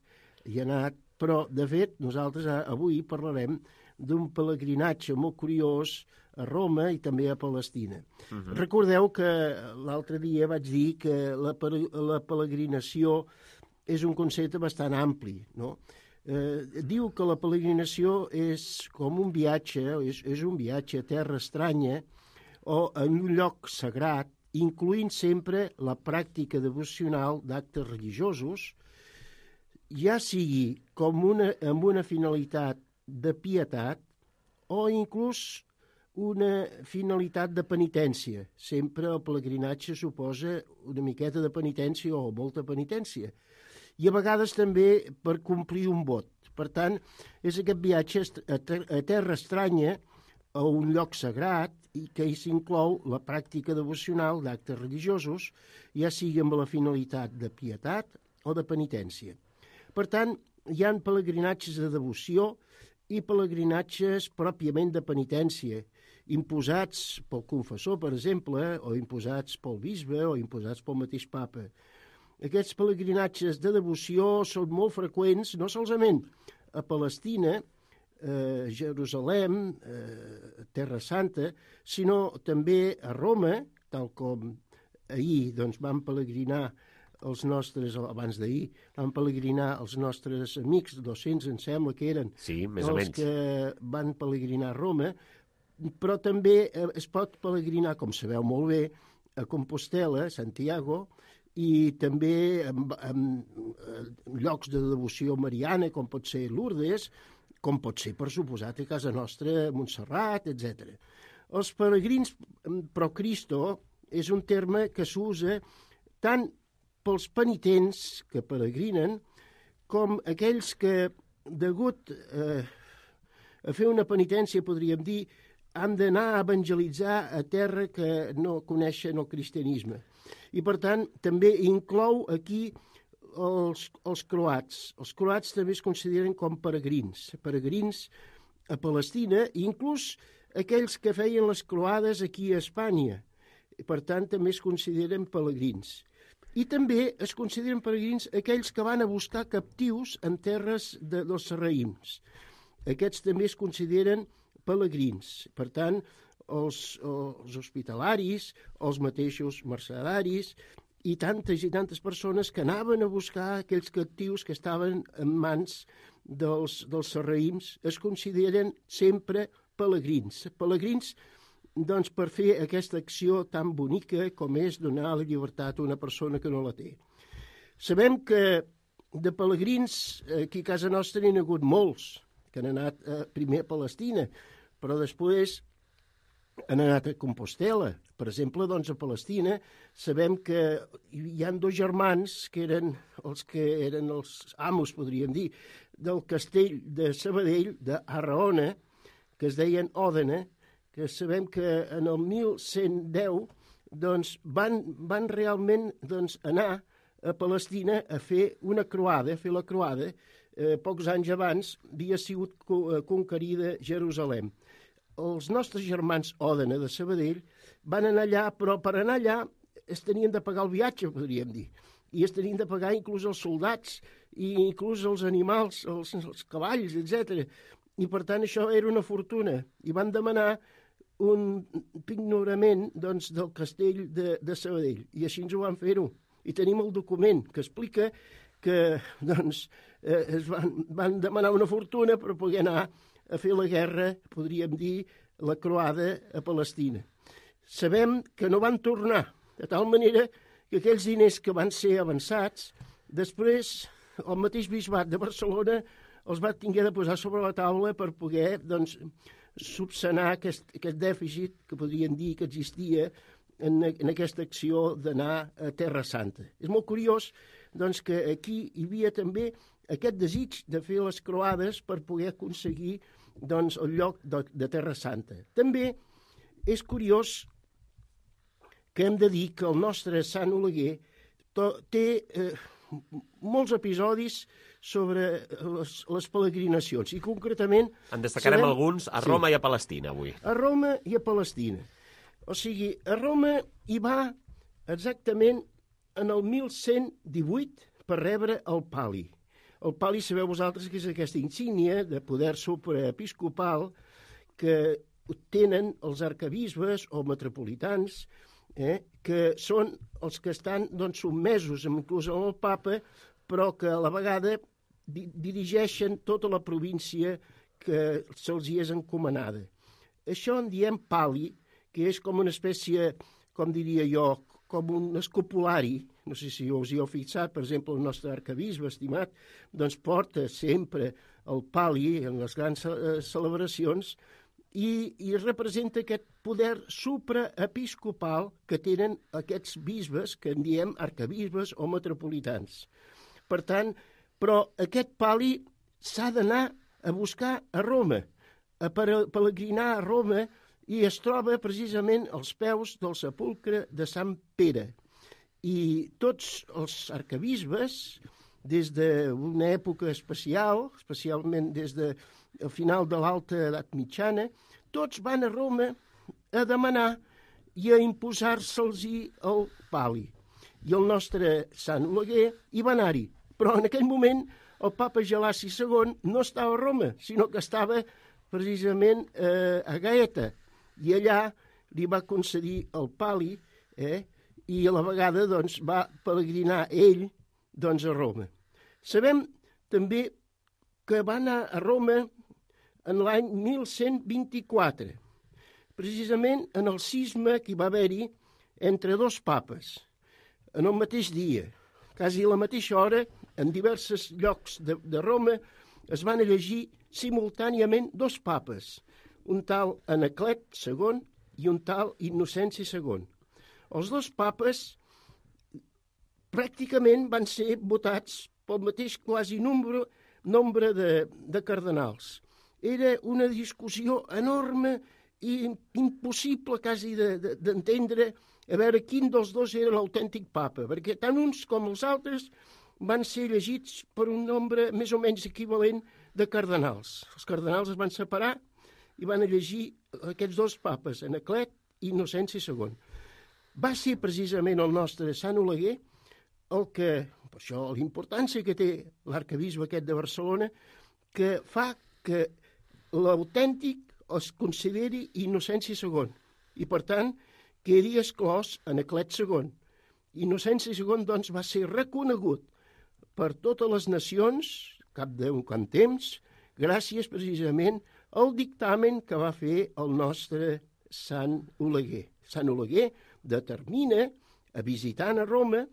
hi ha anat, però de fet nosaltres avui parlarem d'un pelegrinatge molt curiós a Roma i també a Palestina. Recordeu que l'altre dia vaig dir que la peregrinació és un concepte bastant ampli, no? Diu que la peregrinació és com un viatge, és un viatge a terra estranya o en un lloc sagrat, incloent sempre la pràctica devocional d'actes religiosos, ja sigui amb una finalitat de pietat o inclús una finalitat de penitència. Sempre el pelegrinatge suposa una miqueta de penitència o molta penitència. I a vegades també per complir un vot. Per tant, és aquest viatge a terra estranya, a un lloc sagrat, i que hi s'inclou la pràctica devocional d'actes religiosos, ja sigui amb la finalitat de pietat o de penitència. Per tant, hi ha pelegrinatges de devoció i pelegrinatges pròpiament de penitència, imposats pel confessor, per exemple, o imposats pel bisbe o imposats pel mateix papa. Aquests pelegrinatges de devoció són molt freqüents, no solament a Palestina, a Jerusalem, a Terra Santa, sinó també a Roma, tal com ahir vam pelegrinar els nostres, abans d'ahir, van pelegrinar els nostres amics, 200 em sembla que eren, sí, més o menys, que van pelegrinar a Roma, però també es pot pelegrinar, com sabeu molt bé, a Compostela, a Santiago, i també en llocs de devoció mariana, com pot ser Lourdes, com pot ser, per suposat, a casa nostra, Montserrat, etc. Els peregrins pro Cristo és un terme que s'usa tant pels penitents que peregrinen com aquells que, degut a fer una penitència, podríem dir, han d'anar a evangelitzar a terra que no coneixen el cristianisme. I, per tant, també inclou aquí els croats. Els croats també es consideren com peregrins a Palestina, i inclús aquells que feien les croades aquí a Espanya. Per tant, també es consideren peregrins. I també es consideren peregrins aquells que van a buscar captius en terres dels sarraïms. Aquests també es consideren peregrins. Per tant, els hospitalaris, els mateixos mercedaris i tantes persones que anaven a buscar aquells captius que estaven en mans dels sarraïms es consideren sempre peregrins. Peregrins, doncs, per fer aquesta acció tan bonica com és donar la llibertat a una persona que no la té. Sabem que de peregrins aquí a casa nostra n'hi ha hagut molts, que han anat primer a Palestina, però després han anat a Compostela. Per exemple, doncs, a Palestina sabem que hi ha dos germans que eren els amos, podríem dir, del castell de Sabadell, d'Arraona, que es deien Òdena, que sabem que en el 1110 doncs, van realment anar a Palestina a fer una croada, a fer la croada. Pocs anys abans havia sigut conquerida Jerusalem. Els nostres germans Òdena de Sabadell van anar allà, però per anar allà es tenien de pagar el viatge, podríem dir. I es tenien de pagar inclús els soldats i inclús els animals, els cavalls, etc. I per tant això era una fortuna. I van demanar un pignorament doncs, del castell de Sabadell. I així ens ho van fer-ho. I tenim el document que explica que doncs, es van demanar una fortuna per poder anar a fer la guerra, podríem dir, la croada a Palestina. Sabem que no van tornar, de tal manera que aquells diners que van ser avançats, després el mateix bisbat de Barcelona els va haver de posar sobre la taula per poder doncs, subsanar aquest dèficit que podríem dir que existia en aquesta acció d'anar a Terra Santa. És molt curiós doncs, que aquí hi havia també aquest desig de fer les croades per poder aconseguir doncs, el lloc de Terra Santa. També és curiós que hem de dir que el nostre Sant Oleguer té molts episodis sobre les peregrinacions i concretament... En destacarem alguns a Roma i a Palestina avui. A Roma i a Palestina. O sigui, a Roma hi va exactament en el 1118 per rebre el pali. El pali, sabeu vosaltres, que és aquesta insígnia de poder supraepiscopal que tenen els arcabisbes o metropolitans, que són els que estan doncs, sotmesos inclús al papa, però que a la vegada dirigeixen tota la província que se'ls hi és encomanada. Això en diem pali, que és com una espècie, com diria jo, com un escopulari. No sé si us hi heu fixat, per exemple, el nostre arcabisbe estimat doncs porta sempre el pali en les grans celebracions i representa aquest poder supraepiscopal que tenen aquests bisbes, que en diem arcabisbes o metropolitans. Per tant, però aquest pali s'ha d'anar a buscar a Roma, a peregrinar a Roma, i es troba precisament als peus del sepulcre de Sant Pere. I tots els arcabisbes, des d'una època especial, especialment des del final de l'Alta Edat Mitjana, tots van a Roma a demanar i a imposar-se'ls-hi el pali. I el nostre Sant Oleguer hi va anar-hi. Però en aquell moment el papa Gelaci II no estava a Roma, sinó que estava precisament a Gaeta. I allà li va concedir el pali i a la vegada doncs, va peregrinar ell doncs, a Roma. Sabem també que va anar a Roma en l'any 1124, precisament en el cisma que hi va haver-hi entre dos papes, en el mateix dia, quasi a la mateixa hora, en diversos llocs de Roma, es van elegir simultàniament dos papes, un tal Anaclet II i un tal Innocenci II. Els dos papes pràcticament van ser votats pel mateix quasi nombre de cardenals. Era una discussió enorme i impossible quasi d'entendre a veure quin dels dos era l'autèntic papa, perquè tant uns com els altres van ser elegits per un nombre més o menys equivalent de cardenals. Els cardenals es van separar i van elegir aquests dos papes, Anaclet i Innocenci II. Va ser precisament el nostre Sant Oleguer el que, per això l'importància que té l'arcabisbe aquest de Barcelona, que fa que l'autèntic es consideri Innocenci II i, per tant, quedi exclòs Anaclet II. Innocenci II, doncs, va ser reconegut per totes les nacions, cap d'un quant temps, gràcies precisament al dictamen que va fer el nostre Sant Oleguer. Sant Oleguer determina, visitant a Roma,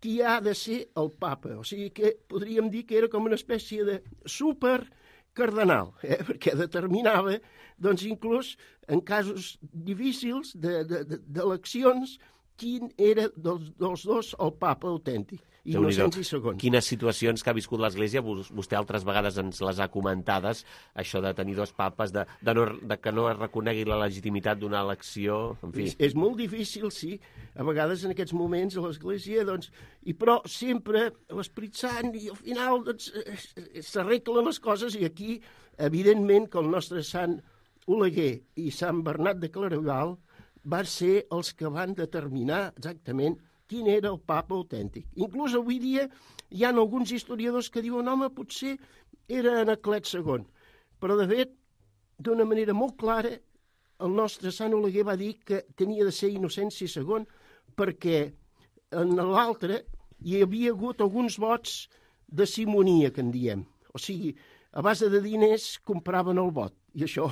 qui ha de ser el papa. O sigui que podríem dir que era com una espècie de supercardenal, perquè determinava, doncs, inclús en casos difícils d'eleccions, quin era dels dos el papa autèntic. Innocenci II. Quines situacions que ha viscut l'Església, vostè altres vegades ens les ha comentades, això de tenir dos papes, de que no es reconegui la legitimitat d'una elecció, en fi. És molt difícil, sí, a vegades en aquests moments a l'Església, doncs, però sempre l'Esperit Sant i al final doncs, s'arreglen les coses i aquí, evidentment, que el nostre Sant Oleguer i Sant Bernat de Claraval van ser els que van determinar exactament quin era el papa autèntic. Inclús avui dia hi ha alguns historiadors que diuen home, potser era Anaclet II. Però, de fet, d'una manera molt clara, el nostre Sant Oleguer va dir que tenia de ser Innocenci II perquè en l'altre hi havia hagut alguns vots de simonia, que en diem. O sigui, a base de diners compraven el vot. I això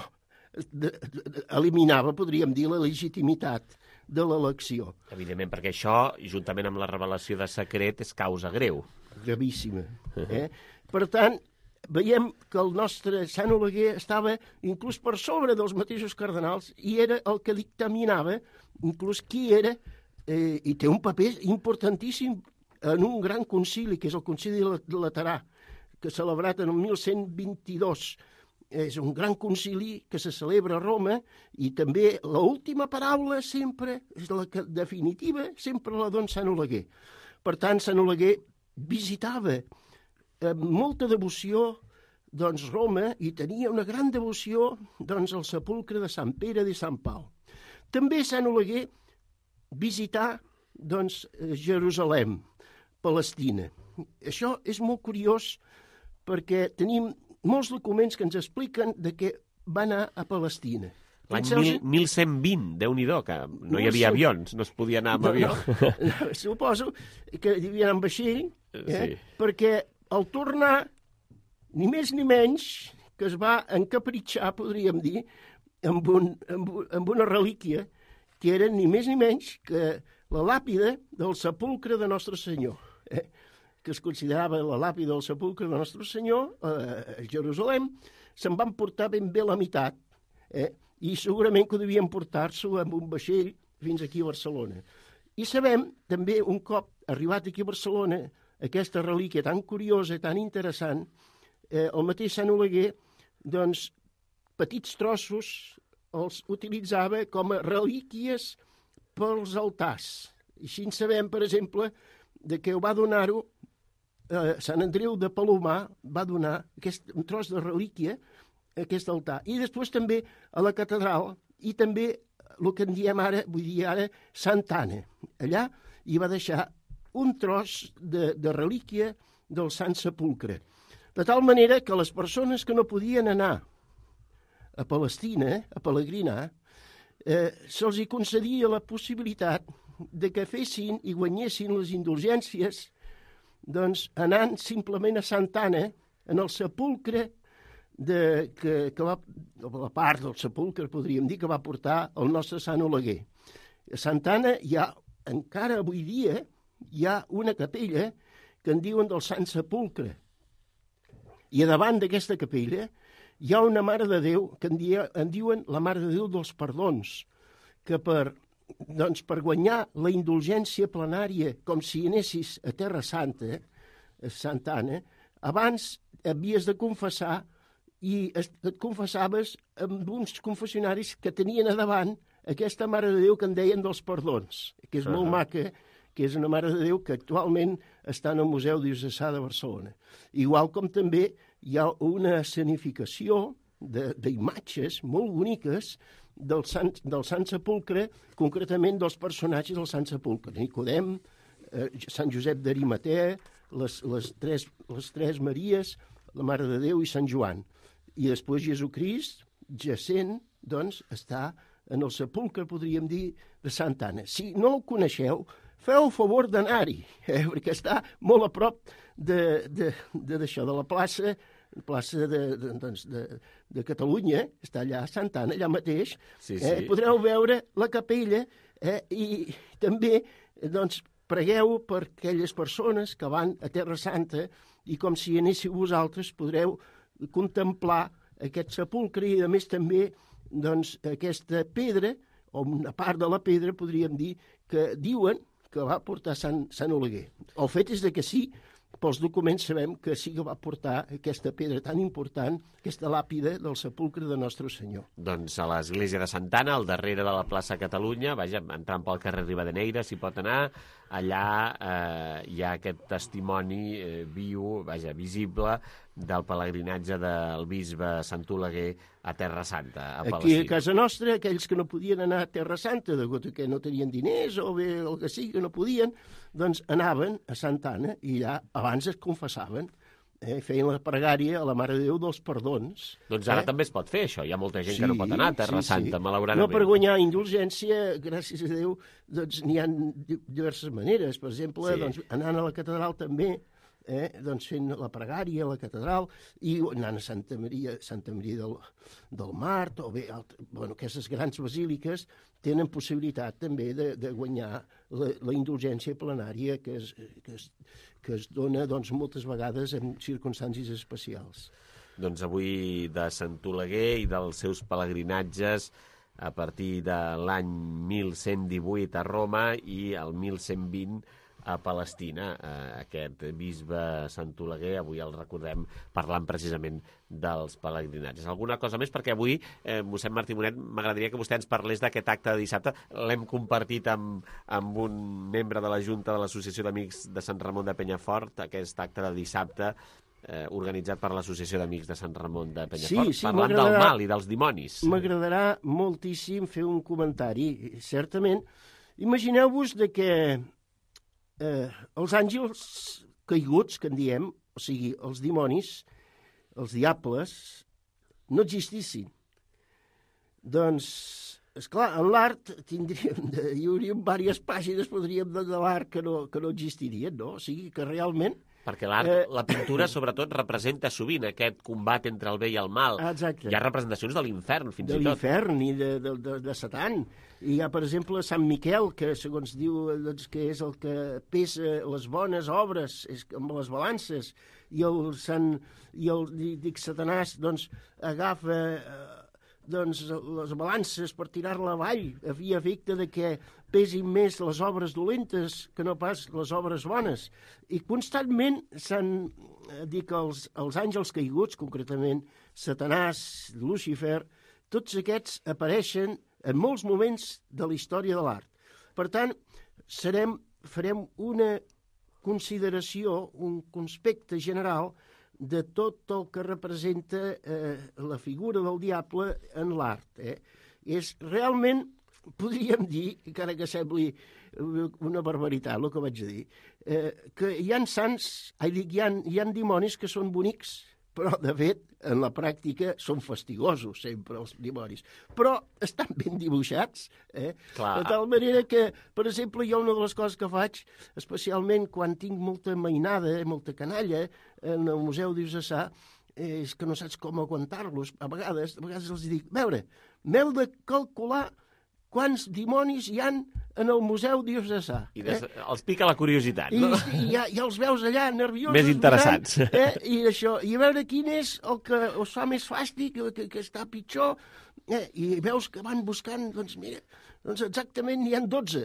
eliminava, podríem dir, la legitimitat de l'elecció. Evidentment, perquè això, juntament amb la revelació de secret, és causa greu. Gravíssima. Per tant, veiem que el nostre Sant Oleguer estava inclús per sobre dels mateixos cardenals i era el que dictaminava inclús qui era, i té un paper importantíssim en un gran concili, que és el Concili de Laterà, que celebrat en el 1122. És un gran concili que se celebra a Roma i també l'última paraula sempre, és la definitiva, sempre la dona Sant Oleguer. Per tant, Sant Oleguer visitava amb molta devoció doncs, Roma i tenia una gran devoció doncs, al sepulcre de Sant Pere de Sant Pau. També Sant Oleguer visità doncs, Jerusalem, Palestina. Això és molt curiós perquè tenim molts documents que ens expliquen de què va anar a Palestina. L'any 1120, Déu-n'hi-do, que no hi havia avions, no es podia anar amb avió. No, suposo que hi havia anar amb vaixell, perquè al tornar, ni més ni menys, que es va encapritxar, podríem dir, amb una relíquia que era ni més ni menys que la làpida del sepulcre de Nostre Senyor, que es considerava la làpida del sepulcre de Nostre Senyor a Jerusalem, se'n van portar ben bé la meitat, i segurament que devien portar-s'ho amb un vaixell fins aquí a Barcelona. I sabem, també, un cop arribat aquí a Barcelona, aquesta relíquia tan curiosa, tan interessant, el mateix Sant Oleguer, doncs, petits trossos els utilitzava com a relíquies pels altars. I així en sabem, per exemple, de que ho va donar-ho Sant Andreu de Palomar, va donar un tros de relíquia a aquest altar. I després també a la catedral, i també el que en diem ara, vull dir ara, Santa Anna. Allà hi va deixar un tros de relíquia del Sant Sepulcre. De tal manera que les persones que no podien anar a Palestina, a pelegrinar, se'ls hi concedia la possibilitat de que fessin i guanyessin les indulgències doncs anant simplement a Santa Anna, en el sepulcre que va, la part del sepulcre, podríem dir, que va portar el nostre Sant Oleguer. A Santa Anna encara avui dia, hi ha una capella que en diuen del Sant Sepulcre. I a davant d'aquesta capella hi ha una Mare de Déu que en diuen la Mare de Déu dels Perdons, que per guanyar la indulgència plenària, com si anessis a Terra Santa, a Santa Anna, abans havies de confessar i et confessaves amb uns confessionaris que tenien a davant aquesta Mare de Déu que en deien dels Perdons, que és molt maca, que és una Mare de Déu que actualment està en el Museu Diocesà de Barcelona. Igual com també hi ha una escenificació d'imatges molt boniques del Sant Sepulcre, concretament dels personatges del Sant Sepulcre. Nicodem, Sant Josep d'Arimatea, les tres Maries, la Mare de Déu i Sant Joan. I després Jesucrist, jacent, doncs, està en el sepulcre, podríem dir, de Santa Anna. Si no el coneixeu, feu el favor d'anar-hi, perquè està molt a prop d'això, de la plaça de Catalunya, està allà a Santa Anna, allà mateix. Podreu veure la capella i també doncs, pregueu per aquelles persones que van a Terra Santa i com si anéssiu vosaltres podreu contemplar aquest sepulcre i a més també doncs, aquesta pedra, o una part de la pedra, podríem dir, que diuen que va portar Sant Oleguer. El fet és que sí, pels documents sabem que sí que va portar aquesta pedra tan important, aquesta làpida del sepulcre de Nostre Senyor. Doncs a l'església de Santa Anna, al darrere de la plaça Catalunya, entrant pel carrer Rivadeneira, s'hi pot anar, allà hi ha aquest testimoni viu, visible, del pelegrinatge del bisbe Sant Oleguer a Terra Santa, a Palestina. Aquí a casa nostra, aquells que no podien anar a Terra Santa, degut que no tenien diners o bé el que sigui, que no podien, doncs anaven a Santa Anna i allà abans es confessaven, feien la pregària a la Mare de Déu dels Perdons. Doncs ara també es pot fer això, hi ha molta gent que no pot anar a Terra Santa, malauradament. No per guanyar indulgència, gràcies a Déu, doncs n'hi ha diverses maneres. Per exemple, doncs, anant a la catedral també, doncs fent la pregària a la catedral i anant a Santa Maria del Mart, o bé, aquestes grans basíliques tenen possibilitat també de guanyar la indulgència plenària que es dona doncs, moltes vegades en circumstàncies especials. Doncs avui de Sant Oleguer i dels seus pelegrinatges a partir de l'any 1118 a Roma i el 1120 a Palestina. Aquest bisbe Sant Oleguer, avui el recordem parlant precisament dels pelegrinatges. Alguna cosa més? Perquè avui, mossèn Martí Monet, m'agradaria que vostè ens parlés d'aquest acte de dissabte. L'hem compartit amb un membre de la Junta de l'Associació d'Amics de Sant Ramon de Penyafort, aquest acte de dissabte organitzat per l'Associació d'Amics de Sant Ramon de Penyafort, parlant del mal i dels dimonis. M'agradarà moltíssim fer un comentari. Certament, imagineu-vos que els àngels caiguts, que en diem, o sigui, els dimonis, els diables, no existissin. Doncs, esclar, en l'art hi hauria diverses pàgines, podríem dir, de l'art que no existirien, no? O sigui, que realment... Perquè l'art, la pintura, sobretot, representa sovint aquest combat entre el bé i el mal. Exacte. Hi ha representacions de l'infern, fins i tot. De l'infern i de Satan. I hi ha, per exemple, Sant Miquel, que segons diu doncs, que és el que pesa les bones obres amb les balances, i Satanàs doncs, agafa doncs, les balances per tirar-la avall, havia efecte de que pesin més les obres dolentes que no pas les obres bones. I constantment s'han dit que els àngels caiguts, concretament Satanàs, Lucifer, tots aquests apareixen en molts moments de la història de l'art. Per tant, farem una consideració, un conspecte general de tot el que representa la figura del diable en l'art. És realment, podríem dir, encara que sembli una barbaritat el que vaig dir, que hi ha sants, hi ha dimonis que són bonics, però, de fet, en la pràctica són fastigosos sempre els dimonis. Però estan ben dibuixats, Clar. De tal manera que, per exemple, jo una de les coses que faig, especialment quan tinc molta mainada, molta canalla, en el Museu Diocesà, és que no saps com aguantar-los. A vegades els dic, a veure, m'heu de calcular quants dimonis hi han en el Museu Diocesà. I els pica la curiositat, no? I ja els veus allà nerviosos. Més interessats. Mirant, i això, i a veure quin és el que us fa més fàstic, que està pitjor, i veus que van buscant, doncs mira, doncs exactament n'hi ha 12.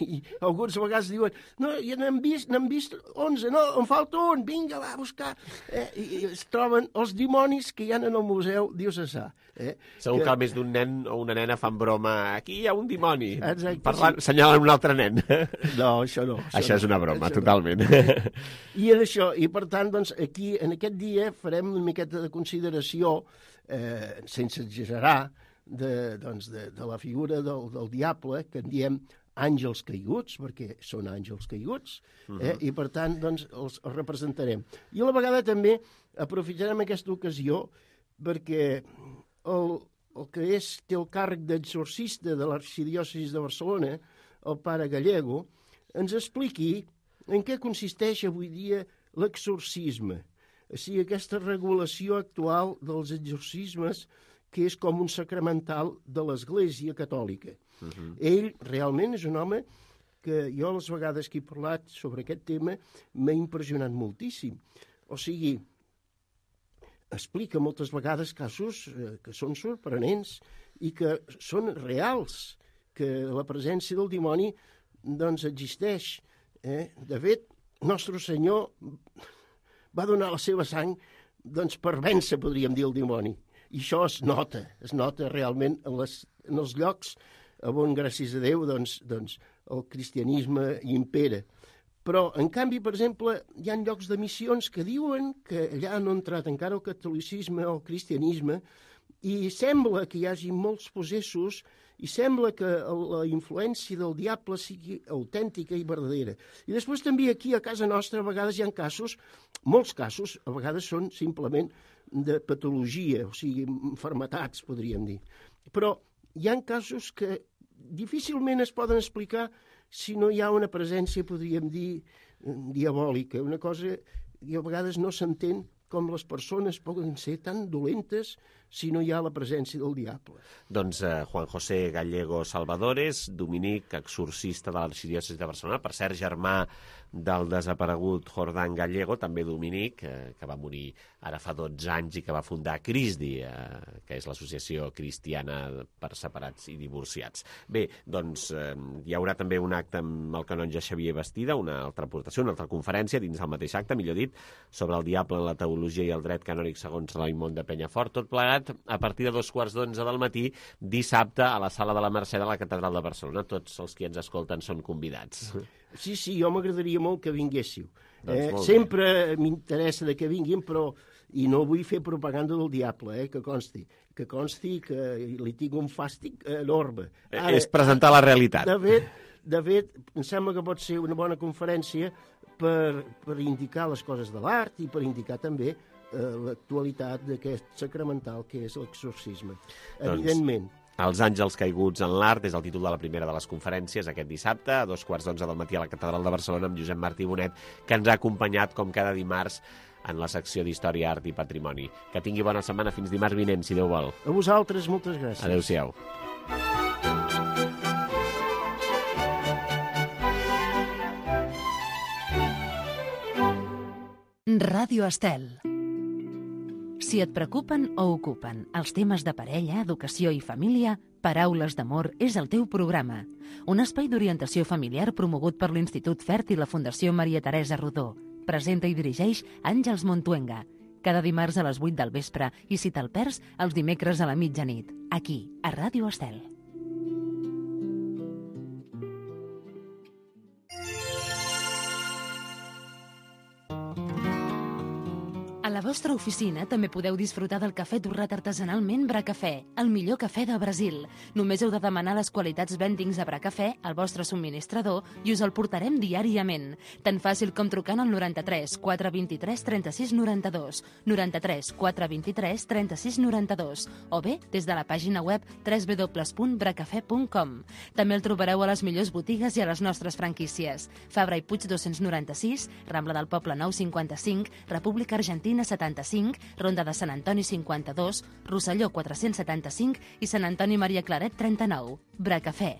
I alguns a vegades diuen, no, ja n'hem vist 11, no, em falta un, vinga, va a buscar. I es troben els dimonis que hi ha en el Museu Diocesà. Segur que més d'un nen o una nena fan broma, aquí hi ha un dimoni, Exacte, senyalen un altre nen. No, això no. Això és una broma, totalment. I en això, i per tant, doncs, aquí, en aquest dia, farem una miqueta de consideració, sense exagerar, de la figura del diable, que en diem àngels caiguts, perquè són àngels caiguts, i per tant doncs, els representarem. I a la vegada també aprofitarem aquesta ocasió perquè el que té el càrrec d'exorcista de l'arxidiòcesi de Barcelona, el pare Gallego, ens expliqui en què consisteix avui dia l'exorcisme. O sigui, aquesta regulació actual dels exorcismes que és com un sacramental de l'Església Catòlica. Ell realment és un home que jo les vegades que he parlat sobre aquest tema m'ha impressionat moltíssim. O sigui, explica moltes vegades casos que són sorprenents i que són reals, que la presència del dimoni doncs existeix. De fet, Nostre Senyor va donar la seva sang doncs, per vèncer, podríem dir, el dimoni. I això es nota realment en els llocs on, gràcies a Déu, doncs, el cristianisme impera. Però, en canvi, per exemple, hi ha llocs de missions que diuen que allà no ha entrat encara el catolicisme o el cristianisme i sembla que hi hagi molts possessos i sembla que la influència del diable sigui autèntica i verdadera. I després també aquí a casa nostra a vegades hi ha casos, molts casos, a vegades són simplement de patologia, o sigui, malalties, podríem dir. Però hi ha casos que difícilment es poden explicar si no hi ha una presència, podríem dir, diabòlica. Una cosa que a vegades no s'entén com les persones poden ser tan dolentes si no hi ha la presència del diable. Doncs Juan José Gallego Salvadores, dominic, exorcista de l'arxidiòcesi de Barcelona, per cert, germà del desaparegut Jordán Gallego, també dominic, que va morir ara fa 12 anys i que va fundar CRISDI, que és l'associació cristiana per separats i divorciats. Bé, doncs hi haurà també un acte amb el canonge Xavier Bastida, una altra aportació, una altra conferència dins del mateix acte, millor dit, sobre el diable en la teologia i el dret canònic segons Raimon de Penyafort, tot plegat a partir de 2:15 del matí, dissabte, a la Sala de la Mercè de la Catedral de Barcelona. Tots els que ens escolten són convidats. Sí, jo m'agradaria molt que vinguéssiu. Sempre m'interessa que vinguin, però i no vull fer propaganda del diable, que consti que li tinc un fàstic enorme. Ara, és presentar la realitat. De fet, em sembla que pot ser una bona conferència per indicar les coses de l'art i per indicar també l'actualitat d'aquest sacramental que és l'exorcisme. Evidentment. Els àngels caiguts en l'art és el títol de la primera de les conferències aquest dissabte a 2:15 del matí a la Catedral de Barcelona amb Josep Martí Bonet, que ens ha acompanyat com cada dimarts en la secció d'Història, Art i Patrimoni. Que tingui bona setmana fins dimarts vinent, si Déu vol. A vosaltres, moltes gràcies. Adéu-siau. Ràdio Estel. Si et preocupen o ocupen els temes de parella, educació i família, Paraules d'Amor és el teu programa. Un espai d'orientació familiar promogut per l'Institut Fert i la Fundació Maria Teresa Rodó. Presenta i dirigeix Àngels Montuenga. Cada dimarts a les 8 del vespre i si te'l perds, els dimecres a la mitjanit. Aquí, a Ràdio Estel. A la vostra oficina també podeu disfrutar del cafè torrat artesanalment Bracafè, el millor cafè de Brasil. Només heu de demanar les qualitats blendings de Bracafè al vostre subministrador i us el portarem diàriament. Tan fàcil com trucant al 93 423 36 92, 93 423 36 92, o bé des de la pàgina web www.bracafè.com. També el trobareu a les millors botigues i a les nostres franquícies. Fabra i Puig 296, Rambla del Poble 955, República Argentina 75, Ronda de Sant Antoni 52, Rosselló 475 i Sant Antoni Maria Claret 39. Bracafè.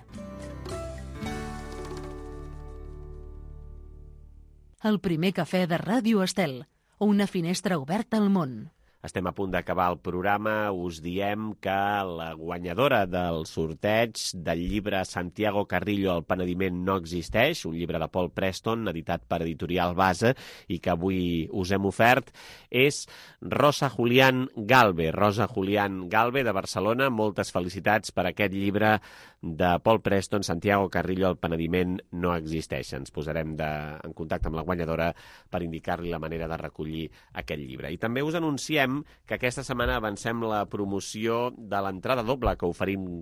El primer cafè de Ràdio Estel, una finestra oberta al món. Estem a punt d'acabar el programa. Us diem que la guanyadora del sorteig del llibre Santiago Carrillo, El penediment no existeix, un llibre de Paul Preston, editat per Editorial Base, i que avui us hem ofert, és Rosa Julián Galve. Rosa Julián Galve, de Barcelona. Moltes felicitats per aquest llibre de Paul Preston, Santiago Carrillo, El penediment no existeix. Ens posarem en contacte amb la guanyadora per indicar-li la manera de recollir aquest llibre. I també us anunciem que aquesta setmana avancem la promoció de l'entrada doble que oferim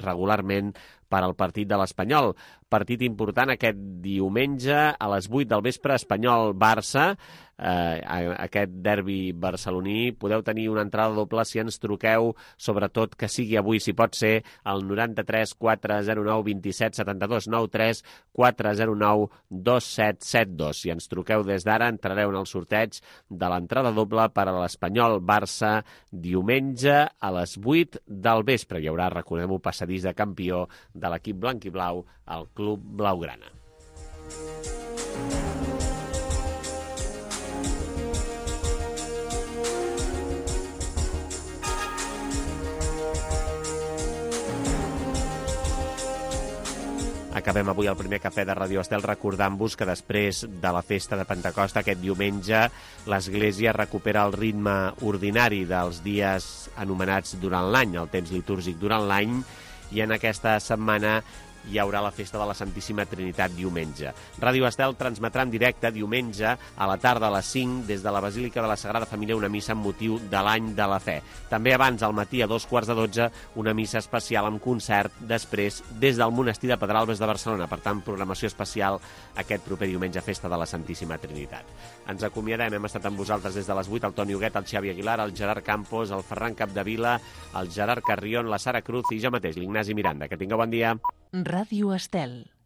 regularment per al partit de l'Espanyol. Partit important aquest diumenge a les 8 del vespre, Espanyol-Barça. Aquest derbi barceloní. Podeu tenir una entrada doble si ens truqueu, sobretot que sigui avui, si pot ser, al 93 409 27 72, 93 409 2772. Si ens truqueu des d'ara, entrareu en el sorteig de l'entrada doble per a l'Espanyol-Barça diumenge a les 8 del vespre. Hi haurà, recordem-ho, passadís de campió de l'equip blanc i blau al Club Blaugrana. Acabem avui el primer cafè de Ràdio Estel recordant-vos que després de la festa de Pentecosta aquest diumenge l'Església recupera el ritme ordinari dels dies anomenats durant l'any, el temps litúrgic durant l'any, i en aquesta setmana hi haurà la festa de la Santíssima Trinitat diumenge. Ràdio Estel transmetrà en directe diumenge a la tarda a les 5 des de la Basílica de la Sagrada Família una missa amb motiu de l'any de la fe. També abans, al matí a 2:15, una missa especial amb concert, després des del Monestir de Pedralbes de Barcelona. Per tant, programació especial aquest proper diumenge, festa de la Santíssima Trinitat. Ens acomiadem, hem estat amb vosaltres des de les 8, el Toni Huguet, el Xavi Aguilar, el Gerard Campos, el Ferran Capdevila, el Gerard Carrion, la Sara Cruz i jo mateix, l'Ignasi Miranda. Que tingueu bon dia. Ràdio Estel.